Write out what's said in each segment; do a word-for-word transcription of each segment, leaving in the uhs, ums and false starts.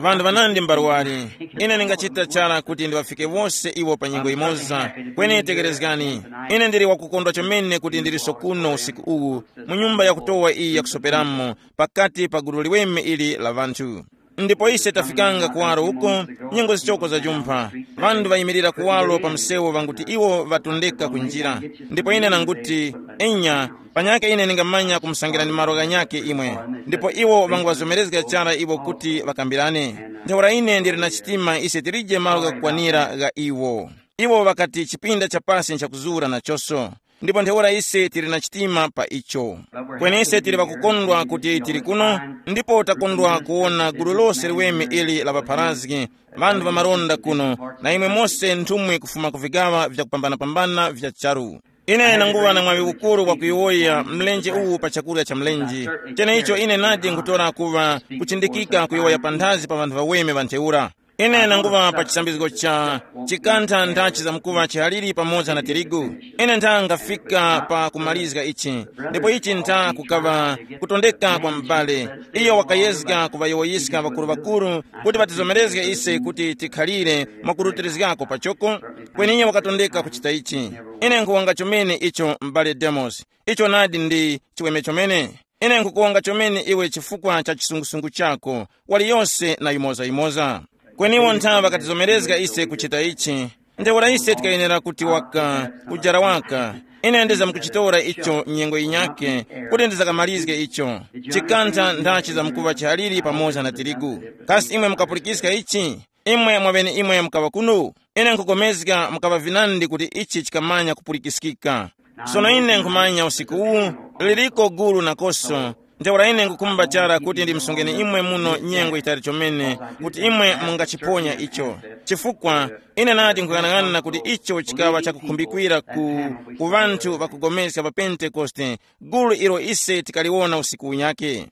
Ŵanthu ŵanandi mbarwari, ine ndingachita chara kuti ndiŵafike wose iwo pa nyengo yimoza. Kweni tekerezgani, ine ndili wakukondwa chomene kuti ndiliso kuno usiku uwu, mu nyumba yakutowa iyi yakusoperamo, pakati pa gulu liweme ili la ŵanthu. Ndipo ise tafikanga kuwaro uko, nyengo zichoko zajumpha. Ŵanthu ŵayimirira kuwaro pa msewu ŵanguti iwo ŵatondeka ku njira. Ndipo ine nanguti, enya, panyakhe ine ningamanya kumusangirani malo ghanyakhe imwe. Ndipo iwo ŵanguŵazomerezga chara iwo kuti ŵakambirane. Ntheura ine ndili na chitima ise tilije malo ghakukwanira gha iwo. Iwo ŵakati chipinda cha pasi nchakuzura nachoso. Ndipo ntheura ise tili na chitima pa icho. Kweni ise tili ŵakukondwa kuti tili kuno, ndipo takondwa kuwona gulu lose liweme ili la ŵapharazgi, ŵanthu ŵamalonda kuno, na imwe mose nthumwi kufuma ku vigaŵa vyakupambanapambana vya charu. Ine nanguŵa na mwaŵi ukuru wakuyowoya mlenje uwu pa chakurya cha mlenje. Cheneicho ine nadi nkutora kuŵa kuchindikika kuyowoya panthazi pa ŵanthu ŵaweme ŵa ntheura. Ine nanguŵa pa chisambizgo cha chikantha nthachi zamkuŵa chihaliri pamoza na tirigu. Ine ntha ngafika pa kumalizga ichi, ndipo ichi ntha kukaŵa kutondeka kwa m'bale. Iyo wakayezga kuŵayowoyiska ŵakuru-ŵakuru kuti ŵatizomerezge ise kuti tikhalire mwakurutirizgako pachoko. Kweni iyo wakatondeka kuchita ichi. Ine nkhuwonga chomene icho, m'bale Demos. Icho nadi ndi chiweme chomene. Ine nkhukuwonga chomene iwe chifukwa cha chisungusungu chako, waliyose na yimoza-yimoza. Kweni iwo nthawe ŵakatizomerezga ise kuchita ichi. Ntheura ise tikayenera kuti waka, kujara waka. Ine ndizamkuchitora icho nyengo yinyakhe, kuti ndizakamalizge icho. Chikantha nthachi zamkuŵa chihaliri pamoza na tirigu. Kasi imwe mukapulikiska ichi? Imwe mwaŵeneimwe mukaŵa kuno? Ine nkhupulikana mukaŵa vinandi kuti ichi chikamanya kupulikiskika. Sono ine nkhumanya usiku uwu, liliko gulu nakoso. Ntheura ine nkhukhumba chara kuti ndimsungeni imwe muno nyengo yitali chomene, kuti imwe mungachiponya icho. Chifukwa ine nati nkhuyang'ana kuti icho chikaŵa chakukhumbikira ku, ku ŵanthu ŵakupulikana pa Pentekoste, gulu ilo ise tikaliwona usiku unyakhe.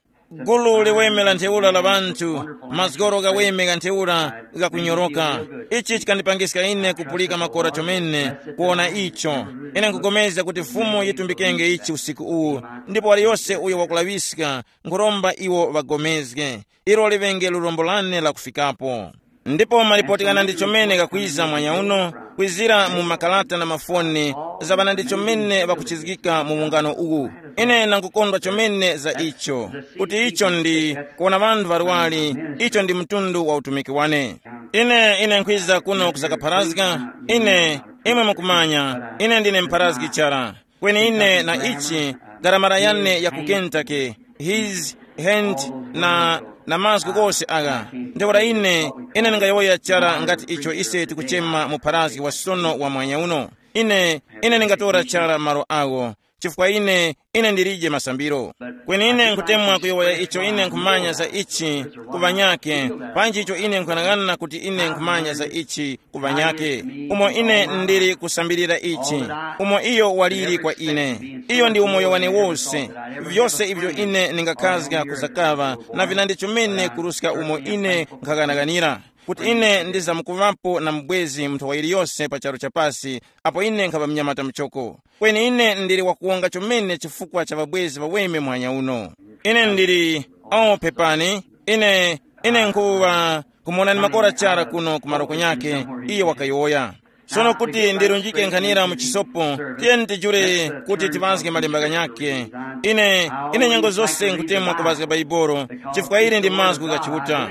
Gulu liweme la ntheura la ŵanthu, mazgoro ghaweme gha ntheura ghakunyoroka. Ichi chikandipangiska ine kupulika makora chomene kuwona icho. Ine nkupulikana kuti Fumu yitumbikenge ichi usiku uwu, ndipo waliyose uyo wakulaŵiska, nkhuromba iwo ŵapulikane. Ilo liŵenge lurombo lane la kufikapo. Ndipo malipoti ghanandi chomene ghakwiza mwanya uno, kwizira mu makalata na mafoni, za ŵanandi chomene ŵakuchizgika mu ungano uwu. Ine nangukondwa chomene za icho, kuti icho ndi kuwona ŵanthu ŵarwari, icho ndi mtundu wa utumiki wane. Ine, ine nkhwiza kuno kuzakapharazga, ine, imwe mukumanya, ine ndine mpharazgi chara. Kweni ine na ichi, garamara yane ya ku Kentucky, his hand na, na mazgu ghose agha. Ntheura ine, ine ndingayowoya chara ngati icho ise tikuchema mu pharazgi wa sono wa mwanya uno. Ine, ine ndingatora chara malo agho, chifukwa ine, ine ndilije masambiro. Kweni ine nkutemwa kuyowoya icho ine nkhumanya za ichi ku ŵanyakhe, panji icho ine nkhuyang'ana kuti ine nkhumanya za ichi ku ŵanyakhe, umo ine ndili kusambirira ichi, umo iyo waliri kwa ine. Iyo ndi umoyo wane wose. Vyose ivyo ine ndingakhazga kuzakaŵa na vinandi chomene kuruska umo ine nkhaghanaghanira, kuti ine ndizamkuŵapo na mubwezi munthu wa yiliyose pa charu cha pasi, apo ine nkhaŵa mnyamata muchoko. Kweni ine ndili wakuwonga chomene chifukwa cha ŵabwezi ŵaweme muhanya uno. Ine ndili, oh, pepani, ine, ine nkhuŵa kumuwonani makora chara kuno ku maroko nyakhe, iyo wakayowoya. Sono kuti ndirunjike nkhanira mu chisopo, tiyeni tijule kuti tiŵazge malemba ghanyakhe. Ine, ine nyengo zose nkutemwa kuŵazga Baibolo, chifukwa ili ndi mazgu gha Chiuta.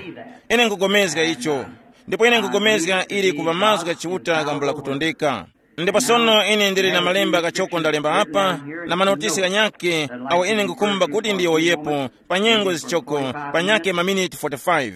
Ine nkugomezga icho, ndipo ine nkugomezga ili kuŵa mazgu gha Chiuta gambula kutondeka. Ndipo sono ine ndili na malemba ghachoko ndalemba apa, na manotisi ghanyakhe, awo ine nkukhumba kuti ndiyowoyepo pa nyengo zichoko, panyakhe maminiti forty-five.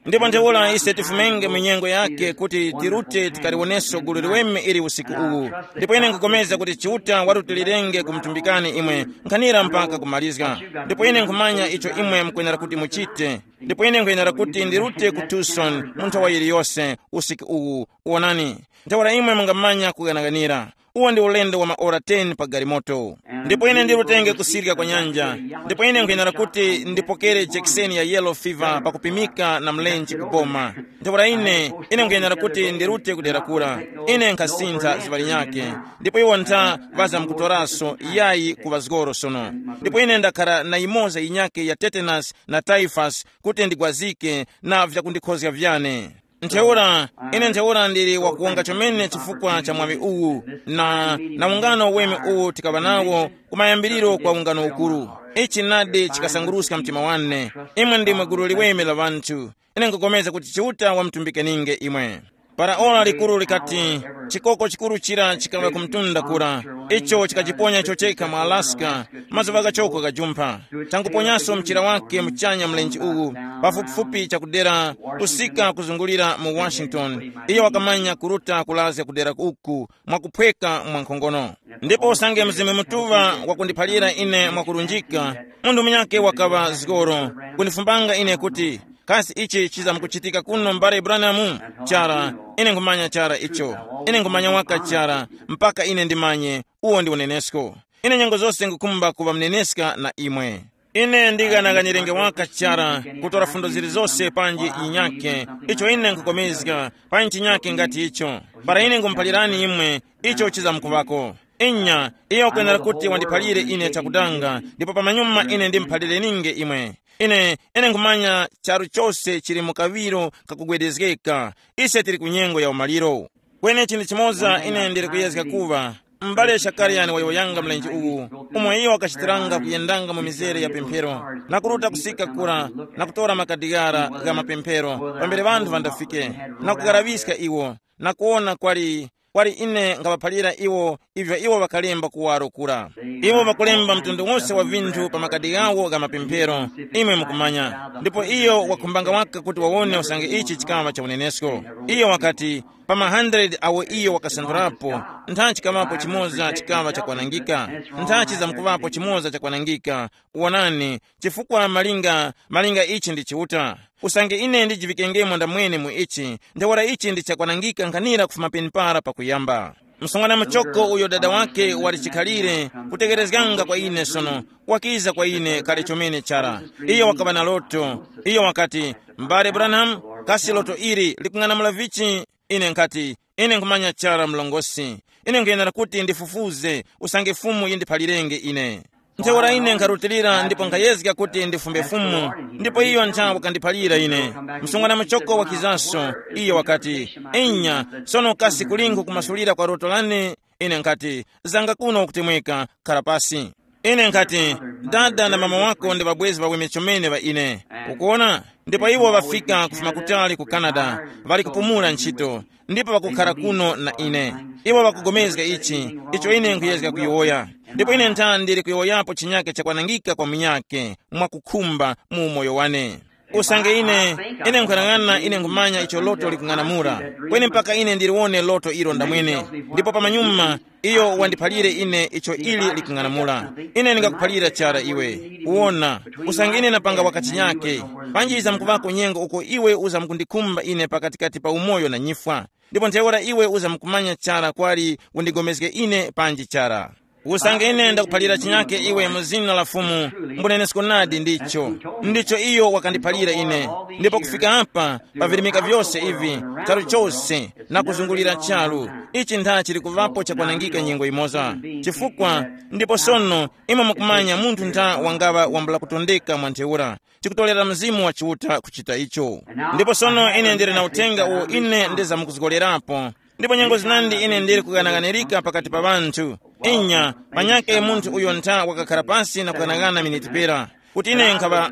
Ndipo ntheura ise tifumenge mu nyengo yakhe kuti tirute tikaliwoneso gulu liweme ili usiku uwu. Ndipo ine nkupulikana kuti Chiuta watutilirenge kumutumbikani imwe nkhanira mpaka kumalizga. Ndipo ine nkhumanya icho imwe mukwenera kuti muchite. Ndipo ine nkwenera kuti ndirute ku Tucson mu nthawa yiliyose usiku uwu. Wonani, ntheura imwe mungamanya kughanaghanira. Uwo ndi ulendo wa maora ten pa galimoto. Ndipo ine ndirutenge kusirika kwa nyanja. Ndipo ine nkwenera kuti ndipokere jekiseni ya yellow fever pakupimika na mlenje kuboma. Ntheura ine, ine nkwenera kuti ndirute kudera kura. Ine nkhasintha zuŵa linyakhe. Ndipo iwo ntha ŵazamkutoraso yayi ku ŵazgoro sono. Ndipo ine ndakhara na yimoza yinyakhe ya tetanus na typhus kuti ndigwazike na vyakundikhozga vyane. Ntheura, ine ntheura ndili wakuwonga chomene chifukwa cha mwaŵi uwu, na, na ungano weme uwu tikaŵa nawo kumayambiriro kwa ungano ukuru. Ichi nadi chikasanguruska mtima wane. Imwe ndimwe gulu liweme la ŵanthu. Ine nkupulikana kuti Chiuta wamtumbikininge imwe. Para ora likuru likati, chikoko chikuru chira chikaŵa ku mtunda kura, icho chikachiponya icho chekha mu Alaska, mazuŵa ghachoko ghajumpha. Changuponyaso mchira wake muchanya mlenje uwu, pafupifupi chakudera kusika kuzungulira mu Washington. Iyo wakamanya kuruta kulazga kudera uku mwakuphweka mwa nkhongono. Ndipo usange Mzimu Mutuŵa wakundiphalira ine mwakurunjika, munthu munyakhe wakaŵa zgoro kundifumbanga ine kuti, kasi ichi chizamkuchitika kuno mbale Branham? Chara, ine nkhumanya chara icho. Ine nkhumanya waka chara, mpaka ine ndimanye, uwo ndi unenesko. Ine nyengo zose ngukhumba kuŵa mneneska na imwe. Ine ndikanakanyerenge waka chara kutora fundo zilizose panji yinyakhe, icho ine nkhukomezga, panji chinyakhe ngati icho. Para ine nkhumuphalirani imwe, icho chizamkuŵako. Inya, iyo wakwenera kuti wandiphalire ine chakudanga, ndipo pamanyuma ine ndimuphalire ninge imwe. Ine, ine nkhumanya charu chose chili mu kaŵiro kakugwedezgeka. Ise tili ku nyengo ya umaliro. Kweni chinthu chimoza ine ndili kuyezga kuŵa, m'bale Shakariani wayowoyanga mlenje uwu, umo iyo wakachitiranga kuyendanga mu mizere ya pemphero, na kuruta kusika kura, na kutora makadigara gha mapemphero pambere ŵanthu ŵandafike, na kugaraŵiska iwo, na kuwona kwali, kwali ine ngaŵaphalira iwo ivyo iwo ŵakalemba kuwaro kura. Iwo ŵakulemba mtundu wose wa vinthu pa makadi ghawo gha mapemphero, imwe mukumanya. Ndipo iyo wakhumbanga waka kuti wawone usange ichi chikaŵa cha unenesko. Iyo wakati, pa ma hundred awo iyo wakasanthulapo, ntha chikaŵapo chimoza chikaŵa chakwanangika. Ntha chizamkuŵapo chimoza chakwanangika. Wonani, chifukwa malinga, malinga ichi ndi Chiuta. Usange ine ndijivikengemo ndamwene mu ichi, ntheura ichi ndi chakwanangika nkhanira kufuma penepara pakuyamba. Msungwana muchoko uyo dada wake wali chikhalire kutekerezganga kwa ine sono, wakiza kwa ine kale chomene chara. Iyo wakaŵa na loto. Iyo wakati, m'bale Branham, kasi loto ili likung'anamula vichi? Ine nkhati, ine nkhumanya chara mlongosi. Ine nkhuyenera kuti ndifufuze usange Fumu yindiphalirenge ine. Ntheura ine nkharutilira ndipo nkhayezga kuti ndifumbe Fumu, ndipo iyo ntha wakandiphalira ine. Msungwana muchoko wakizaso, iyo wakati, inya, sono kasi kulingu kumasulira kwa loto lane? Ine nkhati, zanga kuno ukutemweka, khara pasi. Ine nkhati, dada na mama wako ndi ŵabwezi ŵaweme chomene ŵa ine. Ukuwona? Ndipo iwo ŵafika kufuma kutali ku Canada, ŵali kupumula ntchito, ndipo ŵakukhara kuno na ine. Iwo ŵakugomezga ichi, icho ine nkhuyezga kuyowoya. Ndipo ine ntha ndili kuyowoyapo chinyake chakwanangika kwa munyake, mwakukhumba mu umoyo wane. Usange ine, ine nkhanang'ana ine nkhumanya icho loto likung'anamula, kweni mpaka ine ndiliwone loto ilo ndamwene. Ndipo pamanyuma, iyo wandiphalire ine icho ili likung'anamula. Ine ndingakuphalira chara iwe. Wona, usange ine napanga wakachinyake, panji izamkuvako nyengo uko iwe uzamkundikhumba ine pakatikati pa umoyo na nyifwa. Ndipo ntheura iwe uzamkumanya chara kwali undigomezge ine panji chara. Usange ine ndakuphalira chinyake iwe mu zina la Fumu, mbunenesko nadi ndicho. Ndicho iyo wakandiphalira ine. Ndipo kufika apa, pa virimika vyose ivi, charu chose, na kuzungulira charu, ichi ntha chili kuŵapo chakwanangika nyengo imoza. Chifukwa, ndipo sono, imwe mukumanya munthu ntha wangaŵa wambula kutondeka mwa ntheura, chikutolera Mzimu wa Chiuta kuchita icho. Ndipo sono ine ndili na uthenga uwo ine ndizamkuzgolerapo. Ndipo nyengo zinandi ine ndili kuganaganirika pakati pa ŵanthu. Inya, panyakhe munthu uyo ntha wakakhara pasi na kuganaghana miniti pera, kuti ine nkhaŵa,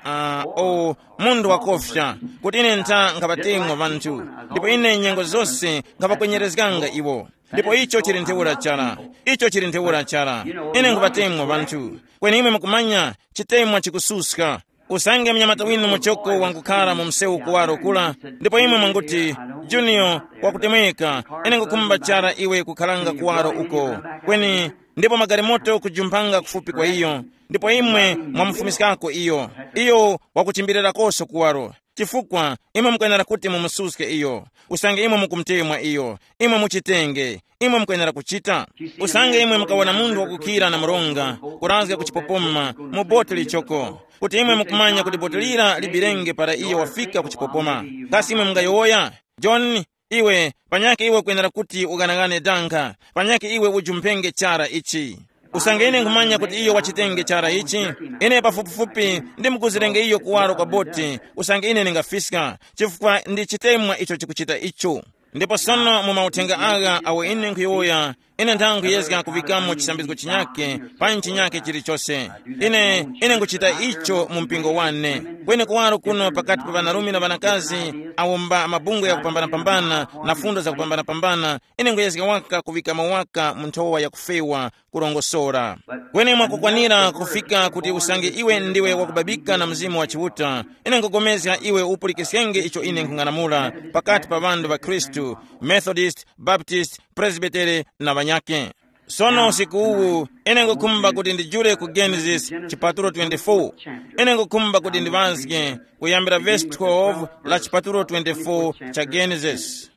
uh, uh, o, munthu wakofya, kuti ine ntha nkhaŵatemwa ŵanthu. Ndipo ine nyengo zose nkhaŵakwenyerezganga iwo. Ndipo icho chili ntheura chara. Icho chili ntheura chara. Ine nkhuŵatemwa ŵanthu. Kweni imwe mukumanya, chitemwa chikususka. Usange mnyamata winu muchoko wangukhara mu msewu kuwaro kula, ndipo imwe mwanguti, Junior, wakutemweka, ine ngukhumba chara iwe kukharanga kuwaro uko. Kweni, ndipo magalimoto kujumphanga kufupi kwa iyo, ndipo imwe mwamufumiskako iyo. Iyo wakuchimbilirakoso kuwaro. Chifukwa imwe mukwenera kuti mumususke iyo. Usange imwe mukumutemwa iyo, imwe muchitenge. Imwe mukwenera kuchita. Usange imwe mukawona munthu wakukhira na mronga, kurazga kuchipopoma mu boti lichoko, kuti imwe mukumanya kuti boti lira libirenge para iyo wafika kuchipopoma, kasi imwe mungayowoya? John, iwe panyakhe iwe ukwenera kuti ughanagane danga, panyakhe iwe ujumphenge chara ichi. Usange ine nkhumanya kuti iyo wachitenge chara ichi, ine pafupifupi ndimukuzirenge iyo kuwaro kwa boti. Usange ine ndingafiska, chifukwa ndi chitemwa icho chikuchita icho. Ndipo sono mu mauthenga agha awo ine nkhuyowoya, ine nthawe nkhuyezga kuŵikamo chisambizgo chinyake pa chinyake chilichose. Ine ine nkuchita icho mu mpingo wane. Kweni kuwaro kuno pakati pa ŵanarume na ŵanakazi, awo mba mabungwe yakupambanapambana na fundo zakupambanapambana, ine nkhuyezga waka kuŵikamo waka mu nthowa yakufewa, kurongosora. Kweni mwakukwanira kufika kuti usange iwe ndiwe wakubabika na Mzimu wa Chiuta, ine nkupulikana iwe upulikiskenge icho ine nkhung'anamula pakati pa ŵanthu ŵa Khristu, Methodist, Baptist, Presbytery na ŵanyakhe. Sono usiku uwu, ine ngukhumba kuti ndijule ku Genesis chipatulo twenty-four. Ine ngukhumba kuti ndiŵazge kuyambira vesi twelve la chipatulo twenty-four cha Genesis.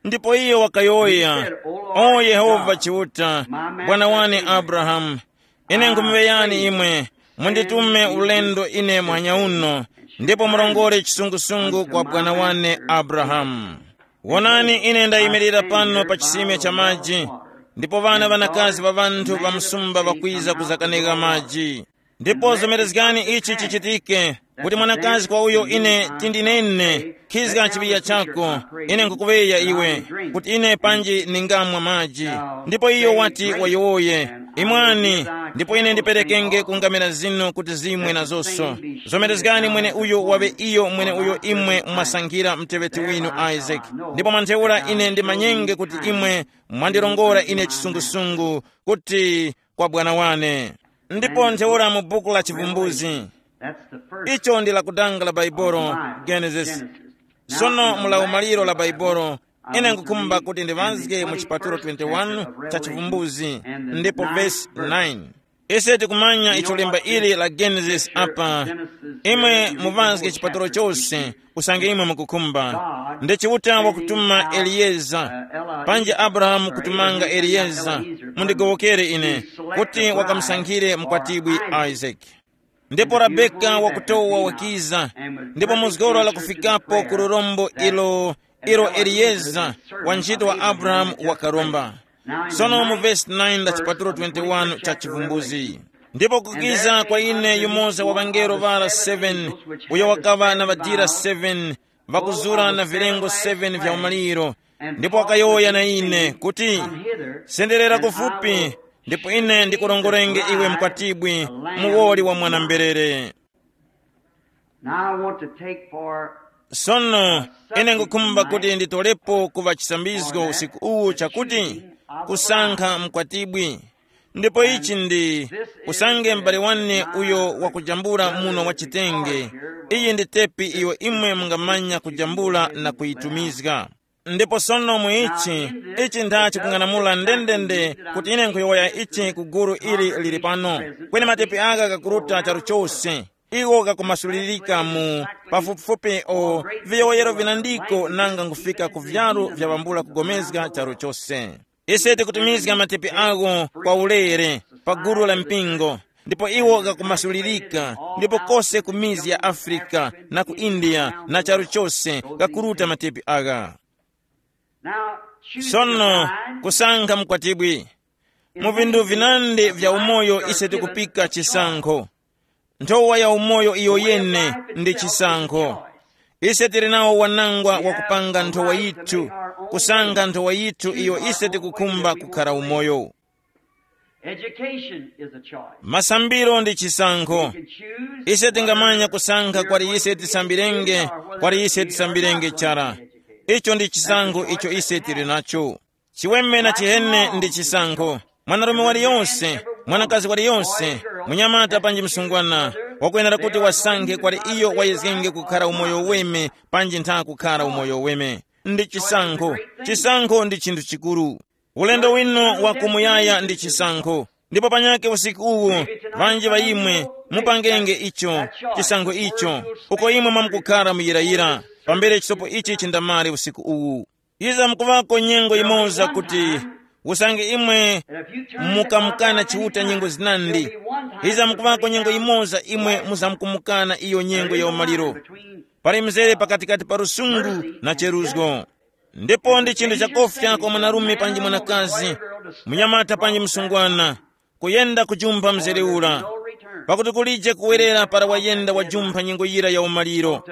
Ndipo iyo wakayowoya, "O Yehova Chiuta, bwana wane Abrahamu, ine nkhumuŵeyani imwe, munditume ulendo ine muhanya uno, ndipo murongore chisungusungu kwa bwana wane Abrahamu. Wonani, ine ndayimirira pano pa chisime cha maji, ndipo ŵana ŵanakazi ŵa ŵanthu ŵa msumba ŵakwiza kuzakanega maji. Ndipo zomerezgani ichi chichitike, kuti mwanakazi kwa uyo ine tindinene, khizga chiŵiya chako, ine nkukuŵeya iwe, kuti ine panji ningamwa maji." Ndipo iyo wati wayowoye, "Imwani, ndipo ine ndiperekenge ku ngamera zinu kuti zimwe nazonso. Zomerezgani mwene uyo waŵe iyo mwene uyo imwe mwasankhira muteŵeti winu Isaac. Ndipo mwa ntheura ine ndimanyenge kuti imwe mwandirongora ine chisungusungu kuti kwa bwana wane." Ndipo ntheura mu buku la Chivumbuzi, icho ndi lakudanga la Baibolo, Genesis. Sono mu la umaliro la Baibolo, ine nkukhumba kuti ndiŵazge mu chipatulo twenty-one cha Chivumbuzi, ndipo vesi nine. Ise tikumanya icho lemba ili la Genesis apa. Imwe muŵazge chipatulo chose, usange imwe mukukhumba. Ndi Chiuta wakutuma Eliyeza, panji Abrahamu kutumanga Eliyeza, mundigowokere ine, kuti wakamusankhire mkwatibwi Isaac. Ndipo Rebeka wakutowa wakiza, ndipo muzgoro la kufikapo ku lurombo ilo, ilo Eliyeza, wa ntchito wa Abrahamu wakaromba. Sono mu vesi nine la chipatulo twenty-one cha Chivumbuzi, ndipo kukiza kwa ine yumoza wa ŵangelo ŵara seven, uyo wakaŵa na ŵadira seven, ŵakuzura na vilengo seven vya umaliro, ndipo wakayowoya na ine kuti, "Senderera kufupi, ndipo ine ndikurongorenge iwe mkwatibwi, muwoli wa mwana-mberere." Now I want to take for Sono ine ngukhumba kuti nditolepo kuva chisambizgo usiku uwu chakuti, kusankha mkwatibwi. Ndipo ichi ndi, usange m'bale wane uyo wakujambula muno wa chitenge, iyi ndi tepi iyo imwe mungamanya kujambula na kuyitumizga. Ndipo sono mu ichi, ichi ntha chikung'anamula ndendende kuti ine nkhuyowoya ichi ku gulu ili lili pano. Kweni matepi aka kakuruta charu chose. Iwo kakumasulirika mu pafupifupi o viyowoyero vinandiko nanga nkufika ku vyalu vya ŵambula kugomezga charu chose. Ise tikutumizga matepi agho kwa ulere pa gulu la mpingo, ndipo iwo ghakumasulirika, ndipo kose ku mizi ya Afrika na ku India na charu chose ghakuruta matepi agha. Sono, kusankha mkwatibwi. Mu vinthu vinandi vya umoyo ise tikupika chisankho. Nthowa ya umoyo iyo yene ndi chisankho. Ise tili nawo wanangwa wakupanga nthowa yithu, kusankha nthowa yithu iyo ise tikukhumba kukhara umoyo. Education is a choice. Masambiro ndi chisankho. Ise tingamanya kusankha kwali ise tisambirenge, kwali ise tisambirenge chara. Icho ndi chisankho icho ise tili nacho. Chiweme na chihene ndi chisankho. Mwanarume waliyonse, mwanakazi waliyonse, munyamata panji msungwana, wakwenera kuti wasankhe kwali iyo wayezgenge kukhara umoyo weme panji ntha kukhara umoyo weme. Ndi chisankho. Chisankho ndi chinthu chikuru. Ulendo winu wa kumuyaya ndi chisankho. Ndipo panyake usiku uwu, ŵanji ŵa imwe Mupangenge icho, chisankho icho, uko imwe mwamkukhara muyirayira, pambere chisopo ichi chindamare usiku uwu. Iza mukuŵako nyengo yimoza kuti, usange imwe mukamukana Chiuta nyengo zinandi, iza mukuŵako nyengo yimoza imwe muzamkumukana iyo nyengo ya umaliro. Pali mzere pakatikati pa lusungu na cheruzgo. Ndipo ndi chinthu chakofya kwa mwanarume panji mwanakazi, munyamata panji msungwana, kuyenda kujumpha mzere ura, pakuti kulije kuwerera para wayenda wajumpha nyengo yira ya umaliro.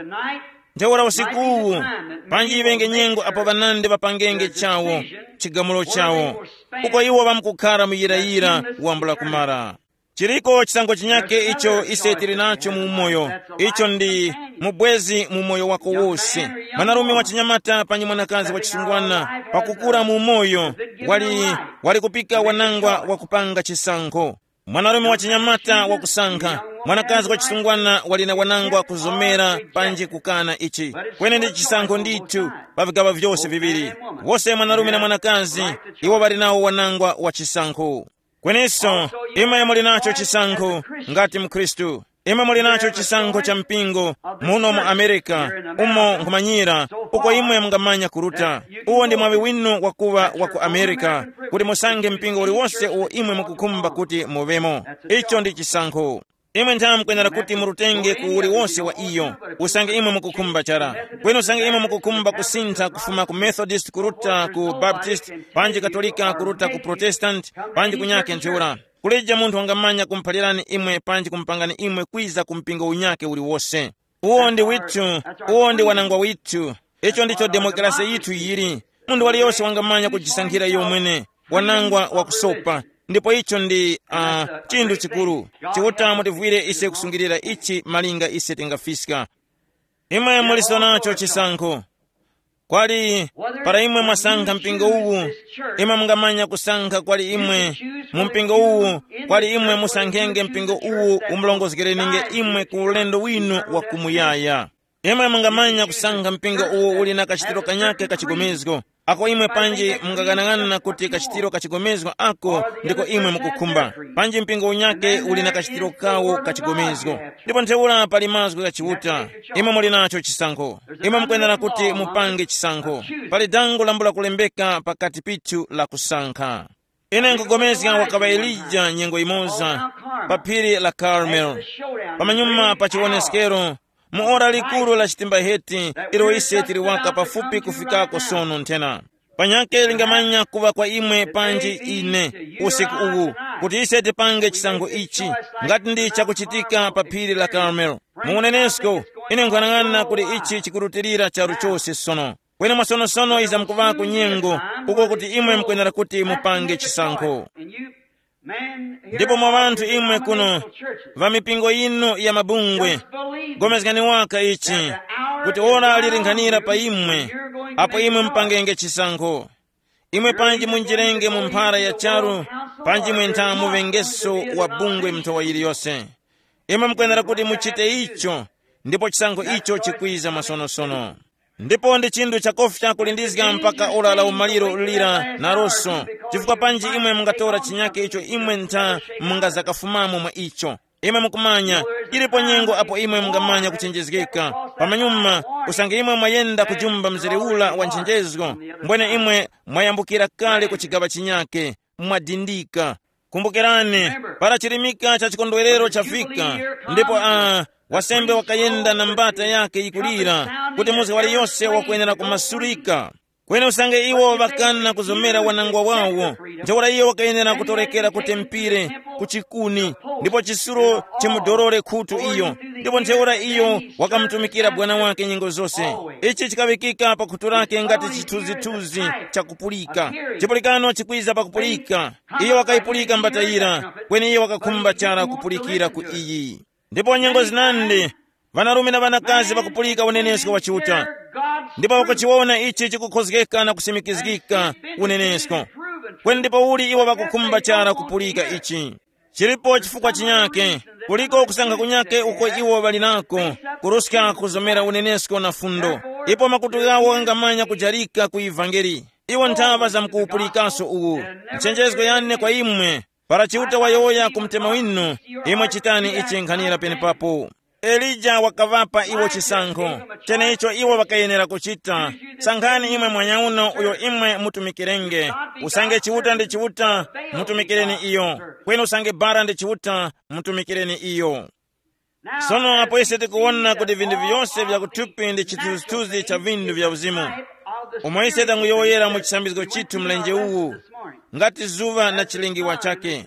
Ntheura usikuwu, panji iŵenge nyengo apo ŵanandi ŵapangenge chawo chigamulo chawo, uko iwo ŵamkukhara mu yirayira wambula kumara. Chiriko chisankho chinyake icho ise tili nacho mu umoyo, icho ndi mubwezi mu moyo wako wose. Mwanarume wa chinyamata panyi mwanakazi wa chisungwana pakukura mu umoyo, wali, wali kupika wanangwa wakupanga chisankho. Mwanarume wa chinyamata wakusankha, mwanakazi wa chisungwana wali na wanangwa kuzomera panji kukana ichi. Kweni ndi chisankho ndithu pa vigaŵa vyose viŵiri. Wose mwanarume na mwanakazi, iwo ŵali nawo wanangwa wa chisankho. Kweninso, imwe muli nacho chisankho ngati mkhristu. Imwe muli nacho chisankho cha mpingo muno mu Amerika, umo nkhumanyira, uko imwe mungamanya kuruta. Uwo ndi mwaŵi winu wakuŵa wa ku Amerika, kuti musankhe mpingo uliwonse uwo imwe mukukhumba kuti muŵemo. Icho ndi chisankho. Imwe nthawe mukwenera kuti murutenge ku uliwonse wa iyo, usange imwe mukukhumba chara. Kweni usange imwe mukukhumba kusintha kufuma ku Methodist kuruta ku Baptist, panji Katolika kuruta ku Protestant, panji kunyake ntheura, kulije munthu wangamanya kumuphalirani imwe panji kumupangani imwe kwiza ku mpingo unyake uliwose. Uwo ndi withu, uwo ndi wanangwa withu. Icho ndicho demokrasi yithu yili. Munthu waliyose wangamanya kujisankhira iyo mwene wanangwa wakusopa. Ndipo icho ndi uh, chinthu chikuru. Chiuta mutivwire ise kusungirira ichi malinga ise tingafiska. Imwe muliso nacho chisankho. Kwali, para imwe mwasankha mpingo uwu, imwe mungamanya kusankha kwali imwe mu mpingo uwu, kwali imwe musankhenge mpingo uwu umulongozgereninge imwe ku ulendo winu wa kumuyaya. Imwe mungamanya kusankha mpingo uwo uli na kachitiro kanyake kachigomezgo, ako imwe panji mungaghanag'ana kuti kachitiro kachigomezgo ako ndiko imwe mukukhumba, panji mpingo unyake uli na kachitiro kawo kachigomezgo. Ndipo ntheura pali mazgu gha Chiuta. Imwe muli nacho chisankho. Imwe mukwenera kuti mupange chisankho. Pali dango lambula kulembeka pakati pithu la kusankha. Ine nkugomezga wakaŵa Elija nyengo imoza pa phiri la Karmel, pamanyuma pa chiwoneskero, mu ora likuru la chitimbaheti ilo ise tili waka pafupi kufikako sono nthena. Panyake lingamanya kuŵa kwa imwe panji ine usiku uwu, kuti ise tipange chisankho ichi, ngati ndi chakuchitika pa phiri la Karmel. Mu unenesko, ine nkhanang'ana kuti ichi chikurutilira charu chose sono. Kweni mwasonosono iza mukuvako nyengo uko kuti imwe mukwenera kuti mupange chisankho. Ndipo mwa ŵanthu imwe kuno, va mipingo yinu ya mabungwe, gomezgani waka ichi, kuti ora lilinkhanira pa imwe, apo imwe mupangenge chisankho. Imwe panji munjirenge mu mphara ya charu, panji mwentha muŵengeso wa bungwe mnthowa yiliyose. Imwe mukwenera kuti muchite icho, ndipo chisankho icho chikwiza masonosono. Ndipo ndi chinthu chakofya kulindizga mpaka ora la umaliro lira naroso, chifukwa panji imwe mungatora chinyake icho imwe ntha mungazakafumamo mwa icho. Imwe mukumanya, ilipo nyengo apo imwe mungamanya kuchenjezgeka. Pamanyuma, usange imwe mwayenda kujumba mzere ula wa nchenjezgo, mbwene imwe mwayambukira kale ku chigaŵa chinyake, mwadindika. Kumbukirani, para chirimika cha chikondwerero chafika, ndipo a wasembe wakayenda na mbata yake yikulira, kuti muzi waliyose wakwenera kumasulika. Kweni usange iwo ŵakana kuzomera wanangwa wawo, ntheura iyo wakayenera kutorekera ku tempire, ku chikuni, ndipo chisulo chimudorore khutu iyo, ndipo ntheura iyo wakamutumikira bwana wake nyengo zose. Ichi chikaŵikika pa khutu lake ngati chithunzithunzi chakupulika. Chipulikano chikwiza pakupulika. Iyo wakayipulika mbatayira, kweni iyo wakakhumba chara kupulikira ku iyi. Ndipo nyengo zinandi, ŵanarume na ŵanakazi ŵakupulika unenesko wa Chiuta, ndipo ŵakuchiwona ichi chikukhozgeka na kusimikizgika unenesko. Kweni ndipo uli iwo ŵakukhumba chara kupulika ichi? Chilipo chifukwa chinyake, kuliko kusankha kunyake uko iwo ŵali nako, kuruska kuzomera unenesko na fundo. Ipo makutu ghawo ghangamanya kujarika ku ivangeli. Iwo nthaŵa zamkuwupulikaso uwu. Nchenjezgo yane kwa imwe, Para Chiuta wayowoya ku mtima winu, imwe chitani ichi nkhanira penepapo. Elija wakaŵapa iwo chisankho, cheneicho iwo ŵakayenera kuchita. Sankhani imwe mwanyauno uyo imwe mutumikirenge. Usange Chiuta ndi Chiuta, mutumikireni iyo. Kweni usange bara ndi Chiuta, mutumikireni iyo. Sono apo ise tikuwona kuti vinthu vyose vya kuthupi ndi chithunzithunzi cha vinthu vya uzimu, umo ise tanguyowoyera mu chisambizgo chithu mlenje uwu, ngati zuŵa na chilingiwa chake.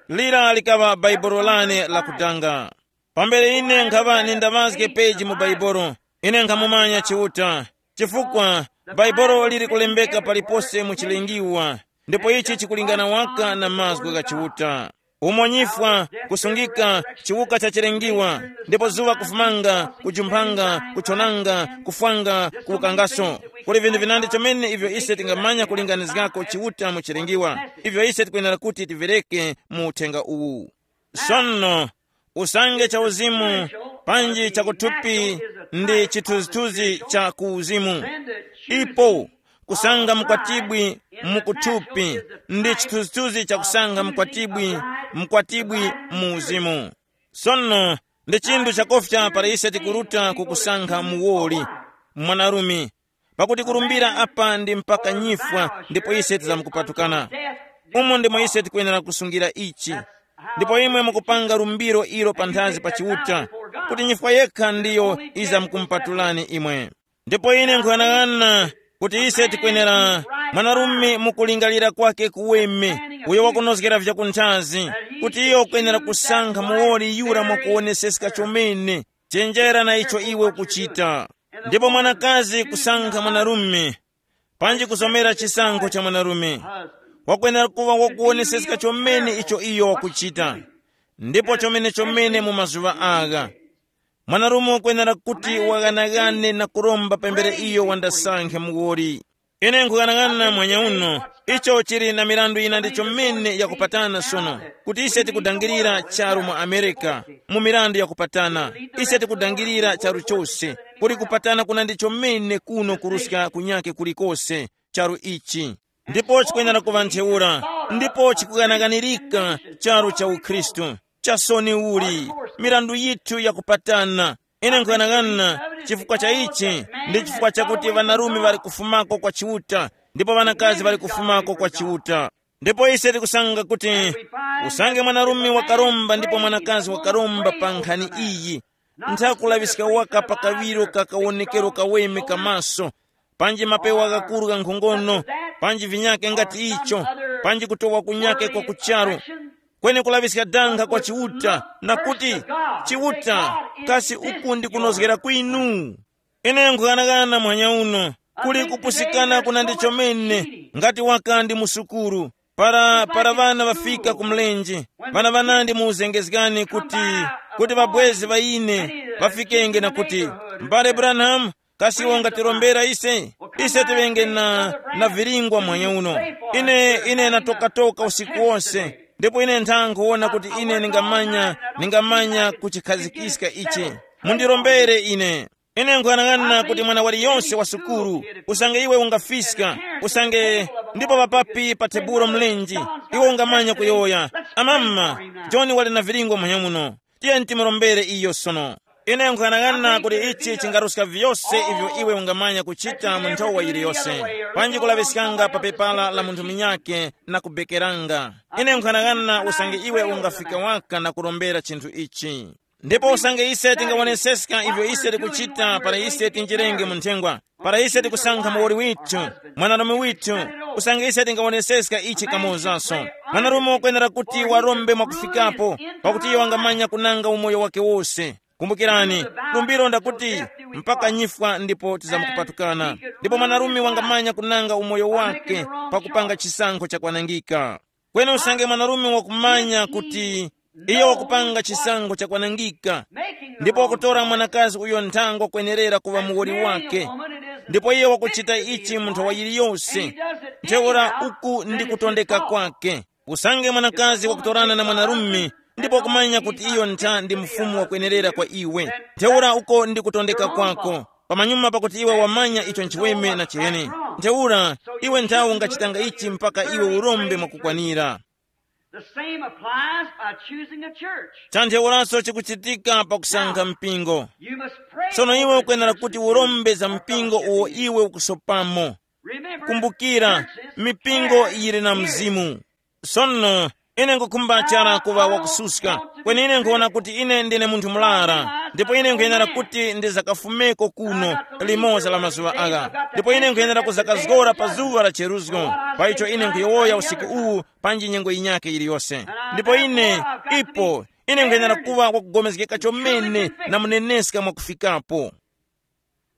Lira likaŵa bhaibolo lane lakutanga. Pambere ine nkhaŵa nindaŵazge peji mu bhaibolo, ine nkhamumanya Chiuta, chifukwa bhaibolo liri kulembeka palipose mu chilingiwa, ndipo ichi chikulingana waka na mazgu gha Chiuta. Umo nyifwa, kusungika, chiwuka cha chilengiwa, ndipo zuŵa kufumanga, kujumphanga, kuchonanga, kufwanga, kuwukangaso. Kuli vinthu vinandi chomene ivyo ise tingamanya kulinganizgako Chiuta mu chilengiwa, ivyo ise tikwenera kuti tivereke mu uthenga uwu. Sono, usange cha uzimu panji cha kuthupi ndi chithunzithunzi cha ku uzimu. Ipo kusanga mkwatibwi mu kuthupi ndi chithunzithunzi cha kusanga mkwatibwi, mkwatibwi mu uzimu. Sono, ndi chinthu chakofya para ise tikuruta kukusankha muwoli, mwanarume, pakuti kurumbira apa ndi mpaka nyifwa ndipo ise tizamkupatukana. Umo ndimo ise tikwenera kusungira ichi. Ndipo imwe mukupanga lumbiro ilo panthazi pa Chiuta, kuti nyifwa yekha ndiyo izamkumpatulani imwe. Ndipo ine nkuyang'ana kuti ise tikwenera, mwanarume mukulingalira kwake kuweme, uyo wakunozgera vyakunthazi, kuti iyo ukwenera kusankha muwoli yura mwakuwoneseska chomene, chenjera na icho iwe ukuchita. Ndipo mwanakazi kusankha mwanarume, panji kuzomera chisankho cha mwanarume, wakwenera kuŵa wakuwoneseska chomene icho iyo wakuchita. Ndipo chomene chomene mu mazuŵa agha, mwanarume wakwenera kuti waghanaghane na kuromba pambere iyo wandasankhe muwoli. Ine nkughanaghanana mwanya uno, icho chili na mirandu yina ndi chomene yakupatana sono, kuti ise tikudangirira charu mu Amerika, mu mirandu yakupatana. Ise tikudangirira charu chose, kuli kupatana kuna ndi chomene kuno kuruska kunyake kulikose, charu ichi. Ndipo chikwenera kuŵa ntheura, ndipo chikughanaghanirika charu cha ukhristu. Chasoni uli, mirandu yithu yakupatana. Ine nkughanaghanana, chifukwa cha ichi, ndi chifukwa chakuti ŵanarume ŵali kufumako kwa Chiuta, ndipo ŵanakazi ŵali kufumako kwa Chiuta. Ndipo ise tikusanga kuti usange mwanarume wakaromba ndipo mwanakazi wakaromba pa nkhani iyi, nthakulaŵiska waka pa kaŵiro ka kawonekero kaweme ka maso, panji mapewa ghakuru gha nkhongono, panji vinyake ngati icho, panji kutowa kunyake kwa kucharu, kweni kulaŵiska danga kwa Chiuta, na kuti, Chiuta, kasi uku ndi kunozgera kwinu? Ine nkughanaghanana mwanya uno, kuli kupusikana kuna ndi chomene, ngati waka ndi mu sukuru, para para ŵana ŵafika ku mlenje, ŵana ŵanandi mu uzengezgani kuti, kuti ŵabwezi ŵa ine ŵafikenge na kuti, mbale Branham, kasi iwe ungatirombera ise? Ise tiŵenge na, na viringwa mwanya uno. Ine, ine natokatoka usiku wose, ndipo ine ntha nkhuwona kuti ine ningamanya, ningamanya kuchikhazikiska ichi. Mundirombere ine. Ine nkuyang'ana kuti mwana waliyonse wa sukulu, usange iwe ungafiska, usange, ndipo papapi pa tebulo mlenji, iwe ungamanya kuyowoya, amama, John wali na viringwa mwanya muno. Tiyeni timurombere iyo sono. Ine nkuyang'ana kuti ichi chingaruska vyose ivyo iwe ungamanya kuchita mu nthowa yiliyose, panji kulaŵiskanga pa pepala la munthu munyakhe na kubekeranga. Ine nkuyang'ana usange iwe ungafika waka na kurombera chinthu ichi. Ndipo usange ise tingawoneseska ivyo ise tikuchita para ise tinjirenge mu nthengwa, para ise tikusankha muwoli withu, mwanarume withu, usange ise tingawoneseska ichi kamozaso. Mwanarume wakwenera kuti warombe mwakufikapo, pakuti iyo wangamanya kunanga umoyo wake wose. Kumbukirani, lumbiro ndakuti, mpaka nyifwa ndipo tizamukupatukana. Ndipo mwanarume wangamanya kunanga umoyo wake pakupanga chisankho chakwanangika. Kweni usange mwanarume wakumanya kuti iyo wakupanga chisankho chakwanangika, ndipo wakutora mwanakazi uyo nthango kwenerera kuŵa muwoli wake, ndipo iyo wakuchita ichi mu nthawi yiliyose, ntheura uku ndi kutondeka kwake. Usange mwanakazi wakutorana na mwanarume, ndipo wakumanya kuti iyo ntha ndi mfumu wakwenerera kwa iwe, ntheura uko ndi kutondeka kwako, pamanyuma pakuti iwe wamanya icho nchiweme na chiheni. Ntheura, iwe nthawe ungachitanga ichi mpaka iwe urombe mwakukwanira. The same applies by choosing a church. Chanthewuranso chikuchitika pakusankha mpingo. You must pray. Sono iwe ukuyenera kuti urombe za mpingo uwo iwe ukusopamo. Remember, kumbukira, churches mipingo have yili na spirits. Mzimu. Sono, ine nkukhumba chara kuŵa wakususka, kweni ine nkuwona kuti ine ndine munthu mulara, ndipo ine nkuyenera kuti ndizakafumeko kuno limoza la mazuŵa agha, ndipo ine nkuyenera kuzakazgora pa zuŵa la cheruzgo. Pa icho ine nkuyowoya usiku uwu, panji nyengo yinyakhe yiliyose. Ndipo ine, ipo, ine nkwenera kuŵa wakugomezgeka chomene na muneneska mwakufikapo.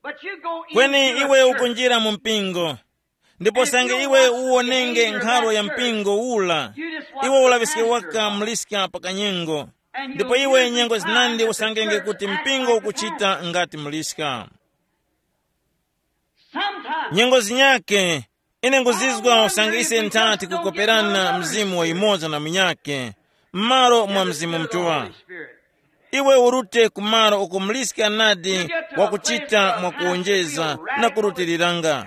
But you go in kweni to a iwe church. Ukunjira mu mpingo, ndipo sange iwe uwonenge nkhalo ya mpingo ula, iwe ulaŵiske waka mliska pa kanyengo. Ndipo iwe nyengo zinandi usangenge kuti mpingo ukuchita ngati mliska. Sometimes nyengo zinyake, ine nguzizwa usange ise nthati kukoperana mzimu wa yumoza na munyake, m'malo mwa Mzimu Mutuŵa. Iwe urute ku malo uko muliska nadi wakuchita mwakuwonjeza na kurutiriranga.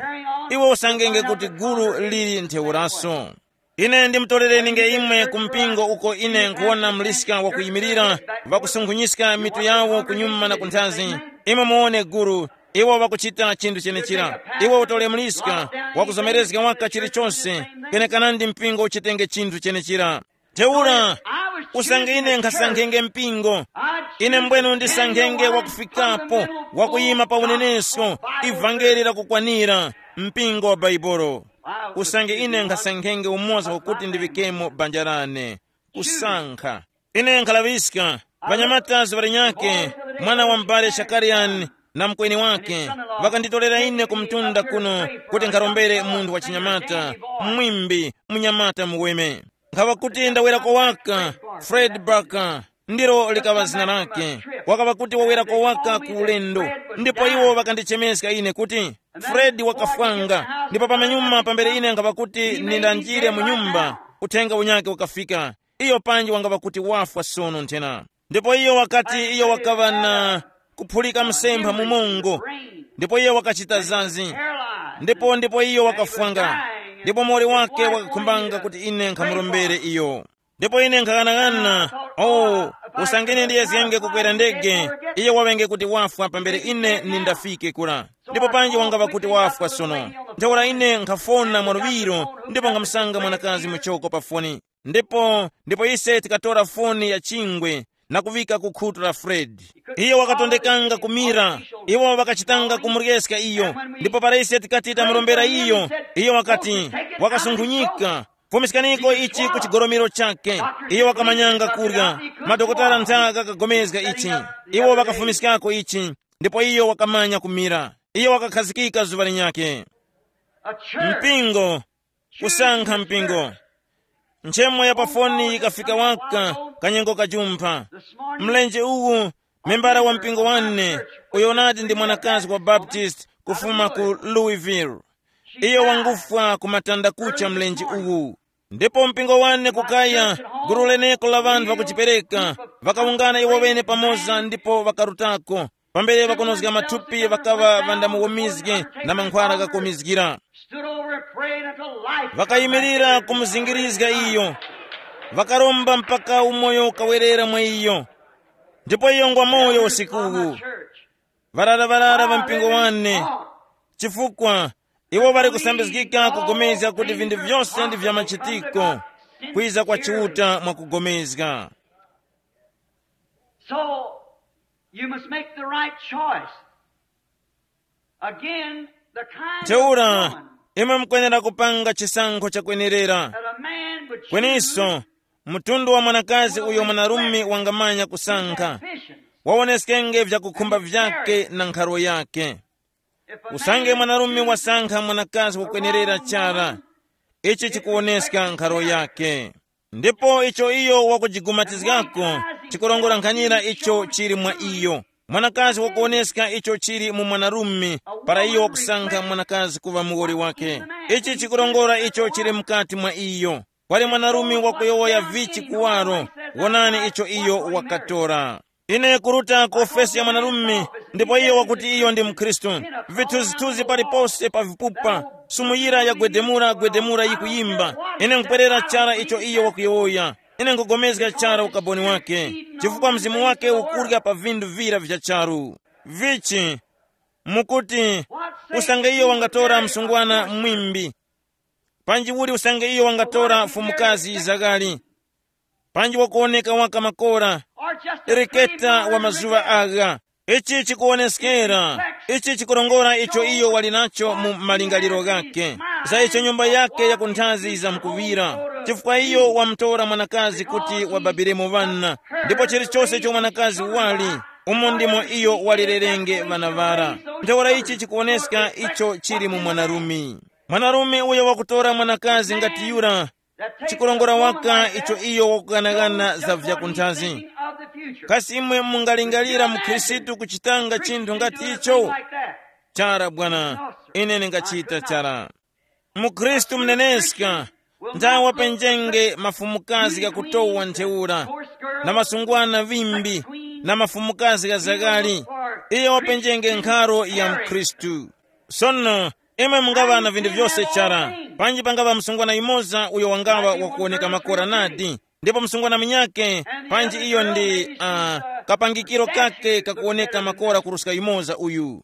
Iwe usangenge kuti gulu lili ntheuraso. Ine ndimutolere ninge imwe ku mpingo uko ine nkhuwona muliska wakuyimirira, ŵakusunkhunyizga mitu yawo kunyuma na kunthazi. Imwe muwone gulu, iwo ŵakuchita chinthu chenechira. Iwe utole muliska, wakuzomerezga waka chilichonse, kwenekana ndi mpingo uchitenge chinthu chenechira. Ntheura, usange ine nkhasankhenge mpingo, ine mbwenu ndisankhenge wakufikapo, wakuyima pa unenesko, ivangeli lakukwanira, mpingo wa Baibolo. Usange ine nkhasankhenge umoza wakuti ndiŵikemo banja lane. Kusankha. Ine nkhalaŵiska, ŵanyamata ziŵalinyake, mwana wa m'bale Shakariyani na mukweni wake, ŵakanditolera ine ku mtunda kuno kuti nkharombere munthu wa chinyamata, mwimbi, munyamata muweme. Nkhaŵa kuti ndawera kowaka, Fred Barker, ndilo likaŵa zina lake. Wakaŵa kuti wawera kowaka ku ulendo, ndipo iwo ŵakandichemeska ine kuti, Fred wakafwanga. Ndipo pamanyuma pambere ine nkhaŵa kuti nindanjire mu nyumba, uthenga unyake ukafika. Iyo panji wangaŵa kuti wafwa sono nthena. Ndipo iyo wakati iyo wakaŵa na kuphulika msempha mu mongo, ndipo iyo wakachita zazi. Ndipo ndipo iyo wakafwanga. Ndipo muwoli wake wakakhumbanga kuti ine nkhamurombere iyo. Ndipo ine nkhaghanaghananga, oh, usangene ndiyezgenge kukwera ndege, iyo waŵenge kuti wafwa pambere ine nindafike kura. Ndipo panji wangaŵa kuti wafwa sono. Ntheura ine nkhafona mwaluŵiro, ndipo nkhamusanga mwanakazi muchoko pa foni. Ndipo ndipo ise tikatora foni ya chingwe na kuŵika ku khutu la Fred. Iyo wakatondekanga kumira, iwo ŵakachitanga kumuryeska iyo. Ndipo para ise tikati tamurombera iyo, iyo wakati, wakasunkhunyika, fumiskaniko ichi ku chigoromero chakhe. Iyo wakamanyanga kurya. Madokotala nthaka ghakagomezga ichi. Iwo ŵakafumiskako ichi, ndipo iyo wakamanya kumira. Iyo wakakhazikika zuŵa linyakhe. Mpingo, kusankha mpingo. Nchemo ya pafoni yikafika waka kanyengo kajumpha. Mlenje uwu, membara wa mpingo wane, uyo nati ndi mwanakazi wa Baptist kufuma ku Louisville. Iyo wangufwa ku matanda kucha mlenje uwu. Ndipo mpingo wane kukaya, gulu leneko la ŵanthu ŵakuchipereka, ŵakawungana iwo ŵene pamoza ndipo ŵakarutako. Pambere ŵakonozga mathupi ŵakaŵa ŵandamuwomizge na mankhwala ghakomizgira. Stood over and prayed until life. Ŵakayimirira kumuzingirizga iyo, ŵakaromba mpaka umoyo ukawerera mwa iyo. Ndipo iyo ngwa moyo usiku uwu. Ŵarara-ŵarara ŵa mpingo wane, chifukwa iwo ŵali kusambizgika kugomezga kuti vinthu vyose ndi vya machitiko, kwiza kwa Chiuta mwakugomezga. So, you must make the right choice. Again, the kind of ntheura, woman imwe mukwenera kupanga chisankho chakwenerera. That a man would choose. Kweniso, mtundu wa mwanakazi uyo mwanarume wangamanya kusankha, wawoneskenge vyakukhumba vyake na nkharo yake. Usange mwanarume wasankha mwanakazi wakwenerera chara, ichi chikuwoneska nkharo yake. Ndipo icho iyo wakujigumatizgako chikurongora nkhanyira icho chili mwa iyo. Mwanakazi wakuwoneska icho chili mu mwanarume, para iyo wakusankha mwanakazi kuŵa muwoli wake. Ichi chikurongora icho chili mukati mwa iyo. Kwali mwanarume wakuyowoya vichi kuwaro, wonani icho iyo wakatora. Ine kuruta ku ofesi ya mwanarume, ndipo iyo wakuti iyo ndi mkhristu. Vithuzithuzi palipose pa vipupa, Sumu yira yagwedemura gwedemura yikuyimba. Ine nkupwerera chara icho iyo wakuyowoya. Ine nkugomezga chara ukaboni wake, chifukwa mzimu wake ukurya pa vindu vira vya charu. Vichi? Mukuti, usange iyo wangatora msungwana mwimbi, panji uli usange iyo wangatora mfumukazi zagali, panji wakuwoneka waka makora, reketa wa mazuŵa agha. Ichi chikuwoneskera, ichi chikurongora icho iyo wali nacho mu malingaliro ghakhe, za icho nyumba yake yakunthazi yizamkuŵira, chifukwa iyo wamutora mwanakazi kuti wababiremo ŵana. Ndipo chilichose icho mwanakazi wali, umo ndimo iyo walirerenge ŵana ŵara. Ntheura ichi chikuwoneska icho chili mu mwanarume. Mwanarume uyo wakutora mwanakazi ngati yura, chikurongora waka icho iyo wakughanaghana za vyakunthazi. Kasi imwe mungalingalira mukhristu kuchitanga chinthu ngati icho? Chara bwana, ine ningachita chara. Mukhristu muneneska, nthawe wapenjenge mafumukazi ghakutowa ntheura, na masungwana ŵimbi, na mafumukazi ghazakali. Iye wapenjenge nkharo ya mukhristu. Sono, imwe mungaŵa na vinthu vyose chara, panji pangaŵa msungwana yumoza uyo wangaŵa wakuwoneka makora nadi, ndipo msungwana munyakhe, panji iyo ndi uh, kapangikiro kake kakuwoneka makora kuruska yumoza uyu.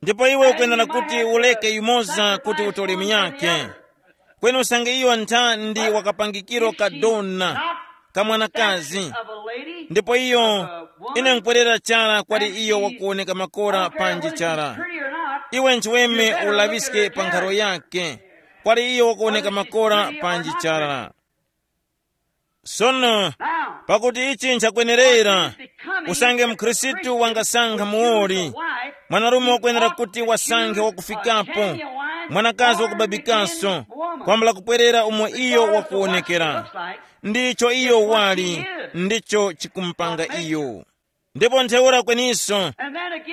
Ndipo iwe ukwenera kuti uleke yumoza kuti utole munyakhe. Kweni usange iyo ntha ndi wakapangikiro kadona, kamwanakazi, ndipo iyo, ine nkwerera chara kwali iyo wakuwoneka makora panji chara. Iwe nchiweme ulaŵiske pa nkharo yake, kwali iyo wakuwoneka makora panji chara. Sono, pakuti ichi nchakwenerera, usange mkhristu wangasankha muwoli, mwanarume wakwenera kuti wasankhe wakufikapo, mwanakazi wakubabikaso, kwambula kupwerera umo iyo wakuwonekera. Ndicho iyo wali, ndicho chikumupanga iyo. Ndipo ntheura kweniso,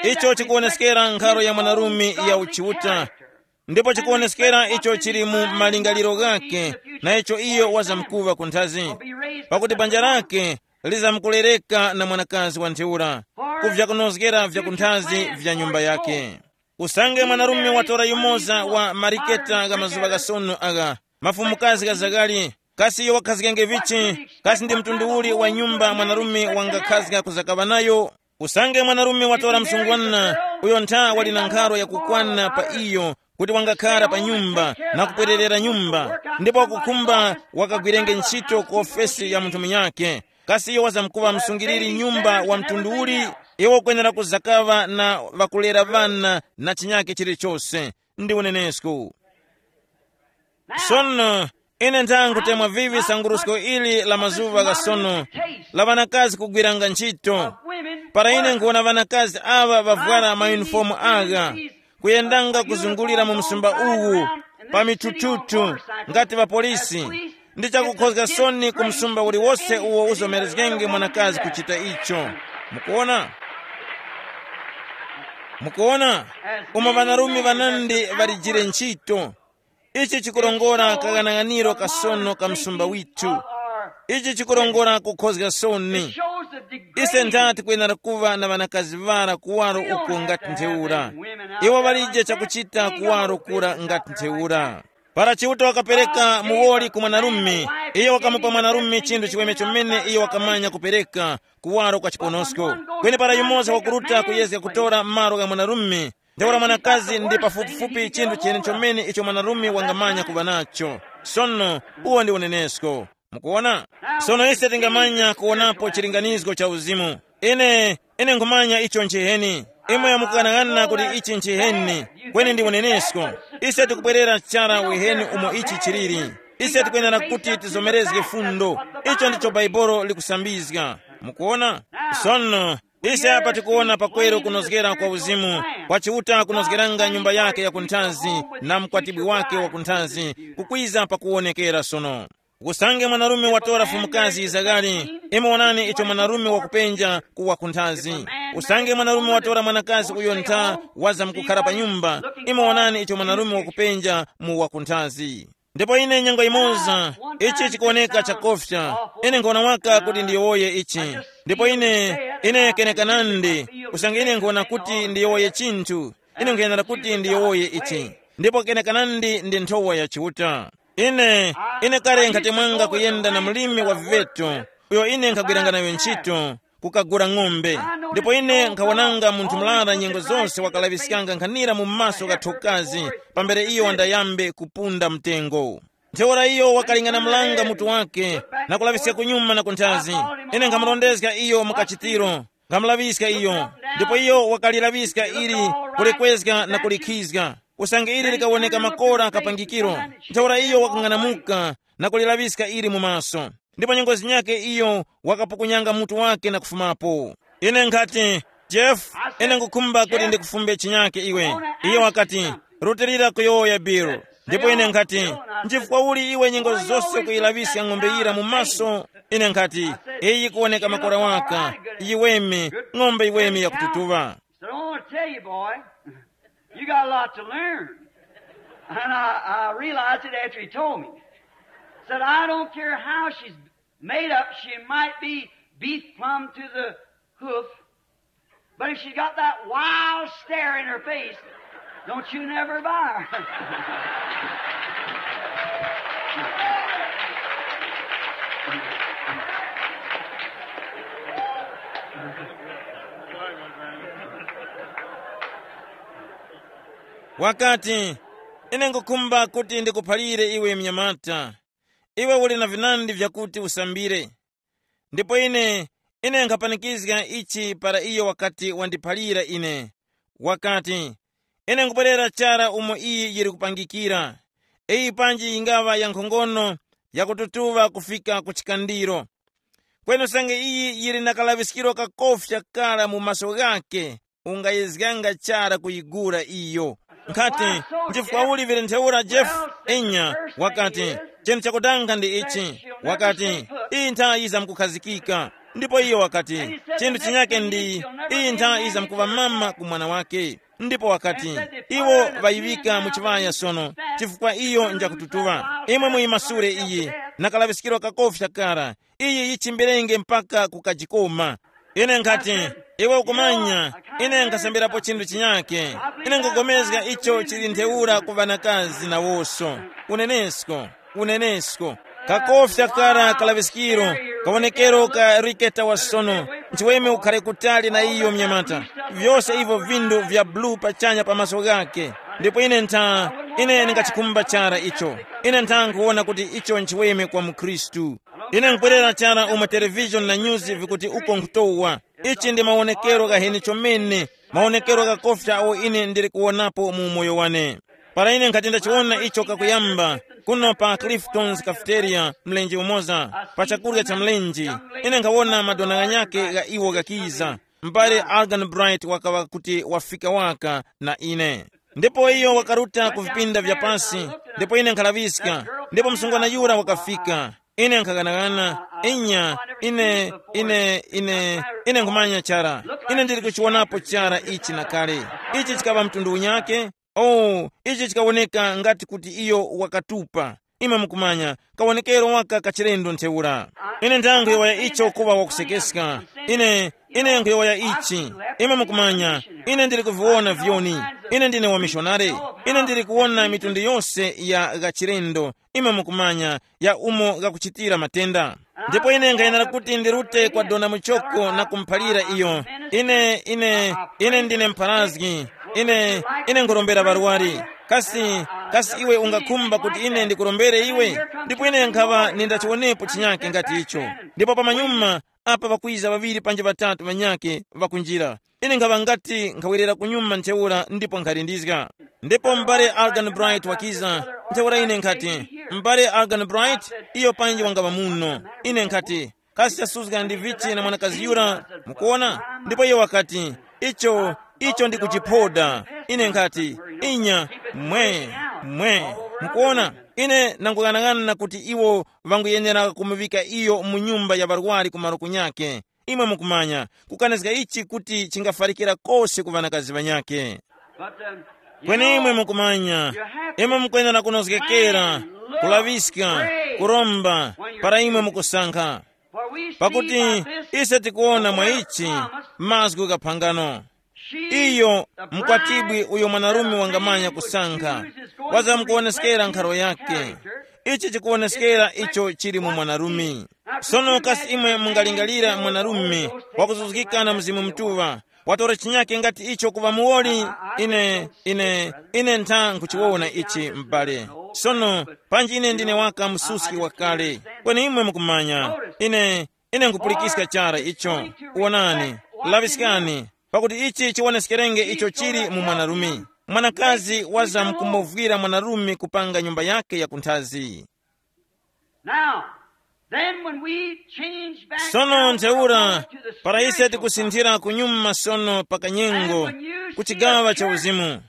icho chikuwoneskera nkharo ya mwanarume ya uchiuta, ndipo chikuwoneskera icho chili mu malingaliro ghakhe, na icho iyo wazamkuva kunthazi, pakuti banja lake lizamkulereka na mwanakazi wa ntheura, ku vyakunozgera vyakunthazi vya nyumba yake. Usange mwanarume watora yumoza wa mariketa gha mazuŵa ghasono agha, mafumukazi ghazakali, kasi iyo wakhazgenge vichi? Kasi ndi mtundu uli wa nyumba mwanarume wangakhazga kuzakaŵa nayo? Usange mwanarume watora msungwana, uyo ntha wali na nkharo yakukwana pa iyo, kuti wangakhara pa nyumba na kupwererera nyumba, ndipo wakukhumba wakagwirenge ntchito ku ofesi ya munthu munyakhe, kasi iyo wazamkuŵa msungiriri nyumba wa mtundu uli? Iwo ukwenera kuzakaŵa na ŵakulera ŵana na chinyakhe chilichose. Ndi unenesko. Sono, ine ntha nkutemwa vivi sangurusko ili la mazuŵa ghasono, la ŵanakazi kugwiranga ntchito. Para ine nkuwona ŵanakazi aŵa ŵavwara mayunifomu agha, kuyendanga kuzungulira mu msumba uwu, pa mitututu, ngati ŵapolisi, ndi chakukhozga soni ku msumba uliwose uwo uzomerezgenge mwanakazi kuchita icho. Mukuona? Mukuona? Umo ŵanarume ŵanandi ŵalijire ntchito. Ichi chikurongora kaghanaghaniro kasono ka msumba withu. Ichi chikurongora kukhozga soni. Ise ntha tikwenera kuŵa na ŵanakazi ŵara kuwaro uko ngati ntheura. Iwo ŵalije chakuchita kuwaro kura ngati ntheura. Para Chiuta wakapereka muwoli ku mwanarume, iyo wakamupa mwanarume chinthu chiweme chomene iyo wakamanya kupereka, kuwaro kwa chiponosko. Kweni para yumoza wakuruta kuyezga kutora malo gha mwanarume, ntheura mwanakazi ndi pafupifupi chinthu chene chomene icho mwanarume wangamanya kuŵa nacho. Sono, uwo ndi unenesko. Mukuona? Sono ise tingamanya kuwonapo chilinganizgo cha uzimu. Ine, ine nkhumanya icho nchiheni. Imwe mukughanaghanana kuti ichi nchiheni, kweni ndi unenesko. Ise tikubwerera chara weheni umo ichi chiliri. Ise tikwenera kuti tizomerezge fundo. Icho ndicho Bhaibuli likusambizga. Mukuona? Sono, ise apa tikuwona pakweru kunozgera kwa uzimu, kwa Chiuta kunozgeranga nyumba yake ya kunthazi na mkwatibwi wake wa kunthazi, kukwiza pakuwonekera sono. Usange mwanarume watora fumukazi Izakari, imwe wonani icho mwanarume wakupenja kuwa kunthazi. Usange mwanarume watora mwanakazi uyo ntha waza mkukhara pa nyumba, imwe wonani icho mwanarume wakupenja mu wakunthazi. Ndipo ine nyengo imoza, ichi chikuwoneka chakofya, ine nkhona waka kuti ndiyowoye ichi. Ndipo ine, ine kenekanandi, usange ine nkhona kuti ndiyowoye chinthu, ine nkhayenera kuti ndiyowoye ichi. ndipo kenekanandi ndi nthowa ya Chiuta. Ine, ine kale nkhatemwanga kuyenda na mlimi wa viveto, uyo ine nkhagwiranga nayo ntchito, kukagula ng'ombe. Ndipo ine nkhawananga munthu murara nyengo zonse wakalaŵiskanga nkhanira mu maso gha thokazi, pambere iyo wandayambe kupunda mtengo. Ntheura iyo wakaling'anamulanga mutu wake, na kulaŵiska kunyuma na kunthazi. Ine nkhamurondezga iyo mu kachitiro, nkhamulaŵiska iyo, ndipo iyo wakalilaŵiska ili, kulikwezga na kulikhizga, usange ili likawoneka makora kapangikiro. Ntheura iyo wakang'anamuka na kulilaŵiska ili mu maso, ndipo nyengo zinyakhe iyo wakapukunyanga mutu wake na kufumapo. Ine nkhati, Jeff, ine ngukhumba kuti ndikufumbe chinyake iwe. Iyo wakati, rutilira kuyowoya Bill. Ndipo ine nkhati, nchifukwa uli iwe nyengo zose kuyilaŵiska ng'ombe yira mu maso? Ine nkhati, iyi kuwoneka makora waka, yiweme, ng'ombe yiweme yakututuŵa. Said, I want to tell you, boy, you got a lot to learn. And I, I realized it after he told me. Said, I don't care how she's made up, she might be beef plumb to the hoof, but if she got that wild stare in her face, don't you never buy her. Wakati, ine ngukhumba kuti ndikuphalire iwe mnyamata, iwe uli na vinandi vyakuti usambire. Ndipo ine, ine nkhapanikizga ichi para iyo wakati wandiphalira ine. Wakati, ine nkubwerera chara umo iyi yiri kupangikira. Iyi panji yingaŵa ya nkhongono yakututuŵa kufika ku chikandiro. Kweni usange iyi yili na kalaŵiskiro kakofya kara mu maso ghakhe, ungayezganga chara kuyigura iyo. Nkhati, nchifukwa uli vili ntheura Jeff? Enya, wakati, chinthu chakutanga ndi ichi. Wakati, iyi nthayi yizamkukhazikika. Ndipo iyo wakati, chinthu chinyake ndi, iyi nthayi yizamkuŵa mama ku mwana wake. Ndipo wakati, iwo ŵayiŵika mu chiŵaya sono, chifukwa iyo njakututuŵa. Imwe muyimasule iyi, na kalaŵiskiro kakofya kara, iyi yichimbirenge mpaka kukajikoma. Ine nkhati, iwe ukumanya, ine nkhasambirapo chinthu chinyake. Ine nkupulikana icho chili ntheura ku ŵanakazi nawoso. Unenesko, unenesko. Kakofya kara kalaŵiskiro, kawonekero ka riketa wa sono, nchiweme ukhare kutali na iyo mnyamata. Vyose ivyo vindu vya bulu pachanya pa maso ghake. Ndipo ine ntha, ine ndingachikhumba chara icho. Ine ntha nkuwona kuti icho nchiweme kwa mukhristu. Ine nkwerera chara umo television na news vikuti uko nkutowa. Ichi ndi mawonekero ghaheni chomene, mawonekero ghakofya awo ine ndili kuwonapo mu umoyo wane. Para ine nkhati ndachiwona icho kakuyamba, kuno pa Clifton's Cafeteria mlenje umoza, pa chakurya cha mlenje, ine nkhawona madona ghanyakhe gha iwo ghakiza. M'bale Algan Bright wakaŵa kuti wafika waka na ine. Ndipo iyo wakaruta ku vipinda vya pasi, ndipo ine nkhalaŵiska, ndipo msungwana yura wakafika. Ine nkhaganaghana, inya, ine, ine, ine, ine nkhumanya chara. Ine ndili kuchiwonapo chara ichi na kale. Ichi chikaŵa mtundu unyake? Oh, ichi chikawoneka ngati kuti iyo wakatupa. Imwe mukumanya, kawonekero waka kachilendo ntheura. Ine ndangwe waya icho kuŵa wakusekeska. Ine, ine nkhuyowoya ichi. Imwe mukumanya, ine ndili kuviwona vyoni. Ine ndine wamishonare. Ine ndili kuwona mitundu yose ya ghachilendo, imwe mukumanya, ya umo ghakuchitira matenda. Ndipo ine nkhayenera kuti ndirute kwa dona muchoko na kumuphalira iyo. Ine, ine, ine ndine mpharazgi. Ine, ine nkhurombera ŵarwari. Kasi, kasi iwe ungakhumba kuti ine ndikurombere iwe? Ndipo ine nkhaŵa nindachiwonepo chinyake ngati icho. Ndipo pamanyuma, apa pakwiza ŵaŵiri panji ŵatatu ŵanyakhe ŵakunjira. Ine nkhaŵa ngati nkhawerera kunyuma ntheura ndipo nkhalindizga. Ndipo m'bale Algan Bright wakiza, ntheura ine nkhati, m'bale Algan Bright, iyo panji wangaŵa muno. Ine nkhati, kasi chasuzga ndi vichi na mwanakazi yura, mukuona? Ndipo iyo wakati, icho, icho ndi kuchiphoda. Ine nkhati, inya, mwe, mwe, mukuona? Ine nanguyang'ana kuti iwo ŵanguyenera kumuŵika iyo mu nyumba ya ŵarwari ku malo kunyakhe. Imwe mukumanya, kukanizga ichi kuti chingafarikira kose ku ŵanakazi ŵanyakhe. Kweni imwe mukumanya, imwe mukwenera kunozgekera, kulaŵiska, kuromba, para imwe mukusankha. Pakuti ise tikuwona mwa ichi mazgu gha phangano. Iyo, mkwatibwi uyo mwanarume wangamanya kusankha. wazamkuwoneskera nkharo yake. Ichi chikuwoneskera icho chili mu mwanarume. Sono kasi imwe mungalingalira mwanarume wakuzuzgika na Mzimu Mutuŵa, watora chinyake ngati icho kuŵa muwoli? Ine, ine, ine ntha nkhuchiwona ichi, m'bale. Sono, panji ine ndine waka msuski wakale. Kweni imwe mukumanya, ine, ine nkhupulikiska chara icho. Wonani, laŵiskani, pakuti ichi chiwoneskerenge icho chili mu mwanarume. Mwanakazi wazamkumovwira mwanarume kupanga nyumba yake ya kunthazi. Now, then when we change back Sono now ntheura, to the para ise spiritual tikusinthira kunyuma sono pa kanyengo, ku chigawa cha uzimu.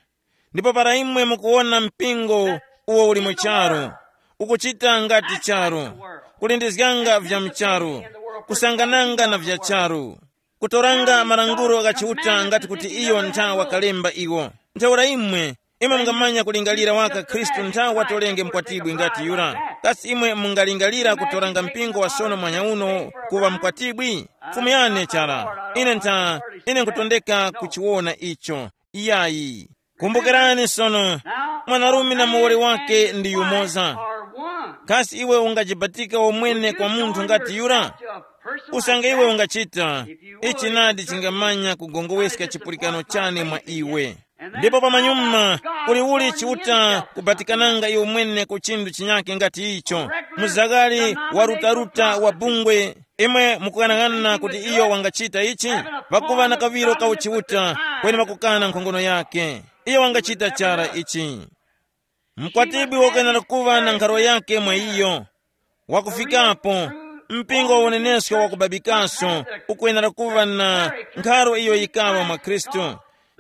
Ndipo para imwe mukuwona mpingo uwo uli mu charu, ukuchita ngati charu, kulindizganga vya mcharu, kusangananga na vya charu, kutoranga malangulo gha Chiuta ngati kuti iyo ntha wakalemba iwo. Ntheura imwe, imwe mungamanya kulingalira waka Khristu ntha watolenge mkwatibwi ngati yura. Kasi imwe mungalingalira kutoranga mpingo wa sono mwanya uno kuŵa mkwatibwi? Fumu yane chara. Ine ntha, ine nkutondeka kuchiwona icho. Iyayi. Kumbukirani sono, mwanarume na muwoli wake ndi yumoza. Kasi iwe ungajibatika womwene kwa munthu ngati yura? Usange iwe ungachita, ichi nadi chingamanya kugongoweska chipulikano chane mwa iwe. Ndipo pamanyuma, kuli uli chiuta kubatikananga iwe mwene ku chinthu chinyake ngati icho? Muzakali wa rutaruta wa bungwe, imwe mukughanaghanana kuti iyo wangachita ichi? Pakuva na kaŵiro ka uchiuta, kweni pakukana nkhongono yake, iyo wangachita chara ichi. Mkwatibwi wakwenera kuŵa na nkharo yake mwa iyo. Wakufikapo, mpingo wa unenesko wakubabikaso ukwenera kuŵa na nkharo iyo yikaŵa mwa Khristu,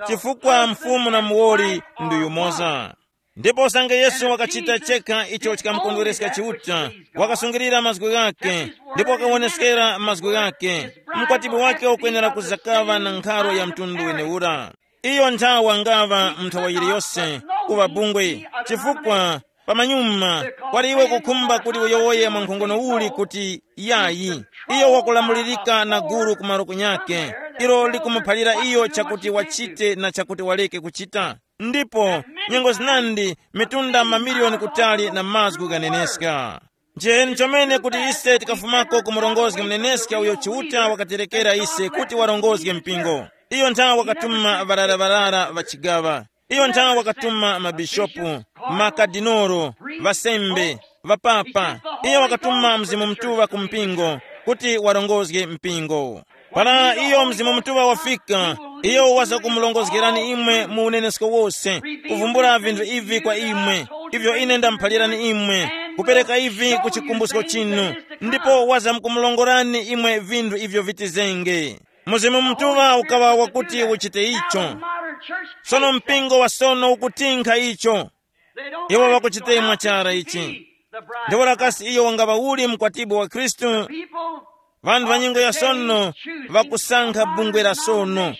chifukwa mfumu na muwoli ndi yumoza. Ndipo usange Yesu wakachita chekha icho chikamukondwereska Chiuta, wakasungilira mazgu ghake, ndipo wakawoneskera mazgu ghake, mkwatibwi wake ukwenera kuzakaŵa na nkharo ya mtundu weneura. Iyo nthawa ngaŵa mu nthawa yiliyose kuŵa bungwe, chifukwa pamanyuma kwali iwe kukhumba kuti uyowoye mwa nkhongono uli kuti yayi, iyo wakulamulirika na gulu kumaro kunyake, ilo likumuphalira iyo chakuti wachite na chakuti waleke kuchita. Ndipo nyengo zinandi, mitunda mamiliyoni kutali na mazgu ghaneneska. Njeni chomene kuti ise tikafumako ku murongozgi muneneska uyo Chiuta wakaterekera ise kuti warongozge mpingo. Iyo nthawe wakatuma ŵarara-ŵarara ŵa chigaŵa. Iyo nthawe wakatuma mabishopu, makadinoro, ŵasembe, ŵapapa. Iyo wakatuma Mzimu Mutuŵa ku mpingo kuti warongozge mpingo. Para iyo Mzimu Mutuŵa wafika, iyo wazakumulongozgerani imwe mu unenesko wose, kuvumbula vinthu ivi kwa imwe, ivyo ine ndamuphalirani imwe, kupereka ivi ku chikumbusko chinu, ndipo wazamkumulongorani imwe vinthu ivyo vitizenge. Mzimu Mutuŵa ukaŵa wakuti uchite icho. Sono mpingo wa sono ukutinkha icho. Iwo ŵakuchitemwa chara ichi. Ndipo lakasi iyo wangaŵa uli mkwatibwi wa Khristu? Vanthu va nyengo ya sono ŵakusankha bungwe la sono.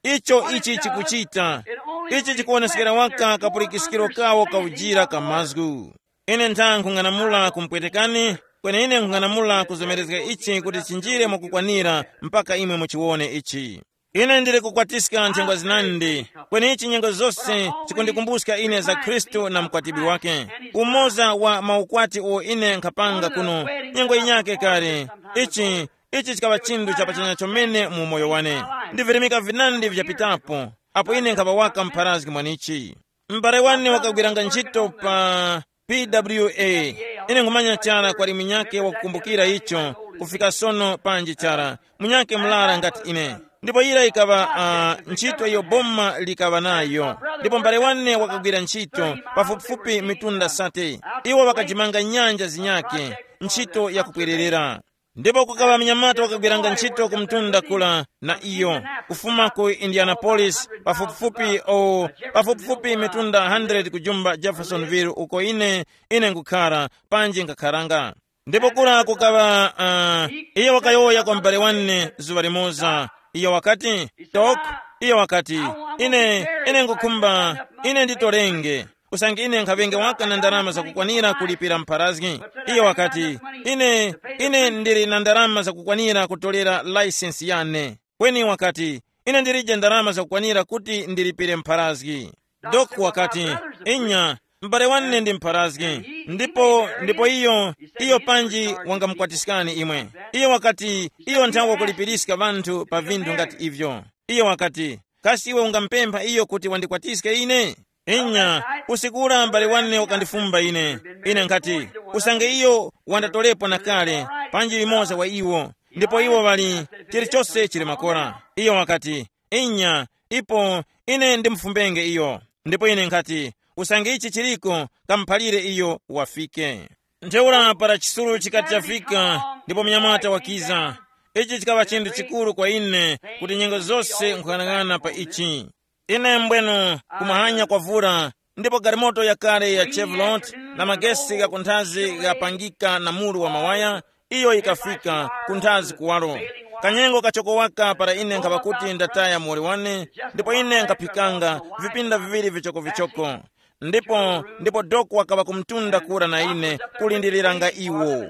Icho ichi chikuchita, ichi chikuwonesekera waka kapulikiskiro kawo ka ujira ka mazgu. Ine ntha nkhung'anamula kumpwetekani, kweni ine nkhung'anamula kuzomerezga ichi kuti chinjire mwakukwanira mpaka imwe muchiwone ichi. Ine ndili kukwatiska nthengwa zinandi, kweni ichi nyengo zose chikundikumbuska ine za Khristu na mkwatibwi wake. Umoza wa maukwati uwo ine nkhapanga kuno, nyengo yinyake kale, ichi, ichi chikaŵa chinthu chapachanya chomene mu umoyo wane. Ndivirimika vinandi vyapitapo, apo ine nkhapa waka mpharazgi mwanichi. M'bale wane wakagwiranga ntchito pa P W A. Ine nkhumanya chara kwali munyake wakukumbukira icho, kufika sono panji chara, munyake murara ngati ine. Ndipo yira yikaŵa uh, ntchito iyo boma likaŵa nayo. Ndipo m'bale wane wakagwira ntchito pafupifupi mitunda sate. Iwo ŵakajimanga nyanja zinyake, ntchito yakupwererera. Ndipo kukaŵa mnyamata wakagwiranga ntchito ku mtunda kula na iyo, kufuma ku Indianapolis, pafupifupi o pafupifupi mitunda hundred kujumba Jeffersonville uko ine ine nkukhara, panji nkakharanga. Ndipo kura kukaŵa uh, iyo wakayowoya kwa m'bale wane zuŵa limoza. Iyo wakati, tok, iyo wakati, ine ine nkukhumba ine nditorenge, usange ine nkhaŵenge waka na ndalama zakukwanira kulipira mpharazgi. Iye wakati, ine ine ndili na ndalama zakukwanira kutolera laisensi yane. Kweni wakati, ine ndilije ndalama zakukwanira kuti ndilipire mpharazgi. Dok wakati, inya, m'bale wane ndi mpharazgi, ndipo ndipo iyo iyo panji wangamukwatiskani imwe. Iyo wakati iyo nthawe wakulipiriska ŵanthu pa vinthu ngati ivyo. Iyo wakati, kasi iwe ungampempha iyo kuti wandikwatiske ine? Inya, usiku ura m'bale wane wakandifumba ine. Ine nkhati, usange iyo wandatolepo na kale, panji yumoza wa iwo, ndipo iwo ŵali, chilichose chili makora. Iyo wakati, inya, ipo ine ndimufumbenge iyo. Ndipo ine nkhati, usange ichi chiliko, kamuphalire iyo wafike. Ntheura para chisuru chikati chafika, ndipo mnyamata wakiza. Ichi chikaŵa chinthu chikuru kwa ine, kuti nyengo zose nkhuyang'ana pa ichi. Ine mbwenu, kumahanya kwavura, ndipo galimoto yakale ya Chevrolet na magesi ghakunthazi ghapangika na muru wa mawaya, iyo yikafika kunthazi kuwaro. Kanyengo kachoko waka para ine nkhaŵa kuti ndataya muwoli wane, ndipo ine nkhaphikanga vipinda viŵiri vichokovichoko. Ndipo ndipo doko wakaŵa kumtunda kura na ine, kulindiriranga iwo.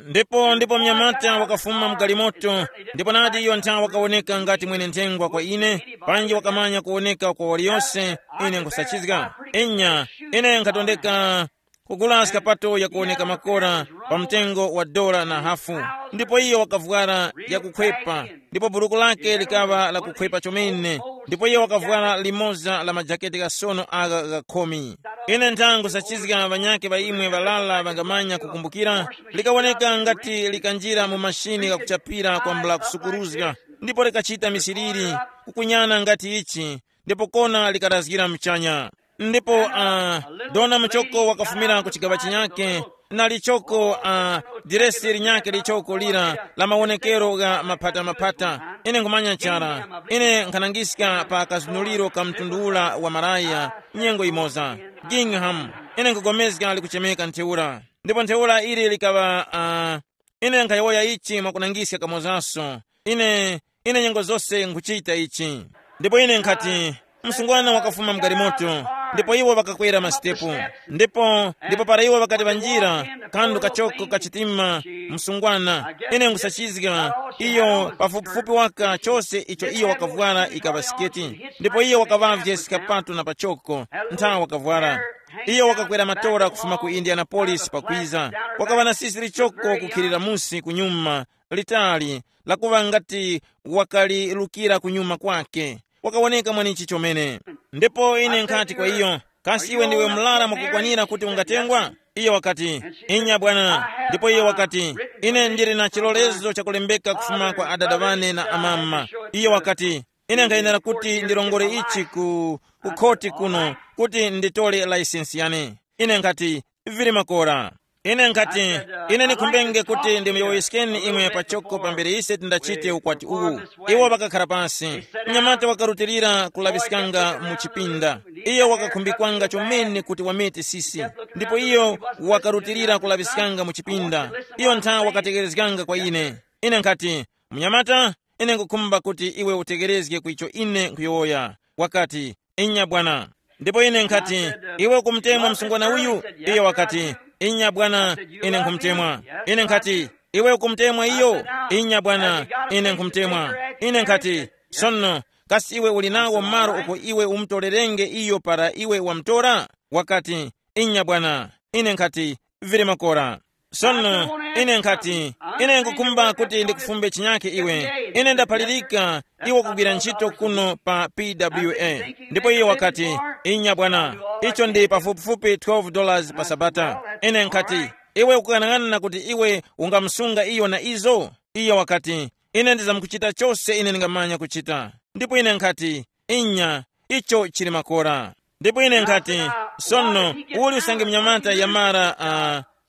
Ndipo ndipo mnyamata wakafuma mu galimoto, ndipo nati iyo nthawi wakawoneka ngati mwene nthengwa kwa ine, panji wakamanya kuwoneka kwa waliyose. Ine nkhusachizga, inya, ine nkhatondeka kugula skapato yakuwoneka makora pa mtengo wa dola na hafu, ndipo iyo wakavwara yakukhwepa, ndipo buruku lake likaŵa lakukhwepa chomene, ndipo iyo wakavwara limoza la majaketi ghasono agha ghakhumi. Ine nthangu sachizga ŵanyakhe ŵa imwe ŵalala ŵangamanya kukumbukira, likawoneka ngati likanjira mu mashini ghakuchapira kwambula kusukuruzga, ndipo likachita misiriri, kukunyana ngati ichi, ndipo kona likarazgira mchanya. Ndipo uh, dona muchoko wakafumira ku chigaŵa chinyake, na lichoko uh, diresi linyake lichoko lira la mawonekero gha maphata-maphata. Ine nkhumanya chara, ine nkhanangiska pa kazunuliro ka mtundu ula wa maraya, nyengo imoza Gingham. Ine nkugomezga likuchemeka ntheura, ndipo ntheura ili likaŵa uh, ine nkhayowoya ichi mwakunangiska kamozaso. Ine ine nyengo zose nkhuchita ichi. Ndipo ine nkhati, msungwana wakafuma mgalimoto, ndipo iwo ŵakakwera masitepu. Ndipo ndipo para iwo ŵakati ŵanjira, kandu kachoko kachitima, msungwana, ine nkhusachizga, iyo pafupifupi waka chose icho iyo wakavwara ikaŵa siketi, ndipo iyo wakaŵavye sikapato na pachoko, nthawi wakavwara. Iyo wakakwera matora kufuma ku Indianapolis pakwiza. Wakaŵa na sisi lichoko kukhilira musi kunyuma, litali, lakuŵa ngati wakalirukira kunyuma kwake. Wakawoneka mwanichi chomene. Ndipo ine nkhati kwa iyo, kasi iwe ndiwe mlara mwakukwanira kuti ungatengwa? Iyo wakati, inya bwana. Ndipo iyo wakati, ine ndili na chilolezo chakulembeka kufuma kwa adada wane na amama. Iyo wakati, ine nkhayenera kuti ndilongole ichi ku, ku khoti kuno kuti nditole layisensi yane. Ine nkhati, vili makora. Ine nkhati, ine ndikhumbenge kuti ndimuyowoyeskeni imwe pachoko pambere ise tindachite ukwati uwu. Iwo ŵakakhala pansi. Mnyamata wakarutilira kulaŵiskanga mu chipinda. Iyo wakakhumbikanga chomene kuti wamete sisi. Ndipo iyo wakarutilira kulaŵiskanga mu chipinda. Iyo ntha wakategerezganga kwa ine. Ine nkhati, mnyamata, ine nkhukhumba kuti iwe utegerezge ku icho ine nkhuyowoya. Wakati, inya bwana. Ndipo ine nkhati, iwe ukumutemwa msungwana uyu? Iyo wakati, inya bwana, ine nkhumutemwa. Ine nkhati, iwe ukumutemwa iyo? Inya bwana, ine nkhumutemwa. Ine nkhati, sono, kasi iwe uli nawo malo uko iwe umutorerenge iyo para iwe wamutora? Wakati, inya bwana. Ine nkhati, vili makora. Sono ine nkhati, ine nkukhumba kuti ndikufumbe chinyake iwe. Ine ndaphalirika iwe kugwira ntchito kuno pa P W A. Ndipo iye wakati, inya bwana, icho ndi pafupifupi twelve dollars pa sabata. Ine nkhati, iwe ukuyang'ana kuti iwe ungamusunga iyo na izo? Iye wakati, ine ndizamkuchita chose ine ndingamanya kuchita. Ndipo ine nkhati, inya, icho chili makora. Ndipo ine nkhati, sono, uli usange mnyamata yamara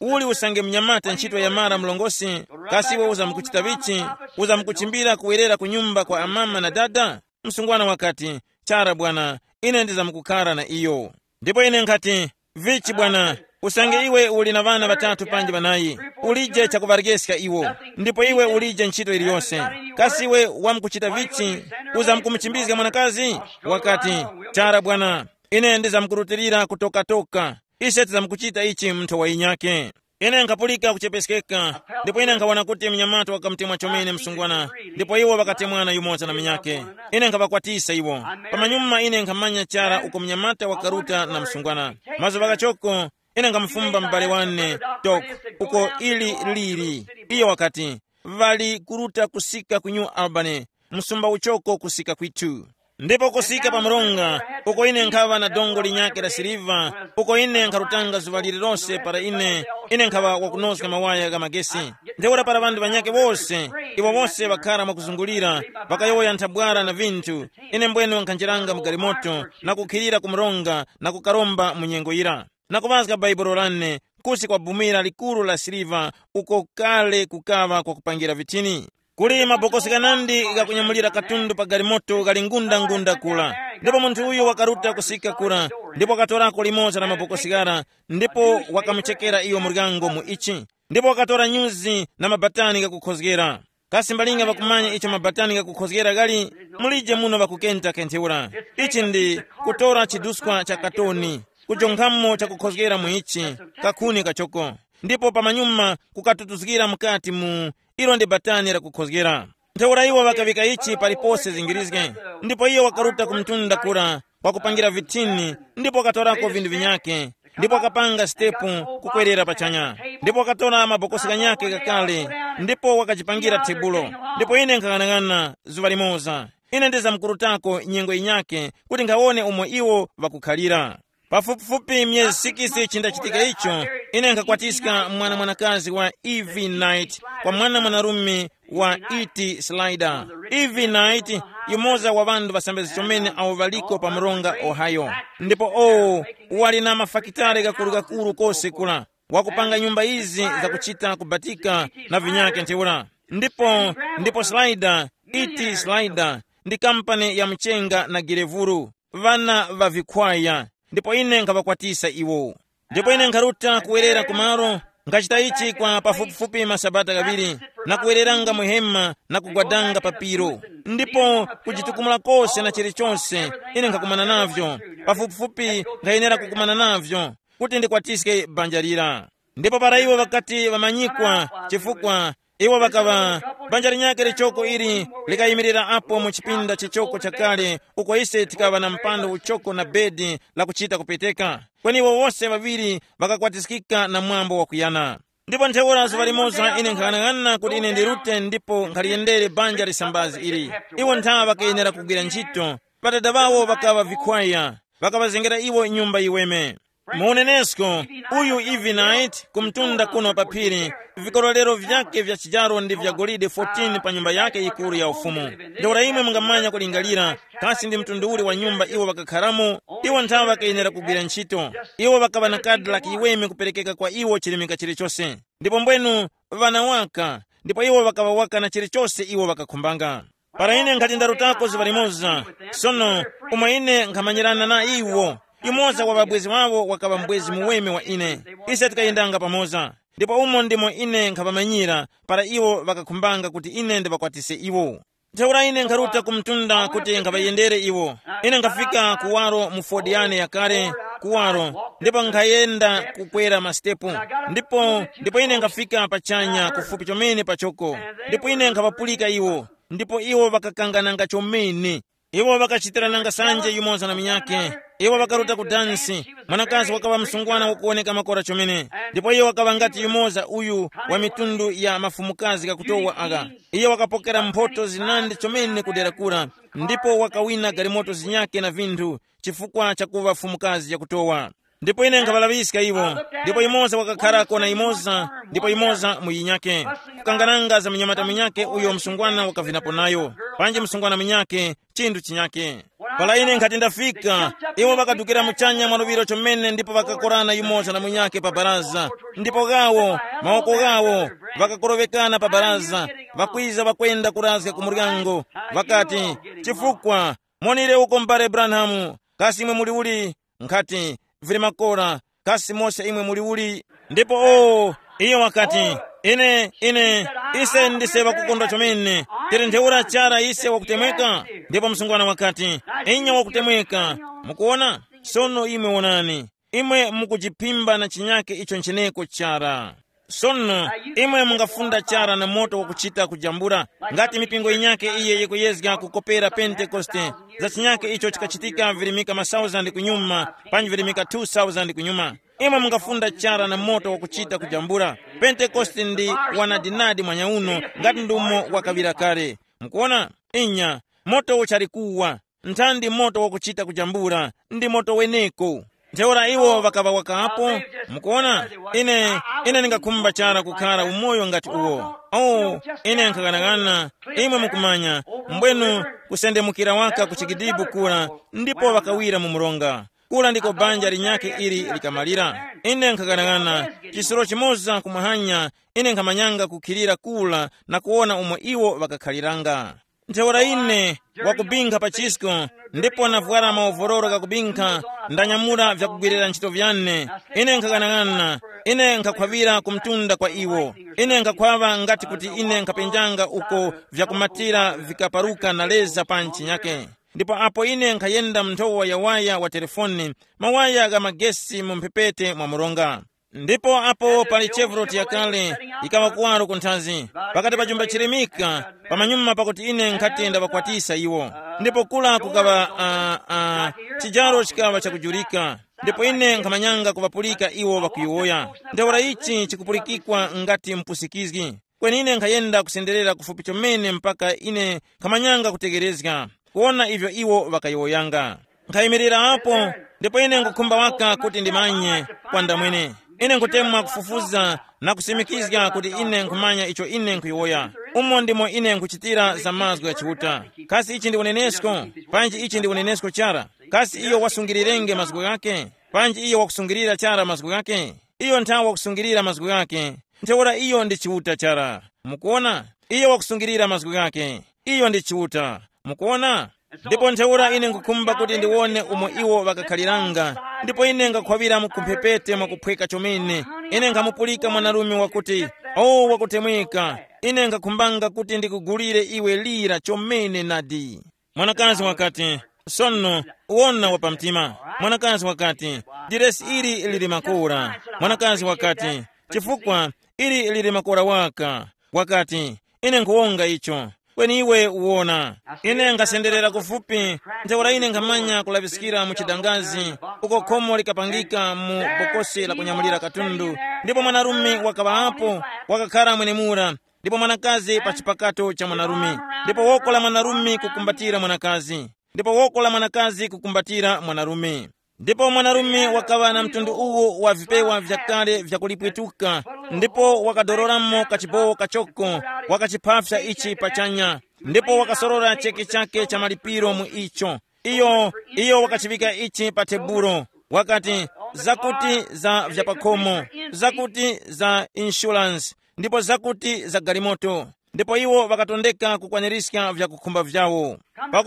uh, uli usange mnyamata ntchito yamara mlongosi? Kasi iwe uzamkuchita vichi? Uzamkuchimbira kuwerera ku nyumba kwa amama na dada? Msungwana wakati, chara bwana, ine ndizamkukara na iyo. Ndipo ine nkhati, vichi bwana, usange iwe uli na ŵana ŵatatu panji ŵanayi, ulije chakuŵaryeska iwo, ndipo iwe ulije ntchito iliyonse. Kasi iwe wamkuchita vichi? Uzamkumuchimbizga mwanakazi? Wakati, chara bwana, ine ndizamkurutilira kutokatoka. Ise tizamkuchita ichi munthu wa inyake. Ine nkhapulika kuchepeskeka, ndipo ine nkhawana kuti mnyamata wakamutemwa chomene msungwana, ndipo iwo ŵakatemwana yumoza na munyakhe. Ine nkhaŵakwatisa iwo. Pamanyuma ine nkhamanya chara uko mnyamata wakaruta na msungwana. Mazuŵa ghachoko, ine nkhamufumba m'bale wane, Tok, uko ili lili. Iyo wakati, ŵali kuruta kusika ku New Albany, msumba uchoko kusika kwithu. Ndipo kusika pa mronga, uko ine nkhaŵa na dongo linyakhe la siliva, uko ine nkharutanga zuŵa lililose para ine, ine nkhaŵa wakunozga mawaya gha magesi. Ntheura para ŵanthu ŵanyakhe wose, iwo wose ŵakhara mwakuzungulira, ŵakayowoya nthabwara na vinthu, ine mbwene nkhanjeranga mu galimoto na kukhilira ku mronga na kukaromba mu nyengo yira, na kuŵazga bhaibolo lane, kusi kwa bumira likuru la siliva, uko kale kukaŵa kwakupangira vitini. Kuli mabokosi ghanandi ghakunyamulira katundu pa galimoto ghali ngunda-ngunda kura. Ndipo munthu uyu wakaruta kusika kura, ndipo wakatorako limoza la mabokosi ghara, ndipo wakamuchekera iyo muryango mu ichi. Ndipo wakatora nyuzi na mabatani ghakukhozgera. Kasi mbalinga ŵakumanya icho mabatani ghakukhozgera ghali? Mulije muno ŵakukenta kentheura. Ichi ndi kutora chiduskwa cha katoni, kujonkhamo chakukhozgera mu ichi, kakhuni kachoko, ndipo pamanyuma kukatutuzgira mukati mu ilo ndi batani lakukhozgera. Ntheura iwo ŵakaŵika ichi palipose zingirizge, ndipo iyo wakaruta ku mtunda kura, wakupangira vitini, ndipo wakatorako vinthu vinyakhe, ndipo wakapanga sitepu kukwerera pachanya, ndipo wakatora mabokosi ghanyakhe ghakale, ndipo wakajipangira tebulo. Ndipo ine nkhang'anang'ana zuŵa limoza, ine ndizamkurutako nyengo yinyakhe kuti nkhawone umo iwo ŵakukhalira. Pafupifupi myezi sikisi chindachitika icho, ine nkhakwatiska mwana mwanakazi wa Evi Knight kwa mwana mwanarume wa Iti Slider. Evi Knight, yumoza wa ŵanthu ŵasambizgi chomene awo ŵaliko pa mronga Ohio. Ndipo owo wali na mafakitare gakuru-gakuru kose kula, wakupanga nyumba izi zakuchita kubatika na vinyake ntheura. Ndipo, ndipo Slider, Iti Slider, ndi kampani ya mchenga na girevuru, ŵana ŵa vikhwaya, ndipo ine nkhaŵakwatisa iwo. Ndipo ine nkharuta kuwerera kumalo, nkhachita ichi kwa pafupifupi masabata ghaŵiri, na kuwereranga mu hema na kugwadanga pa piro, ndipo kujitukumula kose na chilichonse ine nkhakumana navyo, pafupifupi nkhayenera kukumana navyo, kuti ndikwatiske banja lira. Ndipo para iwo ŵakati ŵamanyikwa, chifukwa iwo ŵakaŵa, banja linyakhe lichoko ili likayimirira apo mu chipinda chichoko chakale, uko ise tikaŵa na mpando uchoko na bedi la kuchita kupeteka. Kweni iwo wose ŵaŵiri ŵakakwatiskika na mwambo wakuyana. Ndipo ntheura zuŵa limoza ine nkhang'anang'ana kuti ine ndirute ndipo nkhaliyendere banja lisambazi ili. Iwo nthawa ŵakayenera kugwira ntchito. Ŵadada ŵawo ŵakaŵa vikhwaya, ŵakaŵazengera iwo nyumba yiweme. Mu unenesko, uyu Evi Knight, ku mtunda kuno pa phiri, vikorolero vyake vya chijaro ndi vya golide fourteen pa nyumba yake yikuru ya ufumu. Ntheura imwe mungamanya kulingalira, kasi ndi mtundu uli wa nyumba iwo ŵakakharamo? Iwo nthawe ŵakayenera kugwira ntchito. Iwo ŵakaŵa na kadi la kiweme kuperekeka kwa iwo chirimika chilichose. Ndipo mbwenu, ŵana waka, ndipo iwo ŵakaŵa waka na chilichose iwo ŵakakhumbanga. Para ine nkhati ndarutako zuŵa limoza, sono, umo ine nkhamanyirana na iwo, yumoza wa ŵabwezi wawo wakaŵa mbwezi muweme wa ine. Ise tikayendanga pamoza, ndipo umo ndimo ine nkhaŵamanyira para iwo ŵakakhumbanga kuti ine ndiŵakwatise iwo. Ntheura ine nkharuta ku mtunda kuti nkhaŵayendere iwo. Ine nkhafika kuwaro mu Ford yane yakale, kuwaro, ndipo nkhayenda kukwera masitepu. Ndipo, ndipo ine nkhafika pachanya kufupi chomene pachoko, ndipo ine nkhaŵapulika iwo. Ndipo iwo ŵakakangananga chomene. Iwo ŵakachitirananga sanje yumoza na munyakhe. Iwo ŵakaruta ku dansi. Mwanakazi wakaŵa msungwana wakuwoneka makora chomene, ndipo iyo wakaŵa ngati yumoza uyu wa mitundu ya mafumukazi ghakutowa agha. Iyo wakapokera mphoto zinandi chomene kudera kura, ndipo wakawina galimoto zinyakhe na vinthu, chifukwa chakuŵa fumukazi yakutowa. Ndipo ine nkhaŵalaŵiska iwo, ndipo yumoza wakakharako na yumoza, ndipo yumoza mu yinyakhe, kukangananga za munyamata munyakhe uyo msungwana wakavinapo nayo, panji msungwana munyakhe, chinthu chinyakhe. Para ine nkhati ndafika, iwo ŵakadukira muchanya mwa luŵiro chomene ndipo ŵakakorana yumoza na munyakhe pa baraza, ndipo ghawo, mawoko ghawo, ŵakakorowekana pa baraza, ŵakwiza ŵakwenda kurazga ku muryango, ŵakati, chifukwa, monire uko m'bale Branham, kasi imwe muli uli? Nkhati, vili makora, kasi mose imwe muli uli? Ndipo o, iyo wakati, ine, ine, ise ndise ŵakukondwa chomene, tili ntheura chara ise wakutemweka? Ndipo msungwana wakati, inya wakutemweka. Mukuona? Sono imwe wonani, imwe mukujiphimba na chinyake icho ncheneko chara. Sono, imwe mungafunda chara na moto wakuchita kujambula, ngati mipingo yinyake iye yikuyezga kukopera Pentekoste, za chinyake icho chikachitika virimika masauzandi kunyuma, panji virimika two thousand kunyuma. Imwe mungafunda chara na moto wakuchita kujambula. Pentekoste ndi wanadinadi mwanyauno, ngati ndumo wakaŵira kale. Mukuona? Inya, moto uchali kuwa. Nthandi moto wakuchita kujambula, ndi moto weneko. Ntheura iwo ŵakaŵa wakapo. Mukuona? Ine, ine ndingakhumba chara kukhala umoyo ngati uwo. Oh, ine nkhaghanaghana, imwe mukumanya, mbwenu kusendemukira waka ku chigidibu kura, ndipo ŵakawira mu mronga. Kura ndiko banja linyakhe ili likamalira. Ine nkhaghanaghana, chisiro chimoza kumwahanya, ine nkhamanyanga kukhilira kura na kuwona umo iwo ŵakakhaliranga. Ntheura ine, wakubinkha pa chisko, ndipo navwara maovororo ghakubinkha, ndanyamula vyakugwirira ntchito vyane. Ine nkhaghanag'ana, ine nkhakhwavira ku mtunda kwa iwo. Ine nkhakhwaŵa ngati kuti ine nkhapenjanga uko vyakumatira vikaparuka na leza pa ntchinyake. Ndipo apo ine nkhayenda mu nthowa ya waya wa telefoni, mawaya gha magesi mu mphepete mwa mronga. Ndipo apo pali Chevrolet yakale, ikaŵa kuwaro ku nthazi, pakati pa chumba chirimika, pamanyuma pakuti ine nkhati ndaŵakwatisa iwo. Ndipo kula kukaŵa uh, uh, chijaro chikaŵa chakujurika. Ndipo ine nkhamanyanga kuŵapulika iwo ŵakuyowoya. Ntheura ichi chikupulikikwa ngati mpusikizgi. Kweni ine nkhayenda kusenderera kufupi chomene mpaka ine nkhamanyanga kutegherezga, kuwona ivyo iwo ŵakayowoyanga. Nkhayimirira apo, ndipo ine nkhukhumba waka kuti ndimanye kwa ndamwene. Ine nkhutemwa kufufuza na kusimikizga kuti ine nkhumanya icho ine nkhuyowoya. Umo ndimo ine nkhuchitira za mazgu gha Chiuta. Kasi ichi ndi unenesko? Panji ichi ndi unenesko chara? Kasi iyo wasungirirenge mazgu ghake? Panji iyo wakusungirira chara mazgu ghake? Iyo nthawe wakusungirira mazgu ghake. Ntheura iyo ndi Chiuta chara. Mukuona? Iyo wakusungirira mazgu ghake. Iyo ndi Chiuta. Mukuona? Ndipo ntheura ine nkukhumba kuti ndiwone umo iwo ŵakakhaliranga. Ndipo ine ngakhwawira mu kumphepete mwakuphweka chomene. Ine nkhamupulika mwanarume wakuti, o wakutemweka, ine nkakhumbanga kuti ndikugulire iwe lira chomene nadi. Mwanakazi wakati, sono, wona wa pamtima. Mwanakazi wakati, diresi ili lili makora. Mwanakazi wakati, chifukwa ili lili makora waka. Wakati, ine nkhuwonga icho. Kweni iwe uwona, ine nkhasenderera kufupi, ntheura ine nkhamanya kulaŵiskira mu chidangazi, uko khomo likapangika mu bokosi la kunyamulira katundu. Ndipo mwanarume wakaŵapo, wakakhara mwenemura, ndipo mwanakazi pa chipakato cha mwanarume, ndipo woko la mwanarume kukumbatira mwanakazi, ndipo woko la mwanakazi kukumbatira mwanarume. Ndipo mwanarume wakaŵa na mtundu uwo wa vipewa vyakale vyakulipwituka, ndipo wakadororamo kachibowo kachoko, wakachiphafya ichi pachanya, ndipo wakasorora cheke chake cha malipiro mu icho. Iyo, iyo wakachiŵika ichi pa tebulo, wakati, zakuti za vyapakhomo, zakuti za inshuransi, ndipo zakuti za galimoto. Ndipo iwo ŵakatondeka kukwanirizga vyakukhumba vyawo.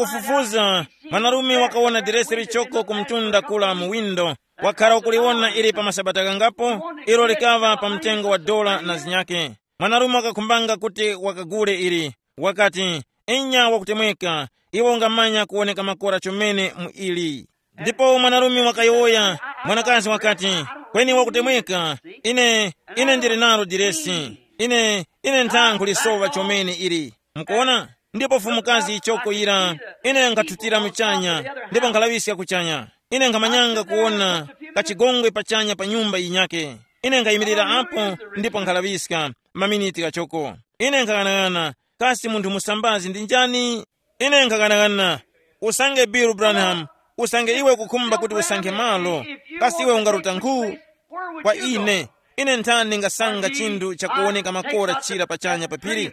Pakufufuza, mwanarume wakawona diresi lichoko ku mtunda kula mu windo. Wakhala ukuliwona ili pa masabata ghangapo, ilo likaŵa pa mtengo wa dola na zinyake. Mwanarume wakakhumbanga kuti wakagule ili. Wakati, inya wakutemweka, iwe ungamanya kuwoneka makora chomene mu ili. Ndipo mwanarume wakayowoya, mwanakazi wakati, kweni wakutemweka, ine, ine ndili nalo diresi. Ine, ine nthankhu lisowa chomene ili. Mukuona? Ndipo fumukazi ichoko yira, ine nkhathutira muchanya, ndipo nkhalaŵiska kuchanya. Ine nkhamanyanga kuwona kachigongwe pachanya pa nyumba yinyake. Ine nkhayimirira apo, ndipo nkhalaŵiska maminiti ghachoko. Ine nkhaghanag'ana, kasi munthu musambazi ndi njani? Ine nkhaghanag'ana, usange Bill Branham, usange iwe kukhumba kuti usankhe malo, kasi iwe ungaruta nkhu? Kwa ine, ine nthani ndingasanga chinthu chakuwoneka makora chira pachanya pa phiri?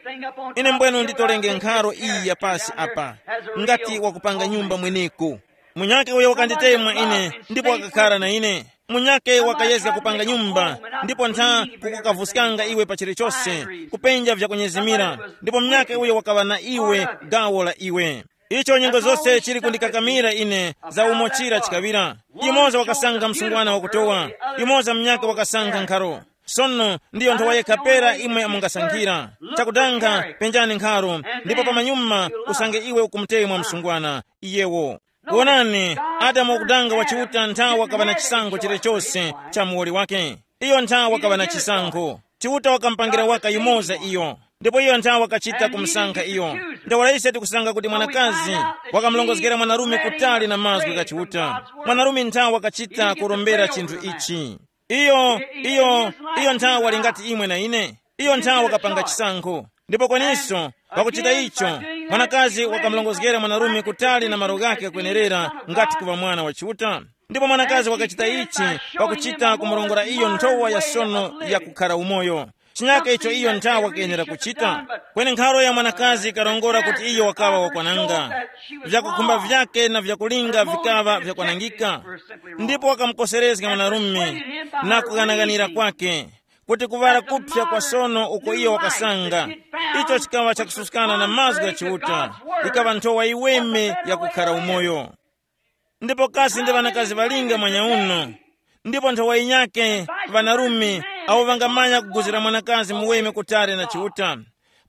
Ine mbwenu nditolenge nkharo iyi ya pasi apa, ngati wakupanga nyumba mweneko. Munyakhe uyo wakanditemwa ine, ndipo wakakhara na ine. Munyakhe wakayezga kupanga nyumba, ndipo ntha kukukavuskanga iwe pa chilichose, kupenja vyakunyezimira, ndipo munyakhe uyo wakaŵa na iwe gawo la iwe. Icho nyengo zose chili kundikakamira ine za umo chira chikaŵira. Yumoza wakasankha msungwana wakutowa, yumoza munyakhe wakasankha nkharo. Sono ndiyo nthowa yekha pera imwe mungasankhira. Chakudanga, penjani nkharo, ndipo pamanyuma usange iwe ukumutemwa msungwana iyewo. Wonani, Adamu wakudanga wa Chiuta nthawi wakaŵa na chisankho chilichose cha muwoli wake. Iyo nthawi wakaŵa na chisankho. Chiuta wakamupangira waka yumoza iyo. Ndipo iyo nthawe wakachita kumusankha iyo. Ntheura ise tikusanga kuti mwanakazi wakamulongozgera mwanarume kutali na mazgu gha Chiuta. Mwanarume nthawe wakachita kurombera chinthu ichi. Iyo iyo iyo nthawe wali ngati imwe na ine. Iyo nthawe wakapanga chisankho. Ndipo kweniso, pakuchita icho, mwanakazi wakamulongozgera mwanarume kutali na malo ghake kwenerera, ngati kuŵa mwana wa Chiuta. Ndipo mwanakazi wakachita ichi pakuchita kumurongora iyo nthowa ya sono ya kukhara umoyo. Chinyake icho iyo nthawe wakayenera kuchita. Kweni nkharo ya mwanakazi ikarongora kuti iyo wakaŵa wakwananga. Vyakukhumba vyake na vyakulinga vikaŵa vyakwanangika. Ndipo wakamukoserezga mwanarume na kughanaghanira kwake, kuti kuŵala kuphya kwa sono uko iyo wakasanga, icho chikaŵa chakususkana na mazgu gha Chiuta. Ikaŵa nthowa yiweme yakukhara umoyo. Ndipo kasi ndi ŵanakazi ŵalinga mwanyauno, ndipo nthowa yinyakhe, ŵanarume awo ŵangamanya kuguzira mwanakazi muweme kutali na Chiuta,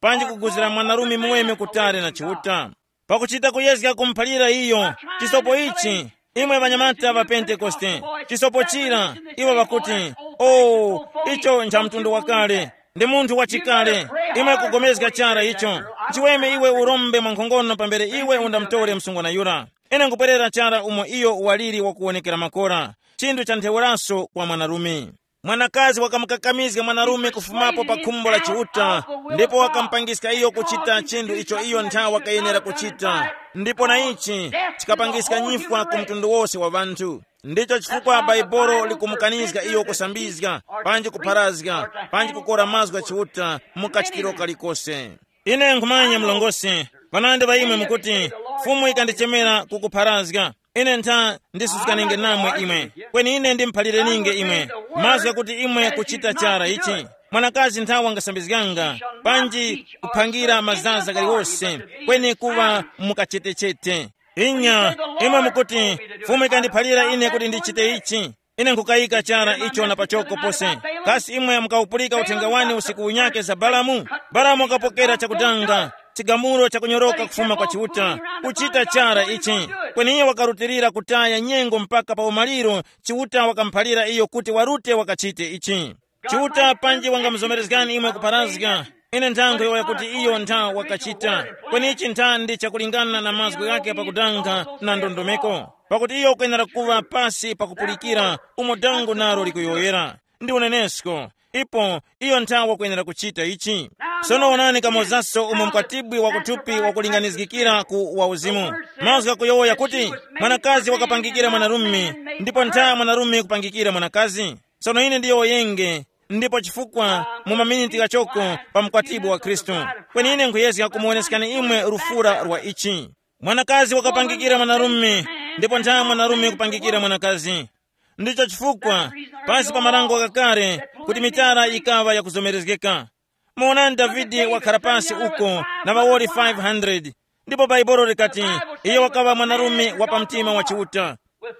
panji kuguzira mwanarume muweme kutali na Chiuta. Pakuchita kuyezga kumuphalira iyo chisopo ichi, imwe ŵanyamata ŵa Pentekoste, chisopo chira, iwo ŵakuti, "Oh, icho ncha mtundu wakale, ndi munthu wachikale." Imwe kugomezga chara icho. Chiweme iwe urombe mwankhongono pambere iwe undamutore msungwana yura. Ine nkupwerera chara umo iyo waliri wakuwonekera makora. Chinthu cha ntheuraso kwa mwanarume. Mwanakazi wakamukakamizga mwanarume kufumapo pa khumbo la Chiuta, ndipo wakamupangiska iyo kuchita chinthu icho iyo nthawe wakayenera kuchita. Ndipo na ichi chikapangiska nyifwa ku mtundu wose wa ŵanthu. Ndicho chifukwa Baibolo likumukanizga iyo kusambizga, panji kupharazga, panji kukora mazgu gha Chiuta mu kachitiro kalikose. Ine nkhumanya mlongosi, panandi pa imwe mukuti, Fumu ikandichemera kukupharazga. Ine ntha ndisusukanenge namwe imwe. Kweni ine ndimuphalireni'nge imwe. Mazgu ghakuti imwe kuchita chara ichi. Mwanakazi nthawe wangasambizganga, panji kuphangira mazaza galiwose, kweni kuŵa mukachetechete. Inya, imwe mukuti, Fumu ikandiphalira ine kuti ndichite ichi. Ine nkukayika chara icho na pachoko pose. Kasi imwe mukawupulika uthenga wani usiku unyake za Balamu? Balamu wakapokera chakudanga, chigamulo chakunyoroka kufuma kwa Chiuta, kuchita chara ichi. Kweni iye wakarutilira kutaya nyengo mpaka pa umaliro, Chiuta wakamuphalira iyo kuti warute wakachite ichi. Chiuta panji wangamuzomerezgani imwe kupharazga, ine nthankho yowoya kuti iyo ntha wakachita. Kweni ichi ntha ndi chakulingana na mazgu ghake pakudanga na ndondomeko. Pakuti iyo ukwenera kuŵa pasi pakupulikira umo dango nalo likuyowoyera. Ndi unenesko. Ipo iyo ntha wakwenera kuchita ichi. Sono wonani kamozaso umo mkwatibwi wakuthupi wakulinganizgikira ku wauzimu. Mazgu ghakuyowoya kuti, mwanakazi wakapangikira mwanarume, ndipo ntha mwanarume kupangikira mwanakazi. Sono ine ndiyowoyenge, ndipo chifukwa mu maminiti ghachoko pa mkwatibwi wa Khristu, kweni ine nkhuyezga kumuwoneskani imwe lufura lwa ichi. Mwanakazi wakapangikira mwanarume, ndipo ntha mwanarume kupangikira mwanakazi. Ndicho chifukwa, pansi pa marango ghakale, kuti mitara yikaŵa yakuzomerezgeka. Muwonani Davide wakhala pasi uko na ŵawoli five hundred, ndipo Baibolo likati, iye wakaŵa mwanarume wa pamtima wa Chiuta,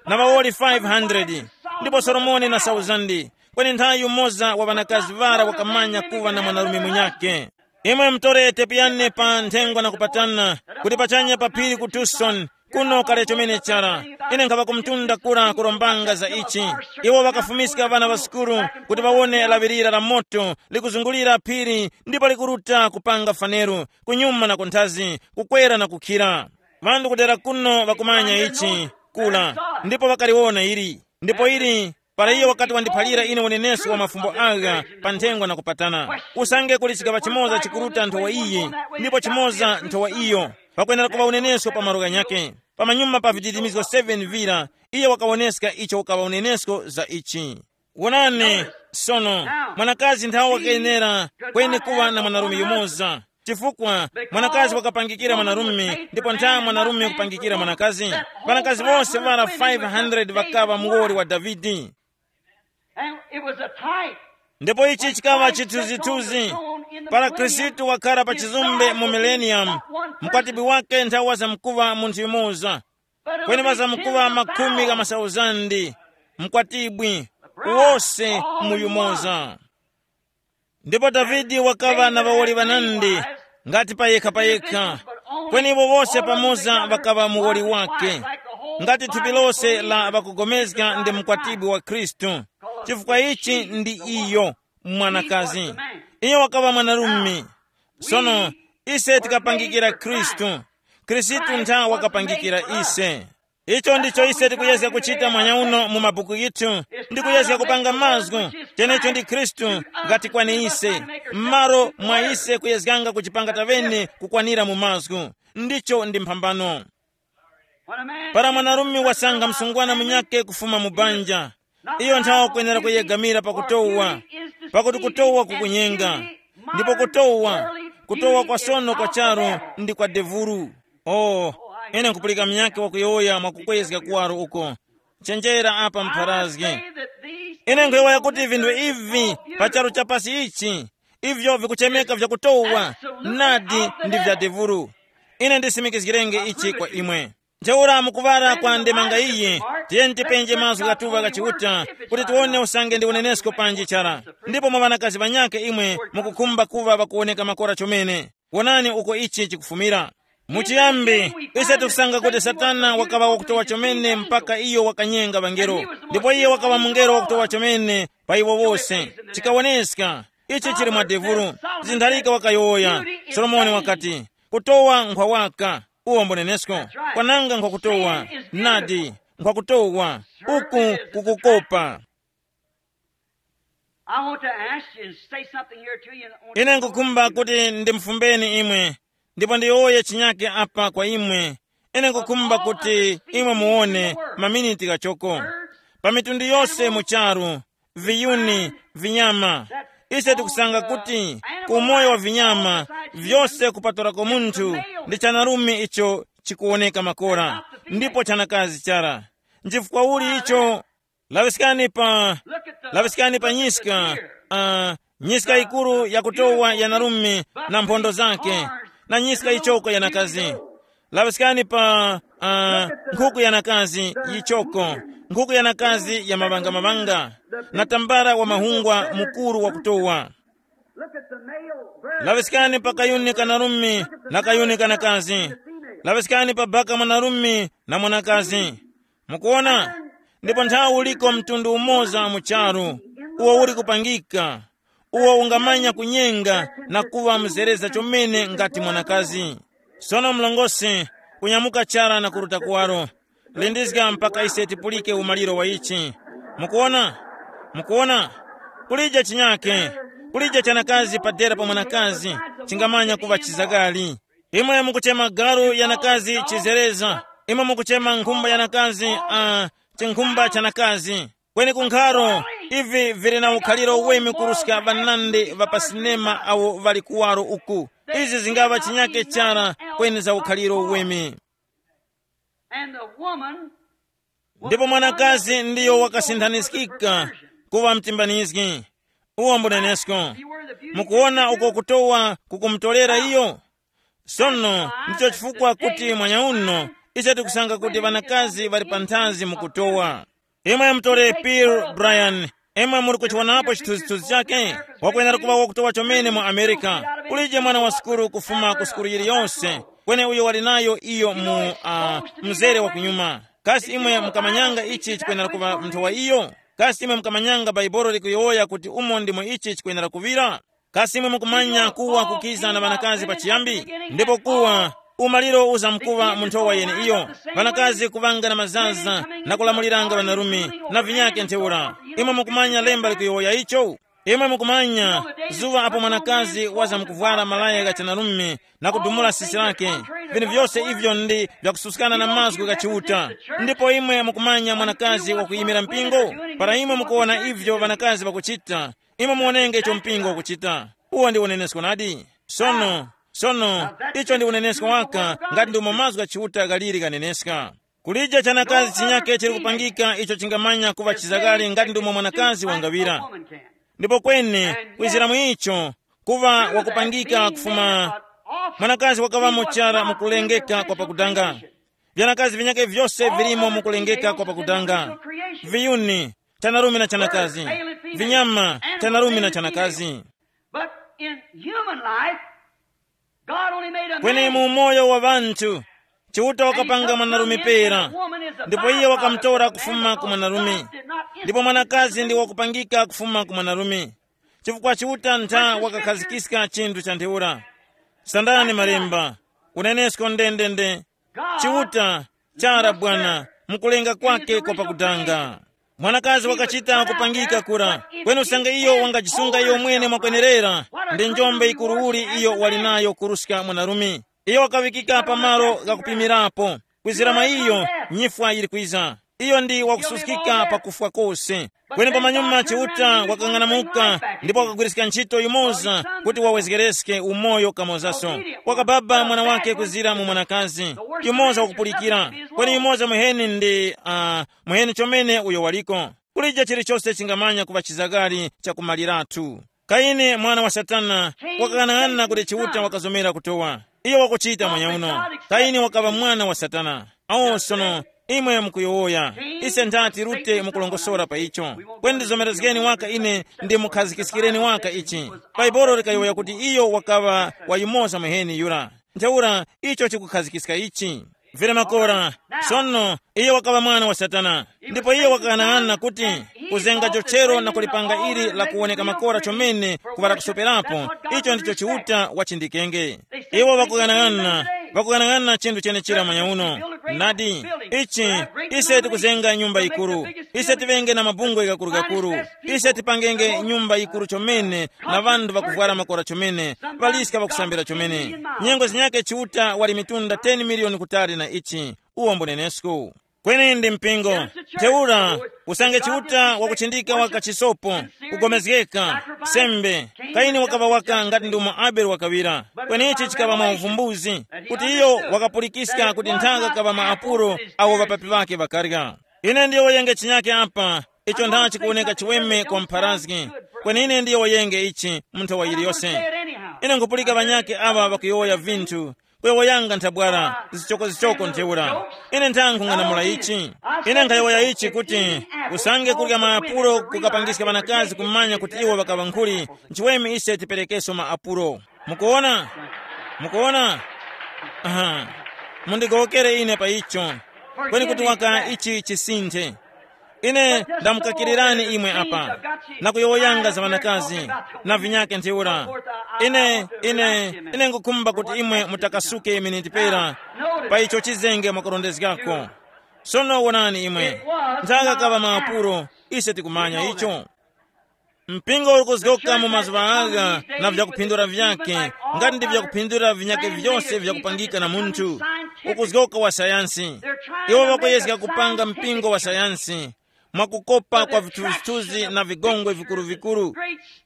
na ŵawoli five hundred, ndipo Solomoni na sauzandi. Kweni nthawi yumoza wa ŵanakazi ŵara wakamanya kuŵa na mwanarume munyakhe. Imwe mutore tepiyane pa nthengwa na kupatana, kuti pachanya pa phiri ku Tucson, kuno kale chomene chara. Ine nkhaŵa ku mtunda kura kurombanga za ichi. Iwo ŵakafumiska ŵana ŵa sukulu kuti ŵawone laŵirira la moto likuzungulira phiri ndipo likuruta kupanga faneru, kunyuma na kunthazi, kukwera na kukhira. Ŵanthu kudera kuno ŵakumanya ichi, kula, ndipo ŵakaliwona ili. Ndipo ili, para iyo wakati wandiphalira ine unenesko wa mafumbo agha pa nthengwa na kupatana. Usange kuli chikaŵa chimoza chikuruta nthowa iyi, ndipo chimoza nthowa iyo, pakwenera kuŵa unenesko pa malo ghanyakhe. Pamanyuma pa viditimizgo seven vira, iye wakawoneska icho ukaŵa unenesko za ichi. Wonani, sono, mwanakazi nthawe wakayenera kweni kuŵa na mwanarume yumoza. Chifukwa mwanakazi wakapangikira mwanarume, ndipo ntha mwanarume kupangikira mwanakazi. Ŵanakazi wose ŵara five hundred ŵakaŵa muwoli wa Davide. And it was a type. Ndipo ichi chikaŵa chithunzithunzi. Para Khristu wakhala pa chizumbe mu millennium, mkwatibwi wake nthawe wazamkuŵa munthu yumoza, kweni ŵazamkuŵa makhumi gha masauzandi, mkwatibwi, wose mu yumoza. Ndipo Davide wakaŵa na ŵawoli ŵanandi, ngati pa yekha pa yekha, kweni iwo wose pamoza ŵakaŵa muwoli wake, ngati thupi lose la ŵakugomezga ndi mkwatibwi wa Khristu, chifukwa ichi ndi iyo. mwanakazi. Iye wakaŵa mwanarume. Sono ise tikapangikira Khristu. Khristu ntha wakapangikira ise. Icho ndicho ise tikuyezga kuchita mwanya uno mu mabuku yithu, ndi kuyezga kupanga mazgu. Chenecho ndi Khristu ngati kwani ise, m'malo mwa ise kuyezganga kuchipanga tavene kukwanira mu mazgu. Ndicho ndi mphambano. Para mwanarume wasanga msungwana munyakhe kufuma mu banja, iyo nthawa kwenera kuyegamira pakutowa, pakuti kutowa kukunyenga. Ndipo kutowa, kutowa kwa sono kwa charu ndi kwa devuru. Oh, ine nkupulika munyakhe wakuyowoya mwakukwezga kuwaro uko. Chenjera apa mpharazgi. Ine nkhuyowoya kuti vinthu ivi pa charu cha pasi ichi, ivyo vikuchemeka vyakutowa, nadi ndi vya devuru. Ine ndisimikizgirenge ichi kwa imwe. Ntheura mukuŵara kwa ndemanga iyi, tiyeni tipenje mazgu ghatuŵa gha Chiuta, kuti tiwone usange ndi unenesko panji chara. Ndipo mwa ŵanakazi ŵanyakhe imwe mukukhumba kuŵa ŵakuwoneka makora chomene. Wonani uko ichi chikufumira. Muchiyambi, ise tikusanga kuti Satana wakaŵa wakutowa chomene mpaka iyo wakanyenga ŵangelo. Ndipo iye wakaŵa mungelo wakutowa chomene pa iwo wose. Chikawoneska, ichi chili mwa devulu. Zintharika wakayowoya. Solomoni wakati, kutowa nkhwa waka, uwo mbunenesko. Kwananga nkhwa kutowa. Nadi, nkhwa kutowa. Uku kukukopa. I want to ask you and say something here to you. Ine nkukhumba kuti ndimfumbeni imwe, ndipo ndiyowoye chinyake apa kwa imwe. Ine nkukhumba kuti imwe muwone maminiti ghachoko. Pa mitundu yose mu charu, viyuni, vinyama, ise tikusanga kuti ku umoyo wa vinyama vyose kupatulako munthu, ndi chanarume icho chikuwoneka makora, ndipo chanakazi chara. Nchifukwa uli icho? Laŵiskani pa, laŵiskani pa nyiska, uh, nyiska yikuru yakutowa yanarume na mphondo zake, na nyiska yichoko yanakazi. Laŵiskani pa, uh, nkhuku yanakazi yichoko, nkhuku yanakazi ya maŵanga-maŵanga, na tambala wa mahungwa mukuru wakutowa. Laŵiskani pa kayuni kanarume na kayuni kanakazi. Laŵiskani pa baka mwanarume na mwanakazi. Mukuona? Ndipo nthawi uliko mtundu umoza mu charu, uwo uli kupangika, uwo ungamanya kunyenga na kuŵa mzereza chomene ngati mwanakazi. Sono mlongosi, kunyamuka chara na kuruta kuwaro. Lindizga mpaka ise tipulike umaliro wa ichi. Mukuona? Mukuona? Kulije chinyake, kulije chanakazi padera pa mwanakazi chingamanya kuŵa chizagari. Imwe mukuchema galu yanakazi chizereza, imwe mukuchema nkhumba yanakazi, uh, chinkhumba chanakazi. Kweni kunkharo, ivi vili na ukhaliro wemi kuruska ŵanandi ŵa pa sinema awo ŵali kuwaro uku. Izi zingaŵa chinyake chara kweni za ukhaliro wemi. And the woman Ndipo mwanakazi ndiyo wakasinthanizgika kuŵa mtimbanizgi. Uwo mbunenesko. Mukuwona uko kutowa kukumutolera iyo? Sono ndicho chifukwa kuti mwanya uno ise tikusanga kuti ŵanakazi ŵali panthazi mukutowa. Imwe mutore Peter Brian, imwe muli kuchiwonapo chithunzithunzi chake? Wakwenera kuŵa wakutowa chomene mu Amerika. Kulije mwana wa sukulu kufuma ku sukulu yiliyonse, kweni uyo wali nayo iyo mu uh, mzere wa kunyuma. Kasi imwe mukamanyanga ichi chikwenera kuŵa nthowa iyo? Kasi imwe mukamanyanga Baibolo likuyowoya kuti umo ndimo ichi chikwenera kuŵira? Kasi imwe mukumanya kuwa kukiza na ŵanakazi pachiyambi? Ndipo kuwa umaliro uzamkuŵa mu nthowa yeneiyo. Ŵanakazi kuŵanga na mazaza na kulamuliranga ŵanarume na vinyake ntheura. Imwe mukumanya lemba likuyowoya icho? Imwe mukumanya zuŵa apo mwanakazi wazamkuvwara malaya gha chanarume na kudumula sisi lake, vinthu vyose ivyo ndi vyakususkana na mazgu gha Chiuta. Ndipo imwe mukumanya mwanakazi wakuyimira mpingo? Para imwe mukuwona ivyo ŵanakazi ŵakuchita, imwe muwonenge icho mpingo ukuchita. Uwo ndi unenesko nadi. Sono, sono, icho ndi unenesko waka ngati ndimo mazgu gha Chiuta ghaliri ghaneneska. Kulije chanakazi chinyake chili kupangika icho chingamanya kuŵa chizakale ngati ndimo mwanakazi wangaŵira. Ndipo kweni, kwizira mu icho, kuŵa wakupangika kufuma mwanakazi wakaŵamo chara mukulengeka kwa pakudanga. Vyanakazi vinyake vyose vilimo mukulengeka kwa pakudanga. Viyuni, chanarume na chanakazi. Vinyama, chanarume na chanakazi. But in human life, God only made a Kweni man. Mu umoyo wa ŵanthu, Chiuta wakapanga mwanarume pera, ndipo iye wakamutora kufuma ku mwanarume. Ndipo mwanakazi ndi wakupangika kufuma ku mwanarume. Chifukwa Chiuta ntha wakakhazikika chinthu cha ntheura. Sandani malemba, unenesko ndendende. Chiuta, chara bwana, mukulenga kwake kwa pakudanga. Mwanakazi wakachita kupangika kura, kweni usange iyo wangajisunga iyo mwene mwakwenerera, ndi njombe yikuru uli iyo wali nayo kuruska mwanarume. Iyo wakaŵikika pa malo ghakupimirapo. Kwizira mwa iyo, nyifwa yili kwiza. Iyo ndi wakususkika pakufwa kose. Kweni pamanyuma Chiuta wakang'anamuka ndipo wakagwiriska ntchito yumoza kuti wawezgereske umoyo kamozaso. Wakababa mwana wake kuzira mu mwanakazi. Yumoza wakupulikira. Kweni yumoza muheni ndi uh, muheni chomene uyo waliko. Kulije chilichose chingamanya kuŵa chizagari chakumaliratu. Kaini mwana wa Satana, wakang'anang'ana kuti Chiuta wakazomera kutowa. Iyo wakuchita mwenyauno. Kaini wakaŵa mwana wa Satana. Awo sono, imwe mukuyowoya, ise nthati rute mukulongosora pa icho. Kweni ndizomerezgeni waka ine, ndi mukhazikikireni waka ichi. Baibolo likayowoya kuti iyo wakaŵa wa yumoza muheni yura. Ntheura, icho chikukhazikiska ichi. Vere makora. Sono, iyo wakaŵa mwana wa Satana. Ndipo iyo wakaghanag'ana kuti kuzenga jochero na kulipanga ili la kuwoneka makora chomene kuŵa lakusoperapo, icho ndicho Chiuta wachindikenge. Iwo ŵakughanag'ana, ŵakughanag'ana chinthu chenechira manya uno. Nadi, ichi, ise tikuzenga nyumba yikuru, ise tiŵenge na mabungwe gakuru-gakuru, ise tipangenge nyumba yikuru chomene, na ŵanthu ŵakuvwara makora chomene, ŵaliska ŵakusambira chomene. Nyengo zinyakhe Chiuta wali mitunda ten miliyoni kutali na ichi. Uwo mbunenesku. Kweni ndi mpingo. Ntheura, usange Chiuta wakuchindika waka chisopo, kugomezgeka, sembe, Kaini wakaŵa waka ngati ndumo Abele wakaŵira. Kweni ichi chikaŵa mwa uvumbuzi, kuti iyo wakapulikiska kuti nthaka kaŵa ma apulo awo ŵapapi ŵake ŵakarya. Ine ndiyo wayenge chinyake apa, icho ntha chikuwoneka chiweme kwa mpharazgi. Kweni ine ndiyo wayenge ichi mu nthawa yiliyose. Ine nkupulika ŵanyakhe aŵa ŵakuyowoya vinthu, kuyowoyanga nthabwara, zichokozichoko ntheura. Ine ntha nkhung'anamula ichi. Ine nkhayowoya ichi kuti usange kurya maapulo kukapangiska ŵanakazi kumanya kuti iwo ŵakaŵa nkhuli, nchiweme ise tiperekeso maapulo. Mukuona? Mukuona? Aha. Mundigowokere ine pa icho. Kweni kuti waka ichi chisinthe. Ine ndamukakirirani imwe apa, na kuyowoyanga za ŵanakazi na vinyake ntheura. Ine, ine, ine ngukhumba kuti imwe mutakasuke miniti pera pa icho chizenge mwakurondezgako. Sono wonani imwe, nthaka kaŵa maapuro, ise tikumanya icho. Mpingo uli kuzgoka mu mazuŵa agha na vyakuphindura vyake, ngati ndi vyakuphindura vinyake vyose vyakupangika na munthu, ukuzgoka wa sayansi. Iwo ŵakuyezga kupanga mpingo wa sayansi mwakukopa kwa vithuzithuzi na vigongwe vikuru-vikuru.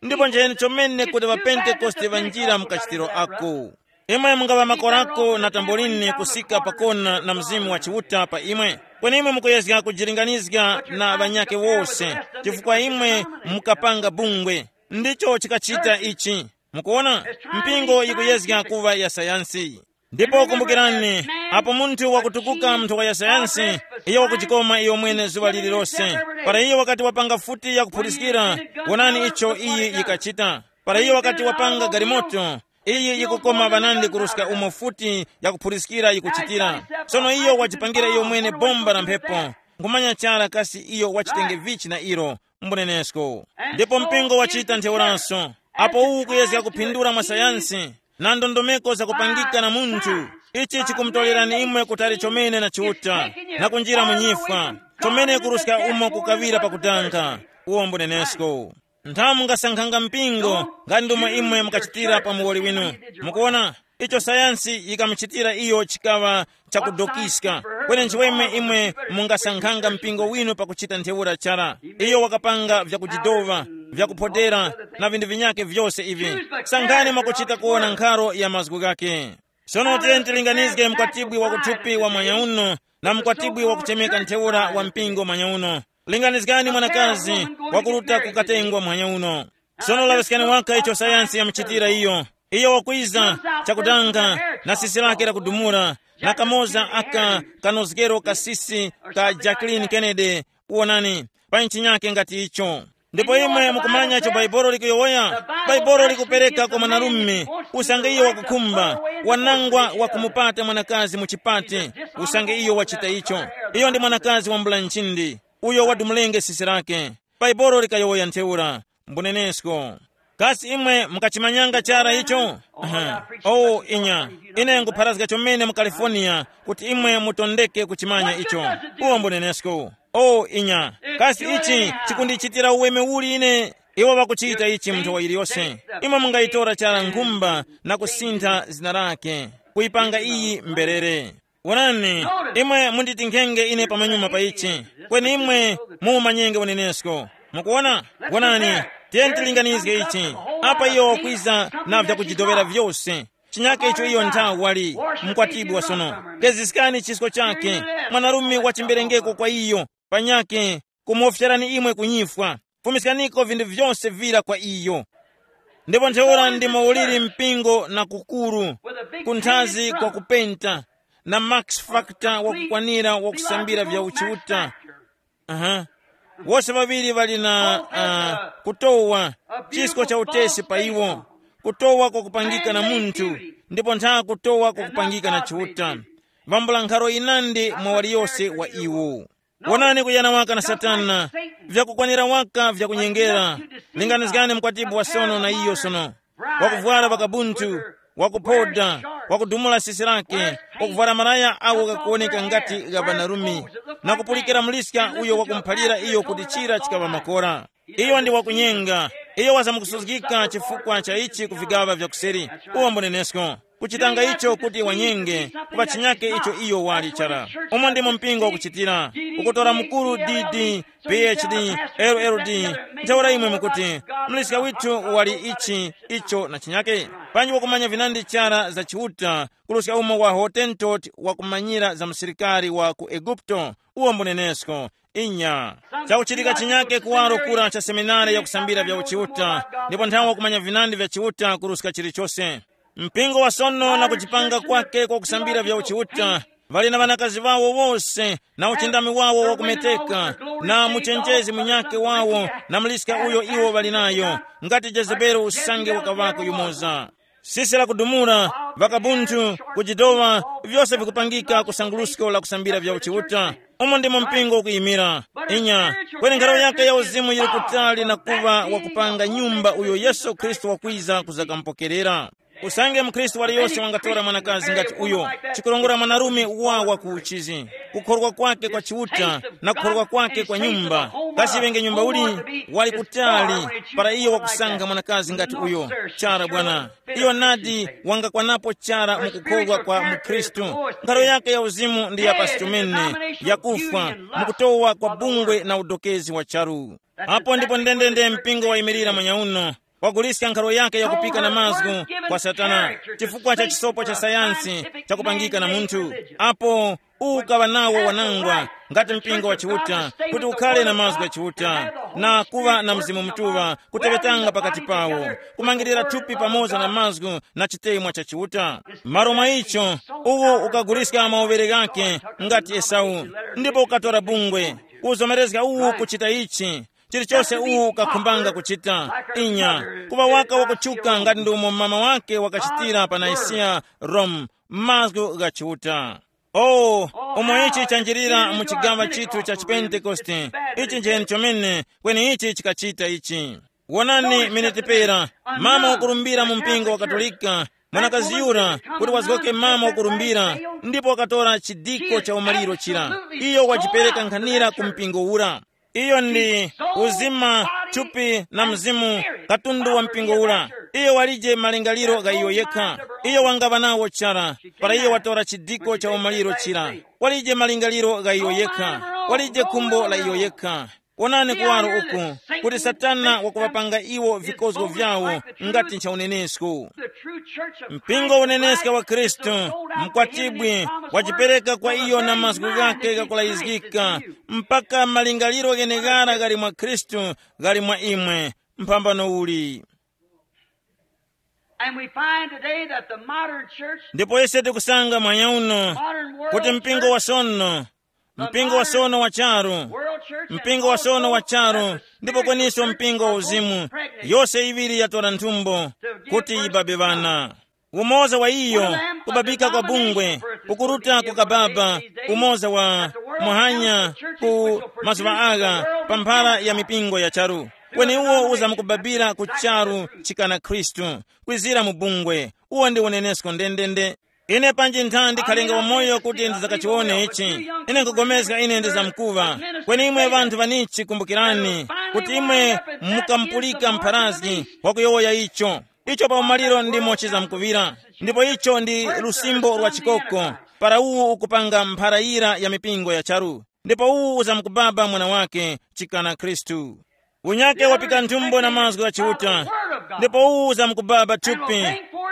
Ndipo nchiyeni chomene kuti ŵapentekoste ŵanjira mu kachitiro ako. Imwe mungaŵa makorako na tambolini kusika pakona na Mzimu wa Chiuta pa imwe, kweni imwe mukuyezga kujilinganizga na ŵanyakhe wose, chifukwa imwe mukapanga bungwe. Ndicho chikachita ichi. Mukuona, mpingo yikuyezga kuŵa ya sayansi. Ndipo kumbukirani, apo munthu wakutukuka mu nthowa ya sayansi, iyo wakujikoma iyo mwene zuŵa lililose. Para iyo wakati wapanga futi yakuphuliskira, wonani icho iyi yikachita. Para iyo wakati wapanga galimoto, iyi yikukoma ŵanandi kuruska umo futi yakuphuliskira yikuchitira. Sono iyo wajipangira iyo mwene bomba la mphepo, nkhumanya chara kasi iyo wachitenge vichi na ilo. Mbunenesko. Ndipo mpingo wachita ntheuraso. Apo uwu kuyezga kuphindura mwa sayansi na ndondomeko zakupangika na munthu, ichi chikumutorerani imwe kutali chomene na Chiuta, na kunjira mu nyifwa, chomene kuruska umo kukaŵira pakudanga. Uwo mbunenesko. Nthamu mungasankhanga mpingo, ngati ndomwe imwe mukachitira pa muwoli winu. Mukuona, icho sayansi yikamuchitira iyo chikaŵa chakudokiska. Kweni nchiweme imwe mungasankhanga mpingo winu pakuchita ntheura chara. Iyo wakapanga vyakujidova, vyakuphodera, na vinthu vinyake vyose ivi. Sankhani mwakuchita kuwona nkharo ya mazgu ghake. Sono tiyeni tilinganizge mkwatibwi wa kuthupi wa mwanya uno na mkwatibwi wa kuchemeka ntheura wa mpingo mwanya uno. Linganizgani mwanakazi wakuruta kukatengwa mwanya uno. Sono laŵiskani waka icho sayansi yamuchitira iyo. Iyo wakwiza chakutanga na sisi lake lakudumula, na kamoza aka kanozgero kasisi ka Jacqueline Kennedy, kuwonani, pa nchinyake ngati icho. Ndipo imwe mukumanya icho Baibolo likuyowoya? Baibolo likupereka kwa mwanarume, usange iyo wakukhumba, wanangwa wakumupata mwanakazi mu chipate, usange iyo wachita icho. Iyo ndi mwanakazi wambula nchindi, uyo wadumulenge sisi lake. Baibolo likayowoya ntheura. Mbunenesko. Kasi imwe mukachimanyanga chara icho? Aha. Oh, inya. Ine nkupharazga chomene mu California kuti imwe mutondeke kuchimanya icho. Uwo mbunenesko. Oh, inya. Kasi ichi chikundichitira uweme uli ine? Iwo ŵakuchita ichi mu nthowa iliyose. Imwe mungayitora chara nkhumba na kusintha zina lake, kuyipanga iyi mberere. Wonani, imwe munditinkhenge ine pamanyuma pa ichi, kweni imwe mumanyenge unenesko. Mukuwona? Wonani, tiyeni tilinganizge ichi. Apa iyo wakwiza na vyakujidovera vyose. Chinyake icho iyo nthawi wali mkwatibwa sono. Keziskani chisko chake, mwanarume wa chimberengeko kwa iyo, panyake kumufyerani imwe kunyifwa. Fumiskaniko vinthu vyose vira kwa iyo. Ndipo ntheura ndimo uliri mpingo na kukuru, kunthazi kwa kupenta, na max factor wakukwanira wakusambira vya uchiuta. Aha. Wose ŵaŵiri ŵali na uh, kutowa chisko cha utesi pa iwo, kutowa kwakupangika na munthu, ndipo ntha kutowa kwakupangika na chiuta. Vambula nkharo inandi mwa waliyose wa iwo. Wonani kuyana waka na Satana, vyakukwanira waka vyakunyengera. Linganizgani mkwatibu wa sono na iyo sono, wakuvwara vakabunthu, wakuphoda, wakudumula sisi lake, wakuvwara malaya awo ghakuwoneka ngati gha banarumi, na kupulikira muliska uyo wakumuphalira iyo kuti chira chikaŵa makora. Iyo ndi wakunyenga. Iyo wazamukusuzgika chifukwa cha ichi ku vigaŵa vya kuseri. Uwo mbunenesko. Kuchitanga icho kuti wanyenge, kuŵa chinyake icho iyo wali chara. Umo ndimo mpingo ukuchitira. Ukutora mukuru D D, P H D, L L D. Ntheura imwe mukuti, mliska withu wali ichi, icho na chinyake. Panji wakumanya vinandi chara za Chiuta, kuruska umo wa Hotentot wakumanyira za msilikari wa ku Eguputo. Uwo mbunenesko. Inya. Chakuchitika chinyake kuwaro kura cha seminari yakusambira vya uchiuta, ndipo nthawe wakumanya vinandi vya Chiuta kuruska chilichose. Mpingo wa sono na kuchipanga kwake kwa kusambira vya uchiuta, ŵali na ŵanakazi ŵawo wose, na uchindami wawo wakumeteka, na muchenjezi munyake wawo, na muliska uyo iwo ŵali nayo, ngati Jezebeli usange wakaŵako yumoza. Sisi la kudumula, vakabunthu, kujidowa, vyose vikupangika ku sangulusko la kusambira vya uchiuta. Umo ndimo mpingo ukuyimira. Inya, kweni nkhalo yake ya uzimu yili kutali na kuŵa wakupanga nyumba uyo Yesu Khristu wakwiza kuzakamupokerera. Usange mkhristu waliyose wangatora mwanakazi ngati uyo, chikurongora mwanarume wa wakuchizi, kukhorwa kwake kwa Chiuta na kukhorwa kwake kwa nyumba. Kasi iŵenge nyumba uli? Wali kutali, para iyo wakusankha mwanakazi ngati uyo. Chara bwana. Iyo nadi wangakwanapo chara mu kukhorwa kwa mukhristu. Nkhalo yake ya uzimu ndi ya pasi chomene, yakufwa, mukutowa kwa bungwe na udokezi wa charu. Apo ndipo ndendende mpingo wayimirira manyauno, waguliska nkhalo yake yakupika na mazgu kwa Satana, chifukwa cha chisopo cha sayansi chakupangika na munthu. Apo ukaŵa nawo wanangwa, ngati mpingo wa Chiuta, kuti ukhale na mazgu gha Chiuta, na kuŵa na Mzimu Mutuŵa kuteŵetanga pakati pawo, kumangirira thupi pamoza na mazgu na chitemwa cha Chiuta. Malo mwa icho, uwo ukaguliska mauŵere ghake ngati Esau, ndipo ukatora bungwe, kuzomerezga uwu kuchita ichi, chilichose uwu ukakhumbanga kuchita. Inya, kuŵa waka wakutchuka ngati ndi umo mama wake wakachitira pa Naisiya, Rome, mazgu gha Chiuta. Oh, umo ichi chanjirira mu chigaŵa chithu cha chipentekoste. Ichi njeni chomene, kweni ichi chikachita ichi. Wonani miniti pera, mama wakurumbira mu mpingo wa Katolika, mwanakazi yura, kuti wazgoke mama wakurumbira, ndipo wakatora chidiko cha umaliro chira. Iyo wajipereka nkhanira ku mpingo ura. Iyo ndi uzima, thupi na mzimu, katundu wa mpingo ura. Iyo walije malingaliro gha iyo yekha. Iyo wangaŵa nawo chara, para iyo watora chidiko cha umaliro chira. Walije malingaliro gha iyo yekha. Walije khumbo la iyo yekha. Wonani kuwaro uku, kuti Satana wakuŵapanga iwo vikozgo vyawo ngati nchaunenesko. Mpingo uneneska wa Khristu, mkwatibwi, wajipereka kwa iyo na mazgu ghake ghakulayizgika, mpaka malingaliro gheneghara ghali mwa Khristu ghali mwa imwe. Mphambano uli? And we find today that the modern church, Ndipo ise tikusanga mwanya uno modern world kuti mpingo wa church, sono, the mpingo wa modern sono wa charu, world church, and mpingo wa sono wa also charu, that the ndipo spiritual kweniso church mpingo wa are both uzimu, pregnant yose iwiri yatora nthumbo to give kuti birth yibabe to ŵana. Umoza wa iyo, kubabika kwa bungwe, ukuruta kukababa, umoza wa muhanya ku mazuŵa agha pa mphara ya mipingo ya charu. Kweni uwo uzamkubabira ku charu chikana Khristu, kwizira mu bungwe. Uwo ndi unenesko ndendende. Ine panji ntha ndikhalenga wamoyo kuti ndizakachiwone ichi. Ine nkugomezga ine ndizamkuŵa. Kweni imwe ŵanthu ŵanichi, kumbukirani kuti imwe mukampulika mpharazgi wakuyowoya icho. Icho pa umaliro ndimo chizamkuŵira. Ndipo icho ndi lusimbo lwa chikoko. Para uwu ukupanga mpharayira ya mipingo ya charu. Ndipo uwu uzamkubaba mwana wake chikana Khristu. Unyake wapika nthumbo na mazgu gha Chiuta. Ndipo uwu uzamkubaba thupi,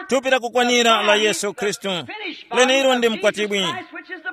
thupi lakukwanira la Yesu Khristu. Lenelo ndi mkwatibwi.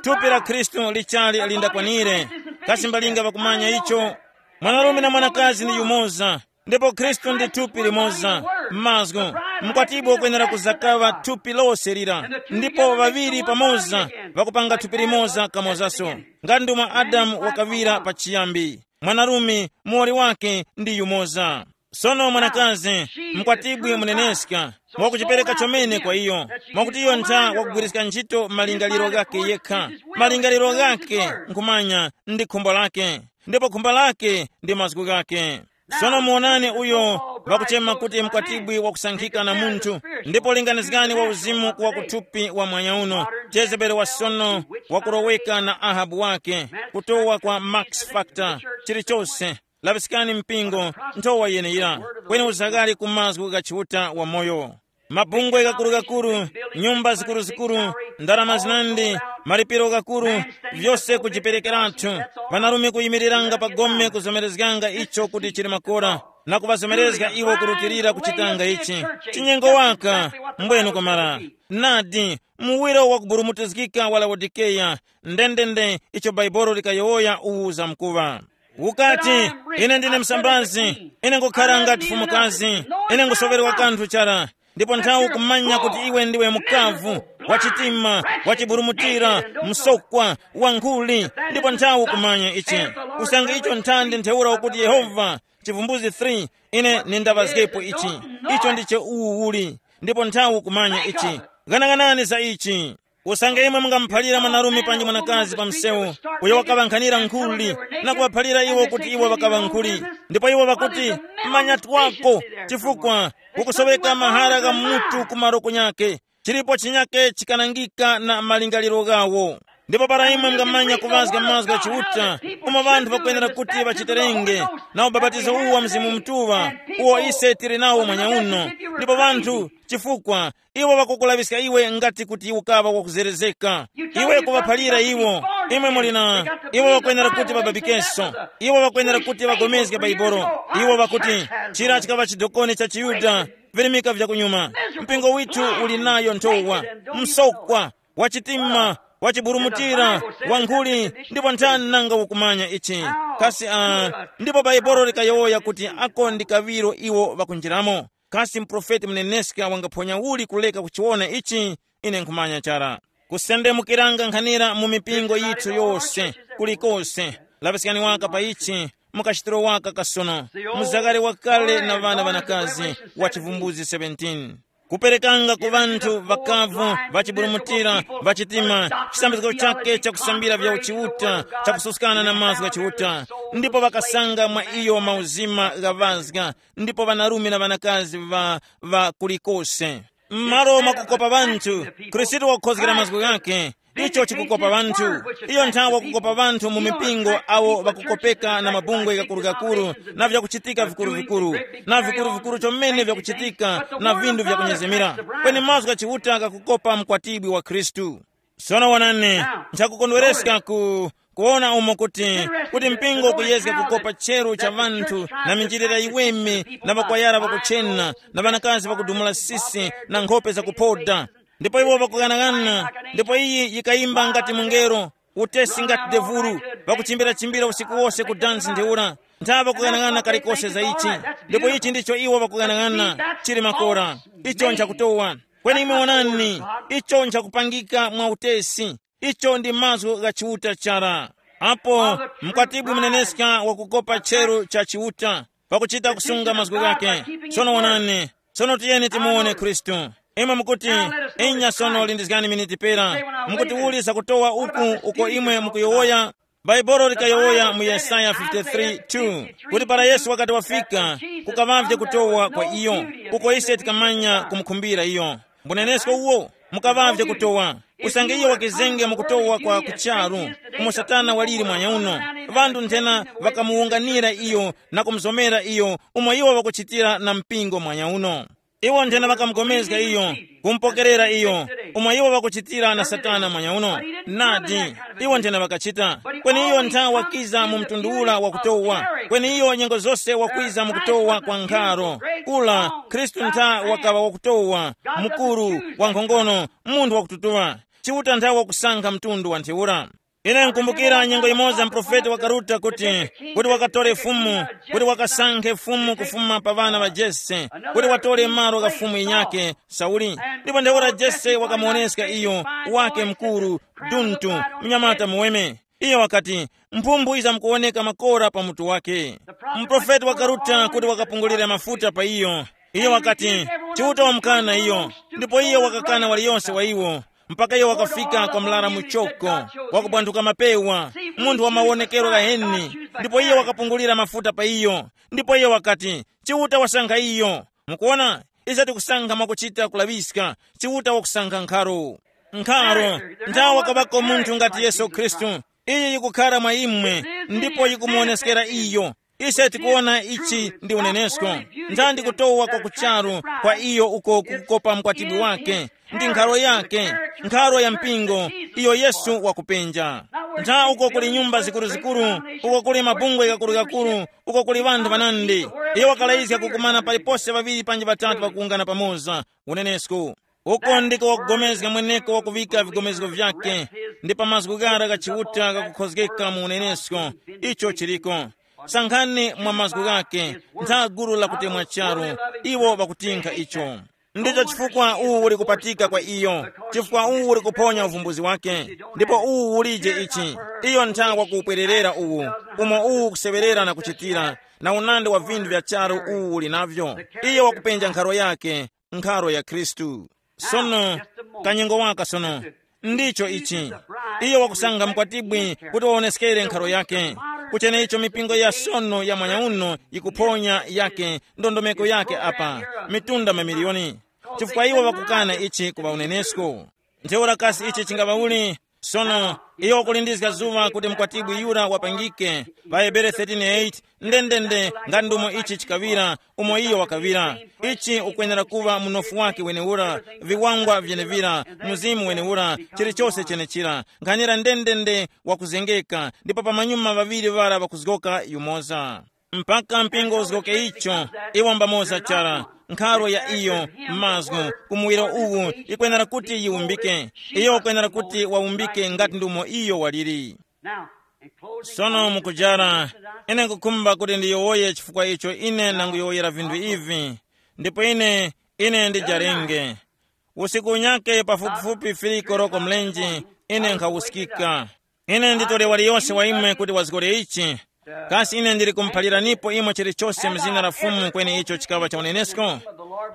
Thupi la Khristu lichali lindakwanire. Kasi mbalinga ŵakumanya icho? Mwanarume na mwanakazi ndi yumoza. Ndipo Khristu ndi thupi limoza. Mazgu, mkwatibwi ukwenera kuzakaŵa thupi lose lira. Ndipo ŵaŵiri pamoza ŵakupanga thupi limoza kamozaso. Ngati ndomwe Adamu wakaŵira pachiyambi, mwanarume muwoli wake ndi yumoza. Sono mwanakazi, mkwatibwi muneneska, mwakuchipereka chomene kwa iyo, mwakuti iyo ntha wakugwiriska ntchito malingaliro ghake yekha. Malingaliro ghake nkhumanya ndi khumbo lake, ndipo khumbo lake ndi mazgu ghake. Sono muwonani uyo ŵakuchema kuti mkwatibwi wakusankhika na munthu, ndipo linganizgani wa uzimu kuwa kuthupi wa mwanya uno, Jezebeli wa sono, wakuroweka na Ahabu wake, kutowa kwa Max Factor, chilichose. Laŵiskani mpingo, nthowa yeneyira, kweni uzaghali ku mazgu gha Chiuta wamoyo. Mabungwe ghakurughakurugha, nyumba zikuruzikuru, ndarama zinandi, malipiro ghakuru, vyose kujiperekeratu. Ŵanarume kuyimiriranga pa gome kuzomerezganga icho kuti chili makora, na kuŵazomerezga iwo kurutilira kuchitanga ichi. Chinyengo waka, mbwenu kwamara. Nadi, muwiro wakuburumutizgika wa Laodikeya, ndendende icho Baibolo likayowoya uwu zamkuŵa. Ukati, ine ndine msambazi, ine ngukhara ngati fumukazi, ine ngusoŵerwa kanthu chara. Ndipo nthawi ukumanya kuti iwe ndiwe mukavu, wachitima, wachiburumutira, msokwa, wankhuli, ndipo nthawi ukumanya ichi. Usange icho nthandi ntheura ukuti Yehova, Chivumbuzi three, ine nindapazgepo ichi. Icho ndicho uwu uli. Ndipo nthawi ukumanya ichi. Ghanaghanani za ichi. Usange imwe mungamuphalira mwanarume panji mwanakazi pa msewu, uyo wakaŵankhanira nkhuli, na kuŵaphalira iwo kuti iwo ŵakaŵa nkhuli, ndipo iwo ŵakuti, manyatwako, chifukwa kukusoweka mahara gha mutu ku maroko nyake, chilipo chinyake chikanangika na malingaliro ghawo. Ndipo para imwe mungamanya kuŵazga mazgu gha Chiuta, umo ŵanthu ŵakwenera kuti ŵachiterenge, na ubapatizo uwu wa Mzimu Mutuŵa, uwo ise tili nawo mwanyauno, ndipo ŵanthu, chifukwa iwo ŵakukulaŵiska iwe ngati kuti ukaŵa wakuzerezeka. Iwe kuŵaphalira iwo, imwe muli na, iwo ŵakwenera kuti ŵababikenso, iwo ŵakwenera kuti ŵagomezge Baibolo. Iwo ŵakuti, chira chikaŵa chidokoni cha chiYuda, virimika vyakunyuma. Mpingo withu uli nayo nthowa, msokwa, wachitima, wachiburumutira, wankhuli, ndipo nthani nanga ukumanya ichi? Kasi, uh, ndipo Baibolo likayowoya kuti ako ndi kaŵiro iwo ŵakunjiramo. Kasi muprofeti muneneska wangaphonya uli kuleka kuchiwona ichi? Ine nkhumanya chara. Kusendemukiranga nkhanira mu mipingo yithu yose, kulikose. Laŵiskani waka pa ichi, mukachitiro waka kasono, muzakare wakale na ŵana ŵanakazi wa Chivumbuzi seventeen. Kuperekanga ku ŵanthu ŵakavu, ŵachiburumutira, ŵachitima, chisambizgo chake chakusambira vya uchiuta, chakususkana na mazgu gha Chiuta, ndipo ŵakasanga mwa iyo mauzima ghaŵazga, ndipo ŵanarume na ŵanakazi ŵa, ŵa kulikose. M'malo mwakukopa ŵanthu, Khristu wakukhozgera mazgu ghake, icho chikukopa ŵanthu. Iyo nthawi wakukopa ŵanthu mu mipingo awo ŵakukopeka na mabungwe ghakurugakuru na vyakuchitika vikuruvikuru, na vikuruvikuru chomene vyakuchitika na vinthu vyakunyezemera. Kweni mazgu gha Chiuta ghakukopa mkwatibwi wa Khristu. Sono wonani, nchakukondwereska ku, kuwona umo kuti, kuti mpingo ukuyezga kukopa cheru cha ŵanthu na minjilira yiweme na ŵakwayara ŵakuchena na ŵanakazi ŵakudumula sisi na nkhope zakuphoda. Ndipo iwo ŵakughanaghanana, ndipo iyi yikayimba ngati mungelo, utesi ngati devulu, ŵakuchimbirachimbira usiku wose ku dansi ntheura. Nthawe ŵakughanaghanana kalikose za ichi, ndipo ichi ndicho iwo ŵakughanaghanana, chili makora. Icho nchakutowa. Kweni imwe wonani, icho nchakupangika mwa utesi. Icho ndi mazgu gha Chiuta chara. Apo mkwatibwi muneneska wakukopa chero cha Chiuta, pakuchita kusunga mazgu ghake. Sono wonani, sono tiyeni timuwone Khristu. Imwe mukuti, inya sono lindizgani miniti pera. Mukuti uli zakutowa uku uko imwe mukuyowoya Bhaibuli likayowoya mu Yesaya fifty-three two kuti para Yesu wakati wafika, kukaŵavye kutowa kwa iyo, uko ise tikamanya kumukhumbira iyo. Mbunenesko uwo, mukaŵavye kutowa. Usange iyo wakizenge mu kutowa kwa kucharu, umo Satana waliri mwanyauno, ŵanthu nthena ŵakamuwunganira iyo na kumuzomera iyo, umo iwo ŵakuchitira na mpingo mwanyauno. Iwo nthena ŵakamugomezga iyo, kumupokerera iyo, umo iwo ŵakuchitira na Satana mwanyauno. Nadi, iwo nthena ŵakachita. Kweni iyo ntha wakiza mu mtundu ula wakutowa. Kweni iyo nyengo zose wakwiza mu kutowa kwa nkharo. Kula, Khristu ntha wakaŵa wakutowa, mukuru, wankhongono, munthu wakututuŵa. Chiuta ntha wakusankha mtundu wa ntheura. Ine nkumbukira nyengo imoza mprofeti wakaruta kuti, kuti wakatore fumu, kuti wakasankhe fumu kufuma pa ŵana ŵa Jese, kuti watore malo gha fumu yinyake, Sauli. Ndipo ntheura Jese wakamuwoneska iyo, wake mkuru, duntu, mnyamata muweme. Iyo wakati, mphumbu yizamkuwoneka makora pa mutu wake. Muprofeti wakaruta kuti wakapungulire mafuta pa iyo. Iyo wakati, Chiuta wamukana iyo. Ndipo iyo wakakana waliyonse wa iwo, mpaka iyo wakafika kwa mlara muchoko, wakubwanthuka mapewa, munthu wa mawonekero ghaheni. Ndipo iyo wakapungulira mafuta pa iyo. Ndipo iyo wakati, Chiuta wasankha iyo. Mukuona, ise tikusankha mwakuchita kulaŵiska. Chiuta wakusankha nkharo. Nkharo, nthawa wakaŵako munthu ngati Yesu Khristu. Iyi yikukhara mwa imwe, ndipo yikumuwoneskera iyo. Ise tikuwona ichi ndi unenesko. Ntha ndi kutowa kwa kucharu kwa iyo uko kukukopa mkwatibwi wake. Ndi nkharo yake, nkharo ya mpingo, iyo Yesu wakupenja. Ntha uko kuli nyumba zikuru-zikuru, uko kuli mabungwe gakuru-gakuru, uko kuli ŵanthu ŵanandi. Iyo wakalayizga kukumana palipose ŵaŵiri panji ŵatatu ŵakuwungana pamoza. Unenesko. Uko ndiko wakugomezga mweneko wakuŵika vigomezgo vyake, ndi pa mazgu ghara gha Chiuta ghakukhozgeka mu unenesko. Icho chiliko. Sankhani mwa mazgu ghake, ntha gulu la kutemwa charu, iwo ŵakutinkha icho. Ndicho chifukwa uwu uli kupatika kwa iyo, chifukwa uwu uli kuphonya uvumbuzi wake. Ndipo uwu ulije ichi, iyo ntha wakupwererera uwu, umo uwu ukuseŵerera na kuchitira, na unandi wa vinthu vya charu uwu uli navyo. Iyo wakupenja nkharo yake, nkharo ya Khristu. Sono, kanyengo waka sono. Ndicho ichi. Iyo wakusankha mkwatibwi kuti waoneskere nkharo yake. Kuchene icho mipingo ya sono ya mwanya uno yikuphonya yake ndondomeko yake apa, mitunda mamiliyoni. Chifukwa iwo ŵakukana ichi kuŵa unenesko. Ntheura kasi ichi chingaŵa uli? Sono, iyo wakulindizga zuŵa kuti mkwatibwi yura wapangike, pa Hebere thirteen eight, ndendende nga ndumo ichi chikaŵira, umo iyo wakaŵira. Ichi ukwenera kuŵa munofu wake wenewura, viwangwa vyenevira, mzimu wenewura, chilichose chenechira, nkhanira ndendende wakuzengeka, ndipo pamanyuma ŵaŵiri ŵara ŵakuzgoka yumoza. Mpaka mpingo uzgoke icho, iwo mbamoza chara, nkharo ya iyo, mazgu, umuwiro uwu, ikwenera kuti yiwumbike. Iyo ukwenera kuti wawumbike ngati ndumo iyo waliri. Sono mukujara, ine nkukhumba kuti ndiyowoye chifukwa icho ine nanguyowoyera vinthu ivi. Ndipo ine, ine ndijarenge. Usiku unyake pafupifupi fili koroko mlenje, ine nkhawuskika. Ine nditole waliyose wa imwe kuti wazgore ichi. Kasi ine ndili kumuphaliranipo imwe chilichose mu zina la Fumu kweni icho chikaŵa cha unenesko?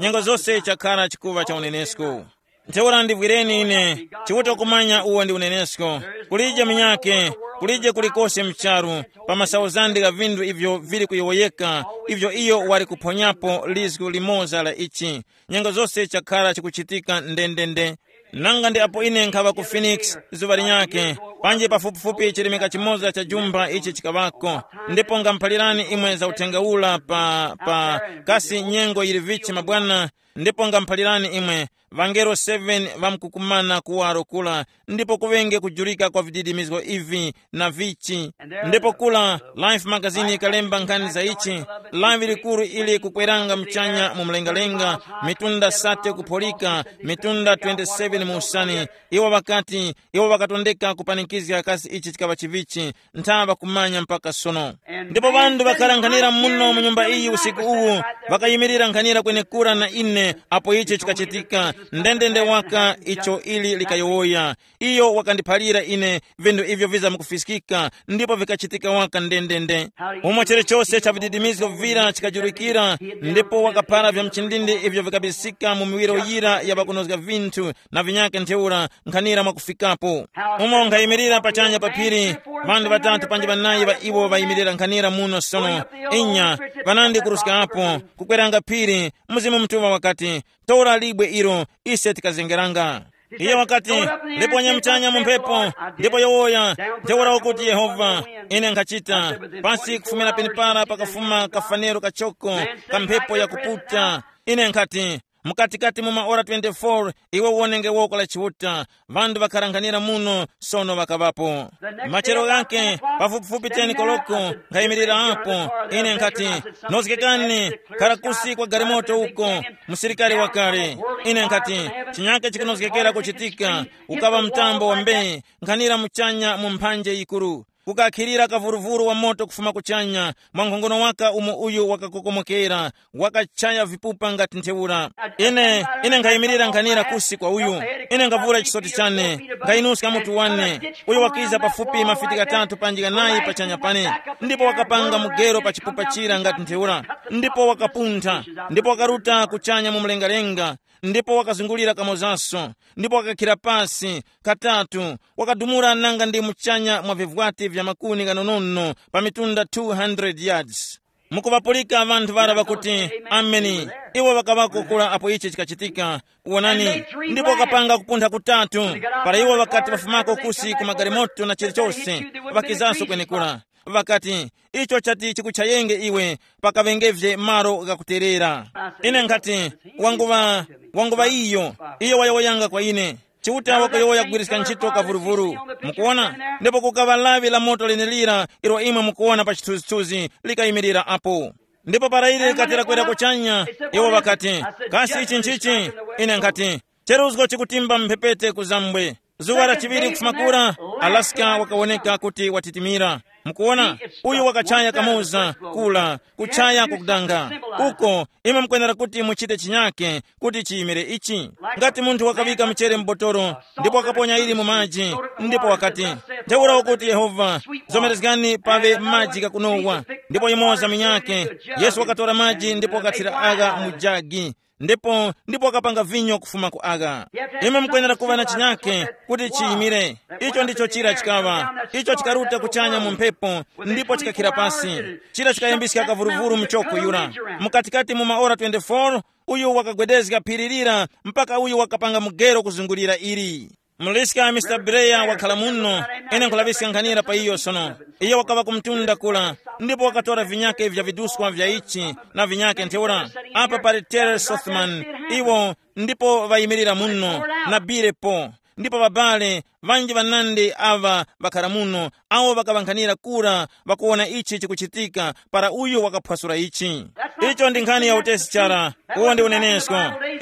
Nyengo zose chakhara chikuŵa cha unenesko. Ntheura ndivwireni ine, Chiuta kumanya uwo ndi unenesko. Kulije munyakhe, kulije kulikose mcharu, pa masauzande gha vinthu ivyo vili kuyowoyeka, ivyo iyo wali kuphonyapo lizgu limoza la ichi. Nyengo zose chakhara chikuchitika ndendende. Nanga ndi apo ine nkhaŵa ku Phoenix zuŵa linyakhe, panji pafupifupi chilemeka chimoza cha jumba ichi chikaŵako. Ndipo ngamuphalirani imwe za uthenga ula pa, pa kasi nyengo yili vichi mabwana, ndipo ngamuphalirani imwe, ŵangelo seven ŵamkukumana kuwaro kula, ndipo kuŵenge kujulika kwa vididimizgo ivi na vichi. Ndipo kula, Life magazini ikalemba nkhani za ichi, lawi likuru ili kukweranga muchanya mu mlengalenga, mitunda sate kupholika, mitunda twenty-seven mu usani. Iwo ŵakati, iwo ŵakatondeka kupanikizga kasi ichi chikaŵa chivichi, ntha ŵakumanya mpaka sono. Ndipo ŵanthu ŵakhala nkhanira muno mu nyumba iyi usiku uwu, ŵakayimirira nkhanira kwenekura na ine, apo ichi chikachitika. Ndendende waka icho ili likayowoya. Iyo wakandiphalira ine vinthu ivyo vizamkufiskika, ndipo vikachitika waka ndendende. Umo chilichose cha vididimizgo vira chikajurikira, ndipo wakaphara vya mchindindi ivyo vikabisika mu miwiro yira ya ŵakunozga vinthu na vinyake ntheura nkhanira mwakufikapo. Umo nkhayimirira pachanya pa phiri, ŵanthu ŵatatu panji ŵanayi ŵa iwo ŵayimirira nkhanira muno sono. Inya, ŵanandi kuruska apo, kukweranga phiri, Mzimu Mutuŵa wakati, tora libwe ilo, ise tikazengeranga. Iye wakati, liponya mchanya mu mphepo, ndipo yowoya, ntheura ukuti Yehova, ine nkhachita. Pasi kufumira penepara pakafuma kafanero kachoko, ka mphepo yakuputa. Ine nkhati, mukatikati mu maora twenty-four iwe wonenge woko la Chiuta. Ŵanthu ŵakharanghanira muno sono ŵakaŵapo. Machero ghake, pafupifupi ten koloko, nkhayimirira apo. Ine nkhati, nozgekani, khara kusi kwa galimoto uko, musilikari wakale. Ine nkhati, chinyake chikunozgekera kuchitika. Ukaŵa mtambo wa mbee, nkhanira muchanya mu mphanje yikuru. Kukakhirira kavuruvuru wa moto kufuma kuchanya, mwa nkhongono waka umo uyu wakakokomokera, wakachaya vipupa ngati ntheura. Ine, ine nkhayimirira nkhanira kusi kwa uyu. Ine nkavura chisoti chane, nkhayinuska mutu wane. Uyu wakiza pafupi mafiti ghatatu panji ghanayi pachanya pane, ndipo wakapanga mugero pa chipupa chira ngati ntheura, ndipo wakapuntha, ndipo wakaruta kuchanya mu mlengalenga, ndipo wakazungulira kamozaso, ndipo wakakhira pasi katatu, wakadumula nanga ndi muchanya mwa vivwati vya makuni ghanonono pa mitunda two hundred yards. Mukuŵapulika ŵanthu ŵara ŵakuti, ameni. Iwo ŵakaŵako kura apo ichi chikachitika. Wonani, ndipo wakapanga kupuntha kutatu. Para iwo ŵakati ŵafumako kusi ku magalimoto na chilichose, ŵakizaso kwenekura. Ŵakati, icho chati chikuchayenge iwe, pakaŵengevye malo ghakuterera. Ine nkhati, wanguŵa, wanguŵa iyo. Iyo wayowoyanga kwa ine. Chiuta wakuyowoya kugwiriska ntchito kavuruvuru. Mukuona? Ndipo kukaŵa lawi la moto lenelira ilo imwe mukuona pa chithunzithunzi likayimirira apo. Ndipo para ili likatera kwera kuchanya, iwo ŵakati, kasi ichi nchichi? Ine nkhati, cheruzgo chikutimba mphepete ku zambwe. Zuwa la chiŵiri kufuma kura, Alaska wakawoneka kuti watitimira. Mukuona, uyu wakachaya kamoza kula, kuchaya kukudanga. Uko, imwe mukwenera kuti muchite chinyake kuti chiyimire ichi. Ngati munthu wakaŵika mchere m'botoro, ndipo wakaponya ili mu maji, ndipo wakati, ntheura ukuti Yehova, zomerezgani paŵe maji ghakunowa, ndipo yimoza minyake. Yesu wakatora maji ndipo wakathira agha mu jagi, ndipo ndipo wakapanga vinyo kufuma ku agha. Imwe mukwenera kuŵa na chinyake kuti chiyimire. Icho ndicho chira chikaŵa. Icho chikaruta kuchanya mu mphepo, ndipo chikakhira pasi. Chira chikayambiska kavuruvuru mchoko yura. Mukatikati mu maora twenty-four, uyu wakagwedezga phiri lira mpaka uyu wakapanga mugero kuzungulira ili. Muliska Mister Breya wakhala muno. Ine nkhulaŵiska nkhanira pa iyo sono. Iyo wakaŵa kumtunda kula, ndipo wakatora vinyake vya viduskwa vya ichi na vinyake ntheura. Apa pali Terry Sothman, iwo ndipo ŵayimirira muno, na Bilepo, ndipo ŵabale ŵanji ŵanandi aŵa ŵakhara muno, awo ŵakaŵankhanira kura ŵakuwona ichi chikuchitika para uyu wakaphwasula ichi. Icho ndi nkhani ya utesi chara. Uwo ndi unenesko.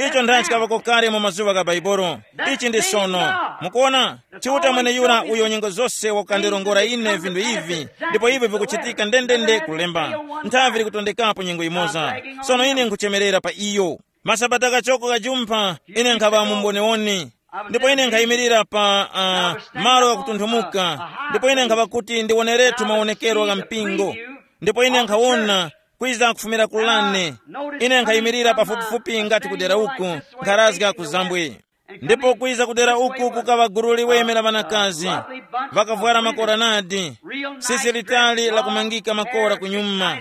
Icho ndachikaŵako kale mu mazuŵa gha Baibolo. Ichi ndi sono. Mukuona, Chiuta mweneyura uyo nyengo zose wakukandirongora ine vinthu ivi, ndipo ivi vikuchitika ndendende kulemba. Nthavi likutondekapo nyengo imoza. Sono ine nkuchemerera pa iyo. Masabata kachoko kajumpha, ine nkhaŵa mu mbonewoni. Ndipo ine nkhayimirira pa uh, malo ghakutunthumuka. Ndipo ine nkhaŵa kuti ndiwonerethu mawonekero gha mpingo. Ndipo ine nkhawona kwiza kufumira kulane. Ine nkhayimirira pafupifupi ngati kudera uku, nkharazga ku zambwe. Ndipo kwiza kudera uku kukaŵa gulu liweme la ŵanakazi, ŵakavwara makoranadi, sisi litali la kumangika makora kunyuma,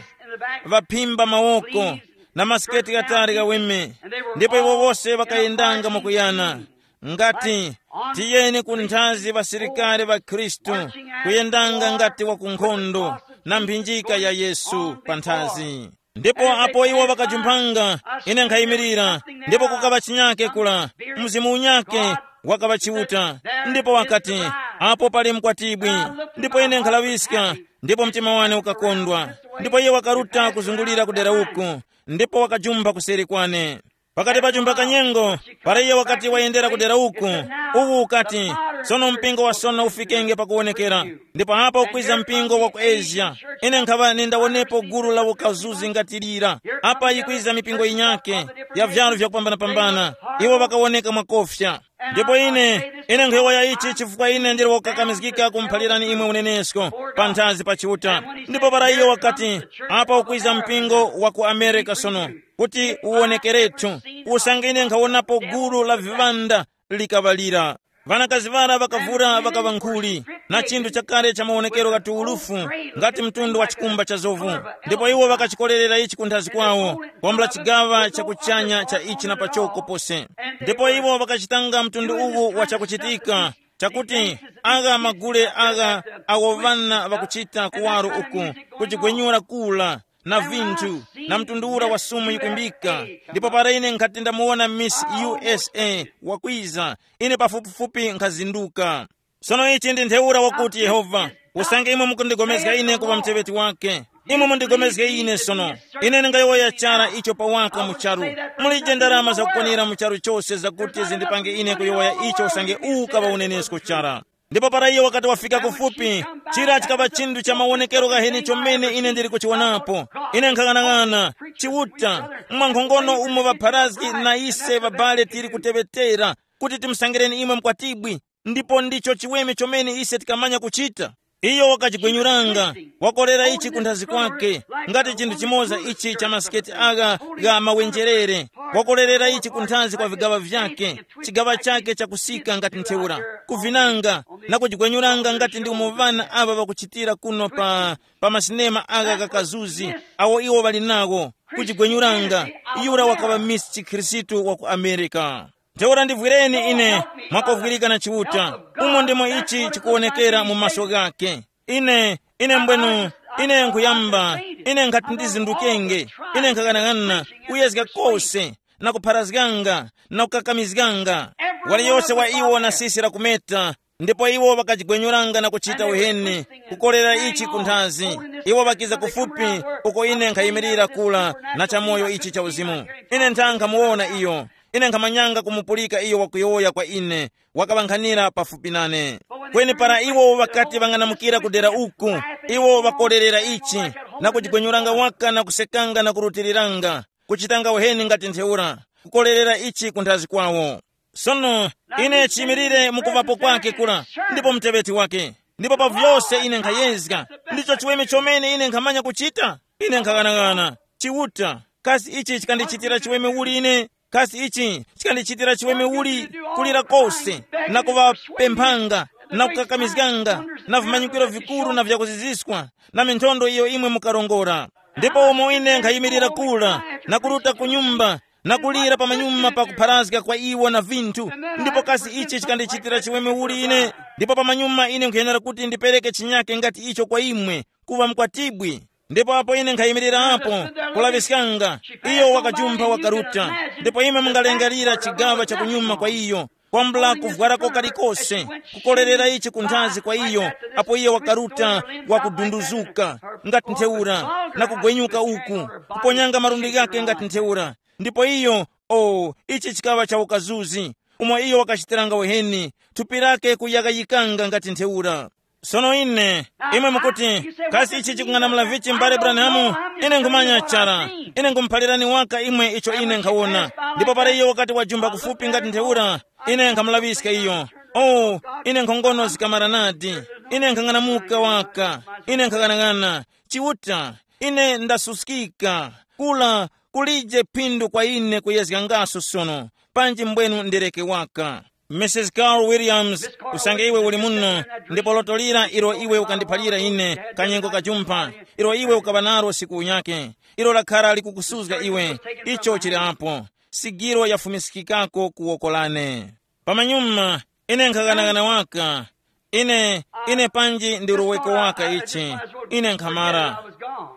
ŵaphimba mawoko, na masiketi ghatali ghaweme. Ndipo iwo wose ŵakayendanga mwakuyana, ngati, tiyeni ku nthazi ŵasilikari ŵa Khristu, kuyendanga ngati wa ku nkhondo, na mphinjika ya Yesu pa nthazi. Ndipo apo iwo ŵakajumphanga, ine nkhayimirira, ndipo kukaŵa chinyake kula, mzimu unyake wakaŵa Chiuta. Ndipo wakati, apo pali mkwatibwi. Ndipo ine nkhalaŵiska, ndipo mtima wane ukakondwa. Ndipo iye wakaruta kuzungulira kudera uku, ndipo wakajumpha kuseri kwane. Pakati pa jumba kanyengo, para iye wakati wayendera kudera uku, uwu ukati, Sono mpingo wa sono ufikenge pakuwonekera. Ndipo apa ukwiza mpingo wa ku Asia. Ine nkhaŵa nindawonepo gulu la ukazuzi ngati lira. Apa yikwiza mipingo yinyake ya vyalu vyakupambanapambana. Iwo ŵakawoneka mwakofya. Ndipo ine, ine nkhuyowoya ichi chifukwa ine ndili wokakamizgika kumuphalirani imwe unenesko panthazi pa Chiuta. Ndipo para iyo wakati, apa ukwiza mpingo wa ku Amerika sono, kuti uwonekerethu, usange ine nkhawonapo gulu la viŵanda likaŵalira. Ŵanakazi ŵara ŵakavura ŵakaŵa nkhuli, na chinthu chakale cha mawonekero ghati ulufu, ngati mtundu wa chikumba cha zovu. Ndipo iwo ŵakachikorerera ichi kunthazi kwawo, kwambula chigaŵa cha kuchanya cha ichi na pachoko pose. Ndipo iwo ŵakachitanga mtundu uwu wa chakuchitika, chakuti agha magule agha awo ŵana ŵakuchita kuwaro uku, kujigwenyura kula, na vinthu, na mtundu ura wa sumu yikwimbika. Ndipo para ine nkhati ndamuwona Miss U S A wakwiza, ine pafupifupi nkhazinduka. Sono ichi ndi ntheura wakuti Yehova, usange imwe mukundigomezga ine kuŵa muteŵeti wake, imwe mundigomezge ine sono. Ine ndingayowoya chara icho pawaka mu charu. Mulije ndarama zakukwanira mu charu chose zakuti zindipange ine kuyowoya icho usange uwu kaŵa unenesko chara. Ndipo para iyo wakati wafika kufupi, chira chikaŵa chinthu cha mawonekero ghaheni chomene ine ndili kuchiwonapo. Ine nkhang'anang'ana, Chiuta, mwankhongono umo ŵapharazgi na ise ŵabale tili kuteŵetera kuti timusangireni imwe mkwatibwi, ndipo ndicho chiweme chomene ise tikamanya kuchita. Iyo wakachigwenyuranga, wakolera ichi kunthazi kwake, ngati chinthu chimoza ichi cha masiketi agha gha mawenjerere, wakolerera ichi kunthazi kwa vigaŵa vyake, chigaŵa chake chakusika ngati ntheura, kuvinanga, na kujigwenyuranga ngati ndi umo ŵana aŵa ŵakuchitira kuno pa, pa masinema agha ghakazuzi, awo iwo ŵali nawo, kujigwenyuranga. Yura wakaŵa Miss Chikhristu wa ku Amerika. Ntheura ndivwireni ine, mwakovwirika na Chiuta, umo ndimo ichi chikuwonekera mu maso ghake. Ine, ine mbwenu, ine nkhuyamba, ine nkhati ndizindukenge, ine nkhaghanaghanana kuyezga kose, na kupharazganga, na kukakamizganga. Waliyose wa iwo na sisi la kumeta, ndipo iwo ŵakajigwenyuranga na kuchita uheni, kukorera ichi kunthazi. Iwo ŵakiza kufupi uko ine nkhayimirira kula na chamoyo ichi cha uzimu. Ine ntha nkhamuwona iyo. Ine nkhamanyanga kumupulika iyo wakuyowoya kwa ine, wakaŵankhanira pafupi nane. Kweni para iwo ŵakati ŵang'anamukira ku dera uku, iwo ŵakorerera ichi, na kujigwenyuranga waka na kusekanga na kurutiriranga, kuchitanga uheni ngati ntheura, kukorerera ichi kunthazi kwawo. Sono, ine chiyimirire mukuvapo kwake kura, ndipo muteŵeti wake. Ndipo pa vyose ine nkhayezga, ndicho chiweme chomene ine nkhamanya kuchita. Ine nkhaghanaghananga, Chiuta, kasi ichi chikandichitira chiweme uli ine? Kasi ichi chikandichitira chiweme uli? Kulira kose, na kuŵapemphanga, na kukakamizganga, na vimanyikiro vikuru na vyakuziziswa, na minthondo iyo imwe mukarongora. Ndipo umo ine nkhayimirira kula, na kuruta ku nyumba, na kulira pamanyuma pa kupharazga kwa iwo na vinthu, ndipo kasi ichi chikandichitira chiweme uli ine? Ndipo pamanyuma ine nkhuyenera kuti ndipereke chinyake ngati icho kwa imwe, kuŵa mkwatibwi. Ndipo apo ine nkhayimirirapo, kulaŵiskanga, iyo wakajumpha wakaruta. Ndipo imwe mungalengerera chigaŵa cha kunyuma kwa iyo, kwambula kuvwarako kalikose, kukorerera ichi kunthazi kwa iyo, apo iyo wakaruta, wakudunduzuka ngati ntheura, na kugwenyuka uku, kuponyanga malundi ghake ngati ntheura. Ndipo iyo, o, ichi chikaŵa cha ukazuzi, umo iyo wakachitiranga uheni, thupi lake kuyakayikanga ngati ntheura. Sono ine, imwe mukuti, kasi ichi chikung'anamula vichi m'bale Branham? Ine nkhumanya chara. Ine nkhumuphalirani waka imwe icho ine nkhawona. Ndipo para iyo wakati wajumba kufupi ngati ntheura, ine nkhamulaŵiska iyo. Oh, ine nkhongono zikamara nadi. Ine nkhang'anamuka waka. Ine nkhaghanaghananga, Chiuta, ine ndasuskika. Kula kulije phindu kwa ine kuyezgangaso sono, panji mbwenu ndereke waka. Missus Carl Williams, usange iwe uli muno, ndipo loto lira ilo iwe ukandiphalira ine, kanyengo kajumpha, ilo iwe ukaŵa nalo siku unyake, ilo lakhara likukusuzga iwe, icho chili apo. Sigiro yafumiskikako ku woko lane. Pamanyuma, ine nkhaghanagana waka. Ine, ine panji ndi uloweko waka ichi. Ine nkhamara.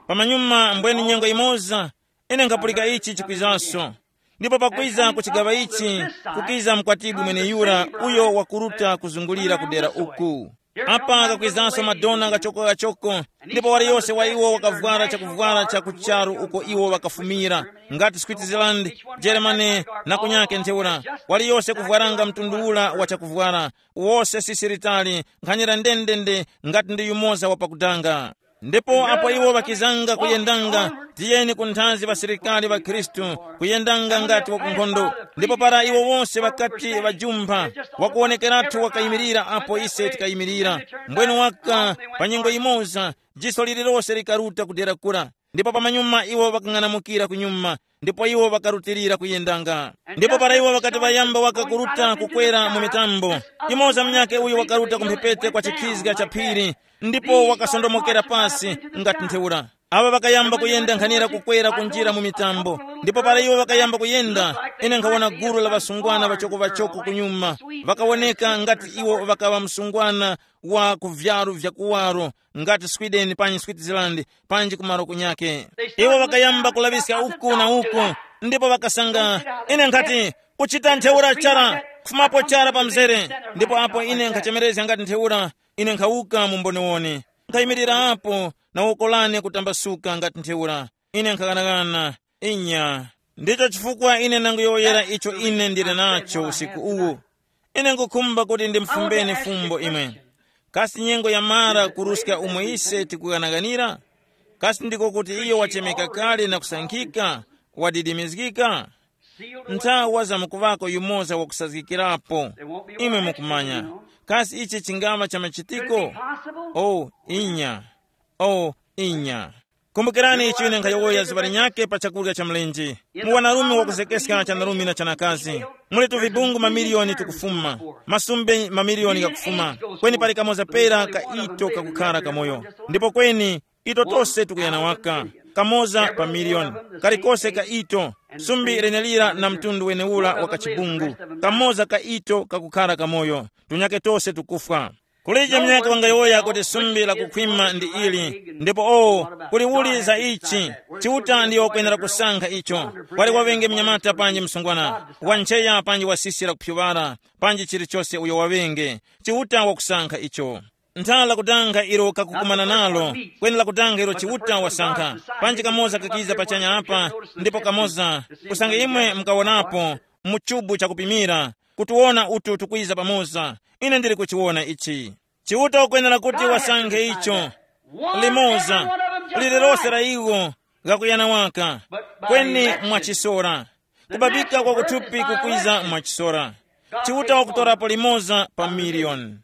Pamanyuma mbweni nyengo imoza, ine nkhapulika ichi chikwizaso. Ndipo pakwiza ku chigaŵa ichi, kukiza mkwatibwi mweneyura uyo wakuruta kuzungulira ku dera uku. Apa kakwizanso madona kachoko kachoko, ndipo waliyose wa iwo wakavwara chakuvwara cha ku charu uko iwo wakafumira, ngati Switzerland, Germany, na kunyake ntheura. Waliyose kuvwaranga mtundu ula wa chakuvwara, wose sisi litali, nkhanira ndendende, ngati ndi yumoza wa pakudanga. Ndipo apo iwo ŵakizanga kuyendanga, tiyeni ku nthazi ŵasilikali ŵa Khristu, kuyendanga ngati wa ku nkhondo. Ndipo para iwo wose ŵakati ŵajumpha, wakuwonekeratu wakayimirira apo ise tikayimirira. Mbwenu waka, pa nyengo yimoza, jiso lililose likaruta kudera kura. Ndipo pamanyuma iwo ŵakang'anamukira kunyuma, ndipo iwo ŵakarutilira kuyendanga. Ndipo para iwo ŵakati ŵayamba waka kuruta kukwera mu mitambo, yumoza munyakhe uyo wakaruta ku mphepete kwa chikhizga cha phiri, ndipo wakasondomokera pasi ngati ntheura. Awa ŵakayamba kuyenda nkhanira kukwera kunjira mu mitambo, ndipo para iwo ŵakayamba kuyenda, ine nkhawona gulu la ŵasungwana ŵachoko-ŵachoko kunyuma, ŵakawoneka ngati iwo ŵakaŵa msungwana wa ku vyaru vya kuwaro, ngati Sweden panji Switzerland, panji kumaro kunyake. Iwo ŵakayamba kulaŵiska uku na uku, ndipo ŵakasanga, ine nkhati, kuchita ntheura chara, kufumapo chara pa mzere. Ndipo apo ine nkhachemerezga ngati ntheura, ine nkhawuka mu mboniwoni, nkhayimirira apo na woko lane kutambasuka ngati ntheura. Ine nkhaghanaghananga. Inya. Ndicho chifukwa ine ndanguyowoyera icho ine ndili nacho usiku uwu. Ine ngukhumba kuti ndimfumbeni fumbo imwe. Kasi nyengo yamara kuruska umo ise tikughanaghanira? Kasi ndiko kuti iyo wachemeka kale na kusankhika, wadidimizgika? Nthawa zamkuŵako yumoza wakusazgikirapo. Imwe mukumanya. Kasi ichi chingama cha machitiko? Oh, inya. Oh, inya. Kumbukirani icho ine nkhayowoya zuŵa linyakhe pa chakurya cha mlenje. Mu wanarume wakuzekeska chanarumi na chanakazi, muli tuvibungu mamiliyoni tukufuma, masumbe mamiliyoni ghakufuma, kweni pali kamoza pera ka ito kakukhara kamoyo. Ndipo kweni ito tose tukuyana waka, kamoza pa miliyoni. Kalikose ka ito, sumbi lenelira na mtundu wenewura wa kachibungu, kamoza ka ito kakukhara kamoyo, tunyakhe tose tukufwa. Kulije munyakhe wangayowoya kuti sumbi la kukhwima ndi ili, ndipo o, kuli uli za ichi? Chiuta ndiyo wakwenera kusankha icho. Wali waŵenge mnyamata panji msungwana, wancheya panji wasisira kuphyuŵara, panji chilichose uyo waŵenge, Chiuta wakusankha icho. Ntha lakutanga ilo kakukumana nalo, kweni lakutanga ilo Chiuta wasankha. Panji kamoza kakiza pachanya apa, ndipo kamoza, usange imwe mukawonapo, mu chubu chakupimira, kutiwona utu tukwiza pamoza. Ine ndili kuchiwona ichi. Chiuta ukwenera kuti wasankhe icho. Limoza, lililose la iwo, ghakuyana waka, kweni mwachisora. Kubabika kwa kuthupi kukwiza mwachisora. Chiuta wakutorapo limoza pa miliyoni.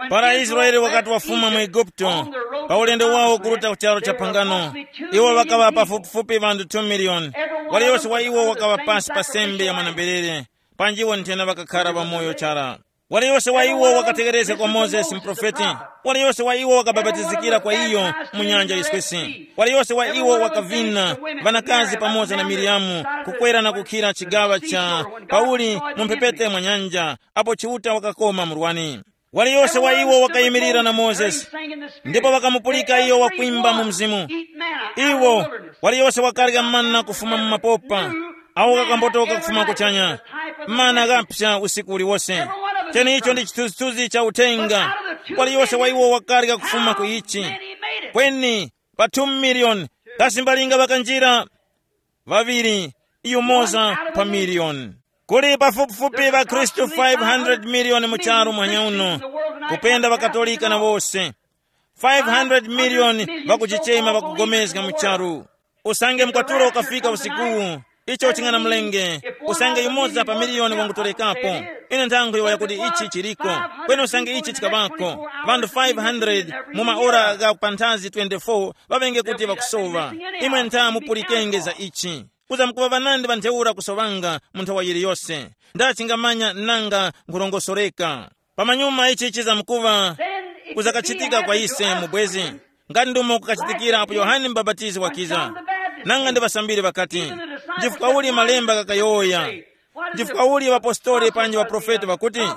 Para Israele wakati wafuma mu Eguputo, pa ulendo wawo kuruta ku charo cha phangano, iwo ŵakaŵa pafupifupi ŵanthu two miliyoni. Waliyose wa iwo wakaŵa pasi pa sembe ya mwana-mberere, panji iwo nthena ŵakakhara ŵamoyo chara. Waliyose wa iwo wakategherezga kwa Mozesi muprofeti. Waliyose wa iwo wakabapatizikira kwa iyo mu nyanja yiswesi. Waliyose wa iwo wakavina ŵanakazi pamoza na Miriyamu, kukwera na kukhira chigaŵa cha Pauli mu mphepete mwa nyanja, apo Chiuta wakakoma murwani. Waliyose wa iwo wakayimirira na Mozesi, ndipo wakamupulika iyo wakwimba mu mzimu. Iwo, waliyose wakarya mana kufuma mu mapopa, awo kakambotoka kufuma kuchanya. Mana ghaphya usiku uliwose. Chenicho ndi chithunzithunzi cha uthenga. Waliyose wa iwo wakarya kufuma ku ichi. Kweni pa two miliyoni, kasi mbalinga ŵakanjira? Ŵaŵiri, yumoza pa miliyoni. Kuli pafupifupi ŵakhristu five hundred miliyoni mu charu mwanyauno, kupenda ŵakatolika na wose. Five hundred miliyoni ŵakuchichema ŵakugomezga mu charu. Usange mkwatulo ukafika usikuwu, icho ching'anamulenge. Usange yumoza pa miliyoni wangutolekapo, ine nthangwi waya kuti ichi chiriko. Kweni usange ichi chikaŵako, ŵanthu five hundred mu maora gha panthazi twenty-four ŵaŵenge kuti ŵakusowa. Imwe ntha mupulikenge za ichi. Kuzamkuŵa ŵanandi ŵa ntheura kusoŵanga mu nthawa yiliyose. Ndachingamanya nanga nkhulongosoreka. Pamanyuma ichi chizamkuŵa kuzakachitika kwa ise mubwezi, ngati ndumo kukachitikira apo Yohane Mubapatizi wakiza. Nanga ndi ŵasambiri ŵakati, chifukwa uli malemba ghakayowoya? Chifukwa uli ŵapostoli panji ŵaprofeti ŵakuti?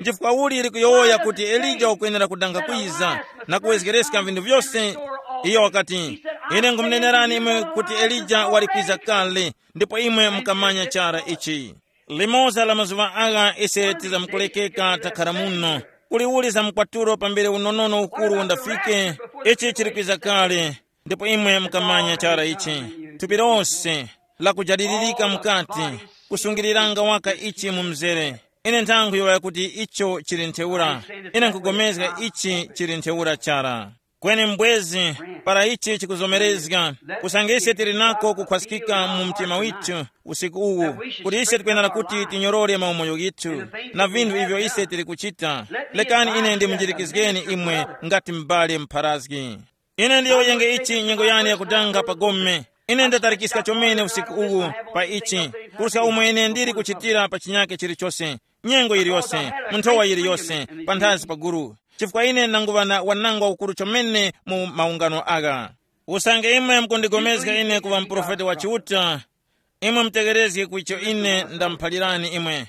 Chifukwa uli likuyowoya kuti Elija wakwenera kudanga kwiza na kuwezgereska vinthu vyose? Iyo wakati, ine nkhumunenerani imwe kuti Elija wali kwiza kale, ndipo imwe mukamanya chara ichi. Limoza la mazuŵa agha ise tizamkulekeka takhala muno, Kuliuli za mkwatulo pambere unonono ukuru undafike, ichi chili kwiza kale. Ndipo imwe mukamanya chara ichi, thupi lose lakujadilirika mukati, kusungiriranga waka ichi mu mzere. Ine nthankhu yowoya kuti icho chili ntheura. Ine nkugomezga ichi chili ntheura chara. Kweni mbwezi, para ichi chikuzomerezga, usange ise tili nako kukhwaskika mu mtima withu usiku uwu, kuti ise tikwenera kuti tinyorore maumoyo ghithu na vinthu ivyo ise tili kuchita. Lekani ine ndimunjirikizgeni imwe ngati m'bale mpharazgi. Ine ndiyowoyenge ichi nyengo yane yakudanga pa gome. Ine ndatarikiska chomene usiku uwu pa ichi, kuruska umo ine ndili kuchitira pa chinyake chilichose, nyengo yiliyose, mu nthowa yiliyose, panthazi pa guru. Chifukwa ine nanguŵa na wanangwa ukuru chomene mu maungano agha. Usange imwe mukundigomezga ine kuŵa muprofeti wa Chiuta, imwe mutegerezge ku icho ine ndamuphalirani imwe.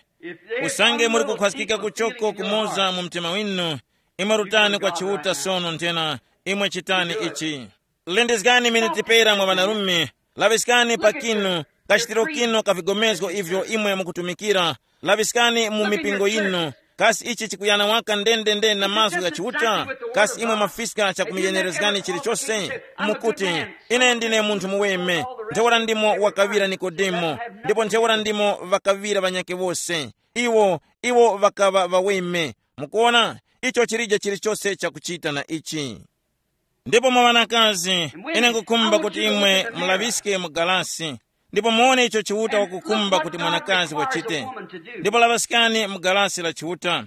Usange muli kukhwaskika kuchoko kumoza mu mtima winu, imwe rutani kwa Chiuta sono nthena, imwe chitani ichi. Lindizgani miniti pera mwa ŵanarume, laŵiskani pa kinu, kachitiro kinu ka vigomezgo ivyo imwe mukutumikira, laŵiskani mu mipingo yinu. Kasi ichi chikuyana waka ndendende na mazgu gha Chiuta? Kasi imwe mwafiska chakumuyenerezgani chilichose? Mukuti, ine ndine munthu muweme, ntheura ndimo wakaŵira Nikodemo, ndipo ntheura ndimo ŵakaŵira ŵanyakhe wose. Iwo, iwo ŵakaŵa ŵaweme. Mukuona, icho chilije chilichose chakuchita na ichi. Ndipo mwa ŵanakazi, ine nkukhumba kuti imwe mulaŵiske mu galasi, ndipo muwone icho Chiuta wakukhumba kuti mwanakazi wachite. Ndipo laŵaskani mu galasi la Chiuta,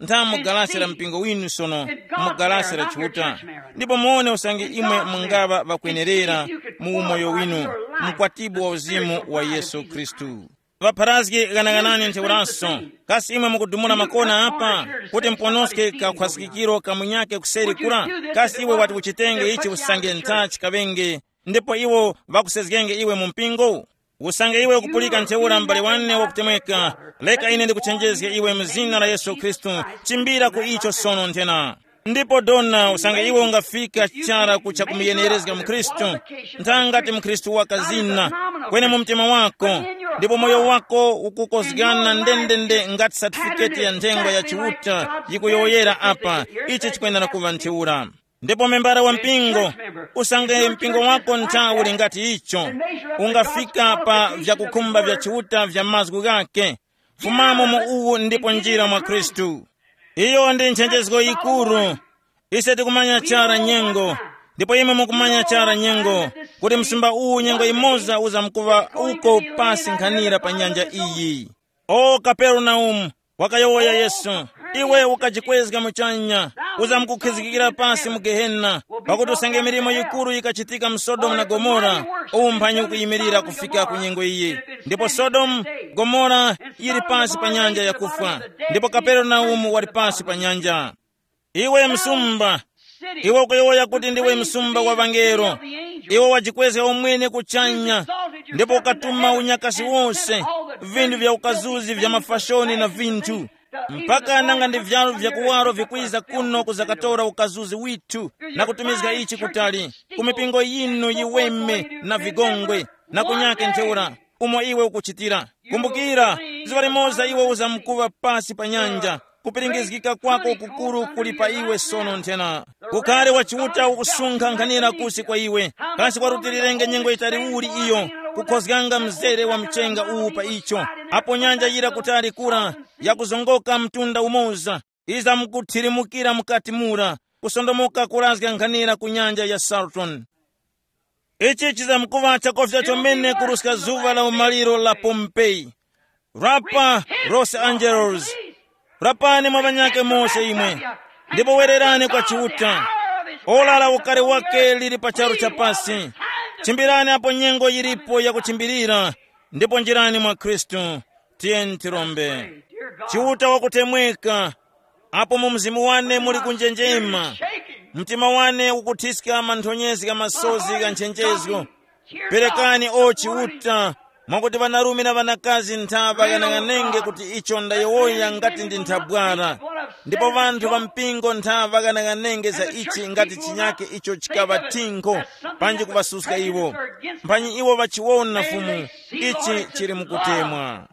ntha mu galasi la mpingo winu sono, mu galasi la Chiuta, ndipo muwone usange imwe mungaŵa ŵakwenerera mu umoyo winu, mkwatibwi wa uzimu wa Yesu Khristu. Ŵapharazgi ghanaghanani ntheuraso. Kasi imwe mukudumula makona apa kuti muponoske kakhwasikikiro ka munyakhe kuseri kura? Kasi iwe wati uchitenge ichi usange ntha chikaŵenge, ndipo iwo ŵakusezgenge iwe mu mpingo? Usange iwe ukupulika ntheura m'bale wane wakutemweka, reka ine ndikuchenjezge iwe mu zina la Yesu Khristu, chimbira ku icho sono nthena. Ndipo dona, usange iwe ungafika chara ku chakumuyenerezga mkhristu, nthangati mkhristu wakazina, kweni mu mtima wako, ndipo moyo wako ukukozgana ndendende ngati satifiketi ya nthengwa ya Chiuta yikuyowoyera apa, ichi chikwenera kuŵa ntheura. Ndipo membara wa mpingo, usange mpingo wako nthawu uli ngati icho, ungafika pa vyakukhumba vya Chiuta vya mazgu ghake, fumamo mu uwu ndipo njira mwa Khristu. Iyo ndi nchenjezgo yikuru. Ise tikumanya chara nyengo, ndipo imwe mukumanya chara nyengo, kuti msumba uwu nyengo imoza uzamkuŵa uko pasi nkhanira pa nyanja iyi. O Kaperenaumu, wakayowoya Yesu, iwe ukajikwezga muchanya, uzamkukhizikikira pasi mu Gehena, pakuti usange milimo yikuru yikachitika mu Sodomu na Gomora, uwu mphanyi ukuyimirira kufika ku nyengo iyi. Ndipo Sodomu, Gomora yili pasi pa nyanja yakufwa, ndipo Kaperenaumu wali pasi pa nyanja. Iwe msumba, iwe ukuyowoya kuti ndiwe msumba wa ŵangelo. Iwe wajikwezga umwene kuchanya, ndipo ukatuma unyakasi wose, vinthu vya ukazuzi vya mafashoni na vinthu, mpaka nanga ndi vyalu vyakuwaro vikwiza kuno kuzakatora ukazuzi withu, na kutumizga ichi kutali, ku mipingo yinu yiweme na vigongwe, na kunyake ntheura, umo iwe ukuchitira. Kumbukira, zuŵa limoza iwe uzamkuŵa pasi pa nyanja. Kupiringizgika kwako kukuru kuli pa iwe sono nthena. Ukhale wa Chiuta ukusunkha nkhanira kusi kwa iwe. Kasi warutilirenge nyengo yitali uli iyo, kukhozganga mzere wa mchenga uwu pa icho, apo nyanja yira kutali kura, yakuzongoka mtunda umoza, izamkuthirimukira mukati mura, kusondomoka kurazga nkhanira ku nyanja ya Saltoni. Ichi chizamkuŵa chakofya chomene kuruska zuŵa la umaliro la Pompeyi. Rapa, Los Angeles. Rapani mwa ŵanyakhe mose imwe, ndipo wererani kwa Chiuta. Ora la ukari wake lili pa charu cha pasi. Chimbirani apo nyengo yilipo yakuchimbirira, ndipo njirani mwa Khristu. Tiyeni tirombe. Chiuta wakutemweka, apo mu mzimu wane muli kunjenjema, mtima wane ukuthiska manthonyezi gha masozi gha nchenjezgo. Perekani o Chiuta, mwakuti ŵanarume na ŵanakazi ntha ŵaghanaghanenge kuti icho ndayowoya ngati ndi nthabwara, ndipo ŵanthu ŵa mpingo ntha ŵaghanaghanenge za ichi ngati chinyake icho chikaŵa thinkho, panji kuŵasuska iwo. Mphanyi iwo ŵachiwona Fumu, ichi chili mukutemwa.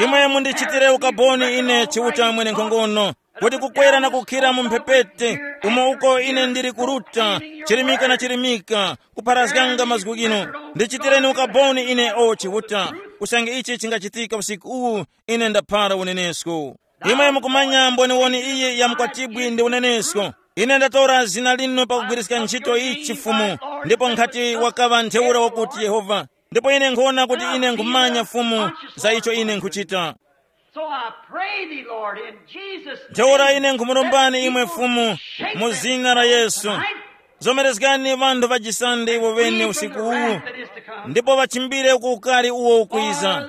Imwe mundichitire ukaboni ine Chiuta mwenenkhongono, Kuti kukwera na kukhira mu mphepete, umo uko ine ndili kuruta, chirimika na chirimika, kupharazganga mazgu ghino. Ndichitireni ukaboni ine, o Chiuta, usange ichi chingachitika usiku uwu, ine ndaphara unenesko. Imwe mukumanya mboniwoni iyi ya mkwatibwi ndi unenesko. Ine ndatora zina linu pakugwiriska ntchito ichi Fumu, ndipo nkhati wakaŵa ntheura wakuti Yehova, ndipo ine nkhuwona kuti ine nkhumanya Fumu za icho ine nkhuchita. So I pray thee, Lord, in Jesus' ntheura name, ine nkhumurombani imwe Fumu, mu zina la Yesu. Zomerezgani vanthu vajisande iwo vene usiku uwu, ndipo vachimbire ku ukali uwo ukwiza.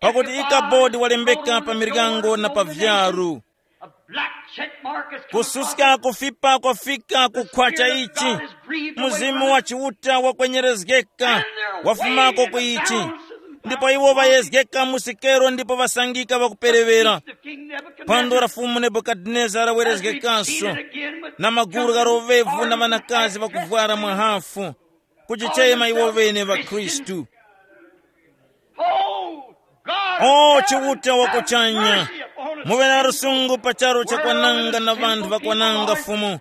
Pakuti ikabodi walembeka pa miryango na pa vyaru. A black check mark has come across. Kususka kufipa kwafika kukhwacha ichi. Mzimu wa Chiuta wakwenyerezgeka, wafumako ku ichi. Ndipo iwo ŵayezgeka mu sikero ndipo ŵasangika ŵakuperewera. Phwando la Fumu Nebukadinezara lawerezgekanso, na magulu gha lovevu na ŵanakazi ŵakuvwara mwahafu, kujichema iwo ŵene ŵakhristu. Oh, Chiuta wakuchanya, muŵe na lusungu pa charu chakwananga na vanthu ŵakwananga, Fumu.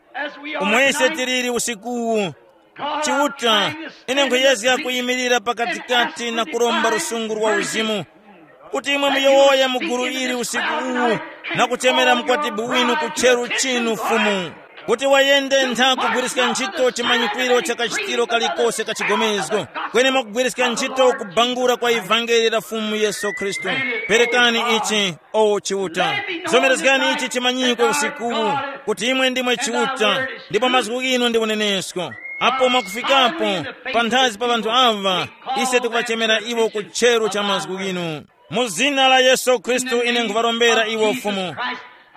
Umwe ise tiliri usikuwu. Chiuta, ine nkhuyezga kuyimirira pakatikati na kuromba lusungu lwa uzimu, kuti imwe muyowoye mu gulu ili usiku uwu, na kuchemera mukwatibwi winu ku cheru chinu, Fumu, kuti wayende ntha kugwiriska ntchito chimanyikwiro cha kachitiro kalikose ka chigomezgo, kweni mwakugwiriska ntchito kubangula kwa ivangeli la Fumu Yesu Khristu. Perekani ichi, o Chiuta. Zomerezgani ichi chimanyikwe usikuwu, kuti imwe ndimwe Chiuta, ndipo mazgu ghinu ndi unenesko. Apo mwakufikapo panthazi pa ŵanthu awa, ise tikuŵachemera iwo ku cheru cha mazgu ghinu. Mu zina la Yesu Khristu ine nkhuŵarombera iwo Fumu.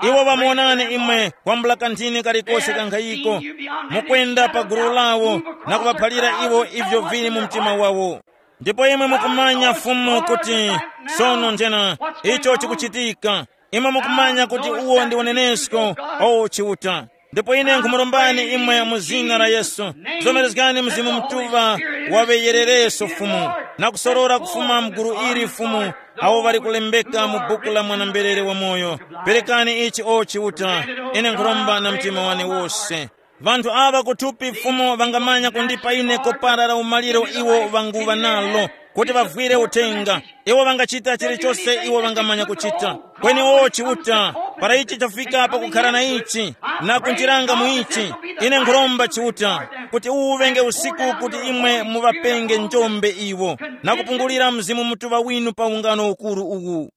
Iwo ŵamuwonani imwe kwambula kanthini kalikose kankhayiko, mukwenda pa gulu lawo na kuŵaphalira iwo ivyo vili mu mtima wawo. Ndipo imwe mukumanya Fumu kuti sono nthena icho chikuchitika. Imwe mukumanya kuti uwo ndi unenesko, o Chiuta. Ndipo ine nkhumurombani imwe mu zina la Yesu, zomerezgani Mzimu Mutuŵa waŵeyerereso Fumu, na kusorora kufuma mgulu ili Fumu, awo ŵali kulembeka mu buku la mwana-mberere wamoyo. Perekani ichi o Chiuta, ine nkhuromba na mtima wane wose. Vanthu aŵa kuthupi Fumu ŵangamanya kundipa ine kopara la umaliro iwo ŵanguŵa nalo, kuti ŵavwire uthenga. Iwo ŵangachita chilichose iwo ŵangamanya kuchita. Kweni o Chiuta, para ichi chafika pakukhala na ichi, na kunjiranga mu ichi, ine nkhuromba Chiuta, kuti uwu uŵenge usiku kuti imwe muŵapenge njombe iwo, na kupungulira Mzimu Mutuŵa winu pa ungano ukuru uwu.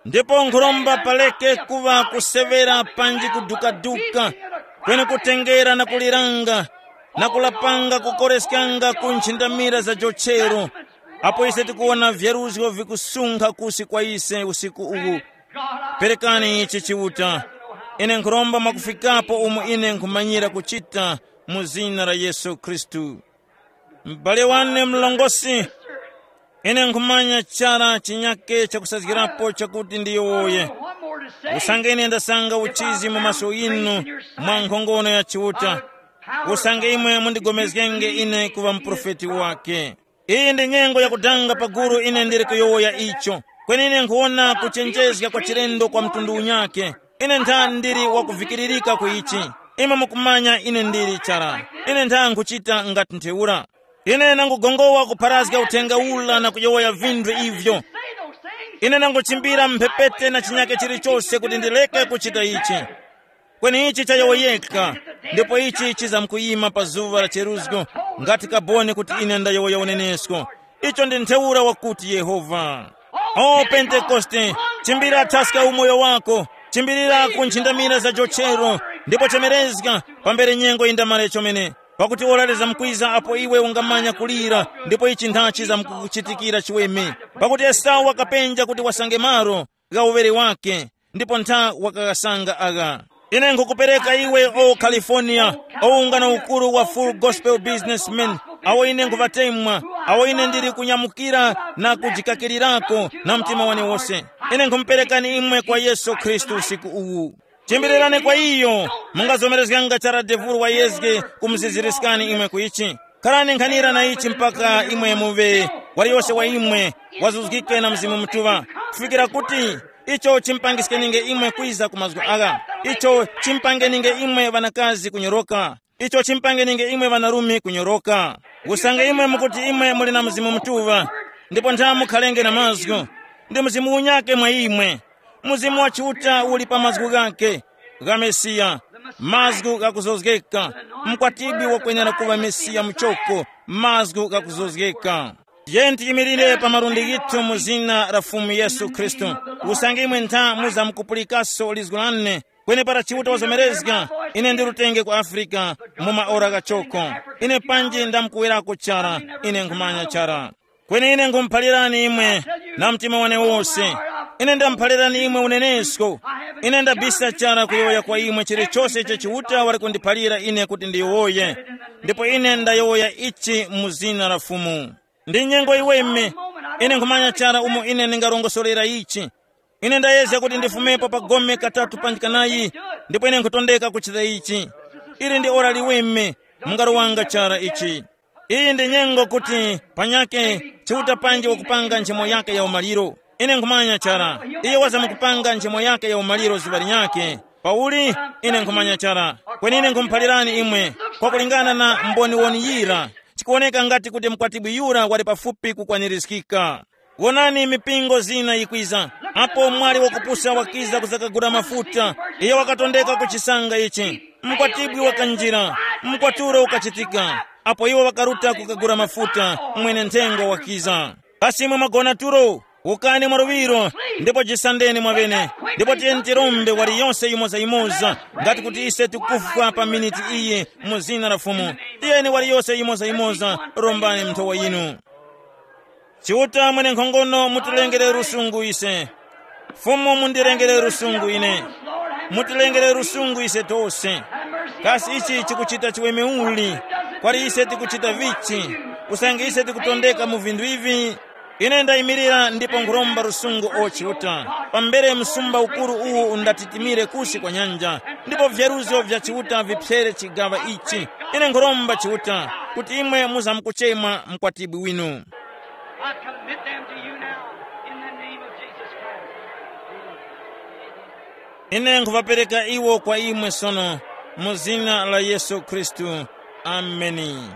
Ndipo nkhuromba paleke kuŵa kuseŵera panji kudukaduka, kweni kutengera na kuliranga, na kulapanga kukoreskanga ku nchindamira za jochero, apo ise tikuwona vyaruzgo vikusunkha kusi kwa ise usiku uwu. Perekani ichi Chiuta. Ine nkhuromba mwakufikapo umo ine nkhumanyira kuchita, mu zina la Yesu Khristu. M'bale wane mlongosi, ine nkhumanya chara chinyake chakusazgirapo chakuti ndiyowoye. Usange ine ndasanga uchizi mu maso yinu mwa nkhongono ya Chiuta, usange imwe mundigomezgenge ine kuŵa muprofeti wake. Iyi ndi nyengo yakudanga paguru ine ndili kuyowoya icho. Kweni ine nkhuwona kuchenjezga kwa chilendo kwa mtundu unyake. Ine ntha ndili wakuvikiririka ku ichi. Imwe mukumanya ine ndili chara. Ine ntha nkhuchita ngati ntheura. Ine nangugongowa kupharazga uthenga ula na kuyowoya vinthu ivyo. Ine nanguchimbira mphepete na chinyake chilichose kuti ndileke kuchita ichi. Kweni ichi chayowoyeka, ndipo ichi chizamkuyima pa zuŵa la cheruzgo, ngati kaboni kuti ine ndayowoya unenesko. Icho ndi ntheura wakuti Yehova. O Pentekoste, chimbira thaska umoyo wako, chimbirira ku nchindamira za jochero, ndipo chemerezga pambere nyengo yindamale chomene. Pakuti ora lizamkwiza apo iwe ungamanya kulira, ndipo ichi nthachi zamkukuchitikira chiweme. Pakuti Esau wakapenja kuti wasange malo gha uŵere wake, ndipo ntha wakaghasanga agha. Ine nkhukupereka iwe, o California, o ungano ukuru wa Full Gospel Businessmen, awo ine nkhuŵatemwa, awo ine ndili kunyamukira na kujikakirirako na mtima wane wose. Ine nkhumuperekani imwe kwa Yesu Khristu usiku uwu. Chimbirirani kwa iyo, mungazomerezganga chara devulu wayezge kumuziziriskani imwe ku ichi. Kharani nkhanira na ichi mpaka imwe muve, waliyose wa imwe wazuzgike na Mzimu Mutuŵa, kufikira kuti icho chimpangiskeninge imwe kwiza ku mazgu agha. Icho chimpangeninge imwe ŵanakazi kunyoroka. Icho chimpangeninge imwe ŵanarume kunyoroka. Usange imwe mukuti imwe muli na Mzimu Mutuŵa, ndipo ntha mukhalenge na mazgu, ndi Mzimu unyake mwa imwe. Mzimu wa Chiuta uli pa mazgu ghake, gha Mesiya, mazgu ghakuzozgeka. Mkwatibwi wakwenera kuŵa Mesiya muchoko, mazgu ghakuzozgeka. Tiyeni tiyimirire pa malundi ghithu mu zina la Fumu Yesu Khristu. Usange imwe ntha muzamkupulikaso lizgu lane, kwenepara Chiuta wazomerezga, ine ndirutenge ku Afrika mu maora ghachoko. Ine panji ndamkuwerako chara, ine nkhumanya chara. Kweni ine nkhumuphalirani imwe na mtima wane wose. Ine ndamuphalirani imwe unenesko. Ine ndabisa chara kuyowoya kwa imwe chilichose icho Chiuta wali kundiphalira ine kuti ndiyowoye. Ndipo ine ndayowoya ichi mu zina la Fumu. Ndi nyengo iweme. Ine nkhumanya chara umo ine ndingarongosorera ichi. Ine ndayezga kuti ndifumepo pa gome katatu panji kanayi, ndipo ine nkhutondeka kuchita ichi. Ili ndi ora liweme, mungaro wanga chara ichi. Iyi ndi nyengo kuti panyake Chiuta panji wakupanga nchemo yake ya umaliro. Ine nkhumanya chara, iye wazamkupanga nchemo yake ya umaliro zuŵa linyakhe. Pauli, ine nkhumanya chara. Kweni ine nkhumuphalirani imwe, kwakulingana na mboniwoni yira, chikuwoneka ngati kuti mkwatibwi yura wali pafupi kukwanirizgika. Wonani, mipingo zina yikwiza. Apo mwali wakupusa wakiza kuzakagula mafuta, iyo wakatondeka ku chisanga ichi. Mkwatibwi wakanjira, mkwaturo ukachitika. Apo iwo wakaruta kukagula mafuta, mwene nthengo wakiza. Kasi imwe mwagona tulo? Wukani mwa luŵiro, ndipo jisandeni mwaŵene. Ndipo tiyeni tirombe wali yose yimoza-yimoza, ngati kuti ise tikufwa pa miniti iyi mu zina la Fumu. Tiyeni wali yose yimoza-yimoza, rombani nthowa yinu. Chiuta mwenenkhongono, mutilengere lusungu ise. Fumu, mundirengere lusungu ine. Mutilengere lusungu ise tose. Kasi ichi chikuchita chiweme uli? Kwali ise tikuchita vichi? Usange ise tikutondeka mu vinthu ivi, ine ndayimirira ndipo nkhuromba lusungu o Chiuta. Pambere msumba ukuru uwu undatitimire kusi kwa nyanja, ndipo vyaruzgo vya Chiuta vipsere chigaŵa ichi. Ine nkhuromba Chiuta kuti imwe muzamkuchema mkwatibwi winu. I commit them to you now in the name of Jesus Christ. Ine nkhuŵapereka iwo kwa imwe sono, mu zina la Yesu Khristu. Ameni.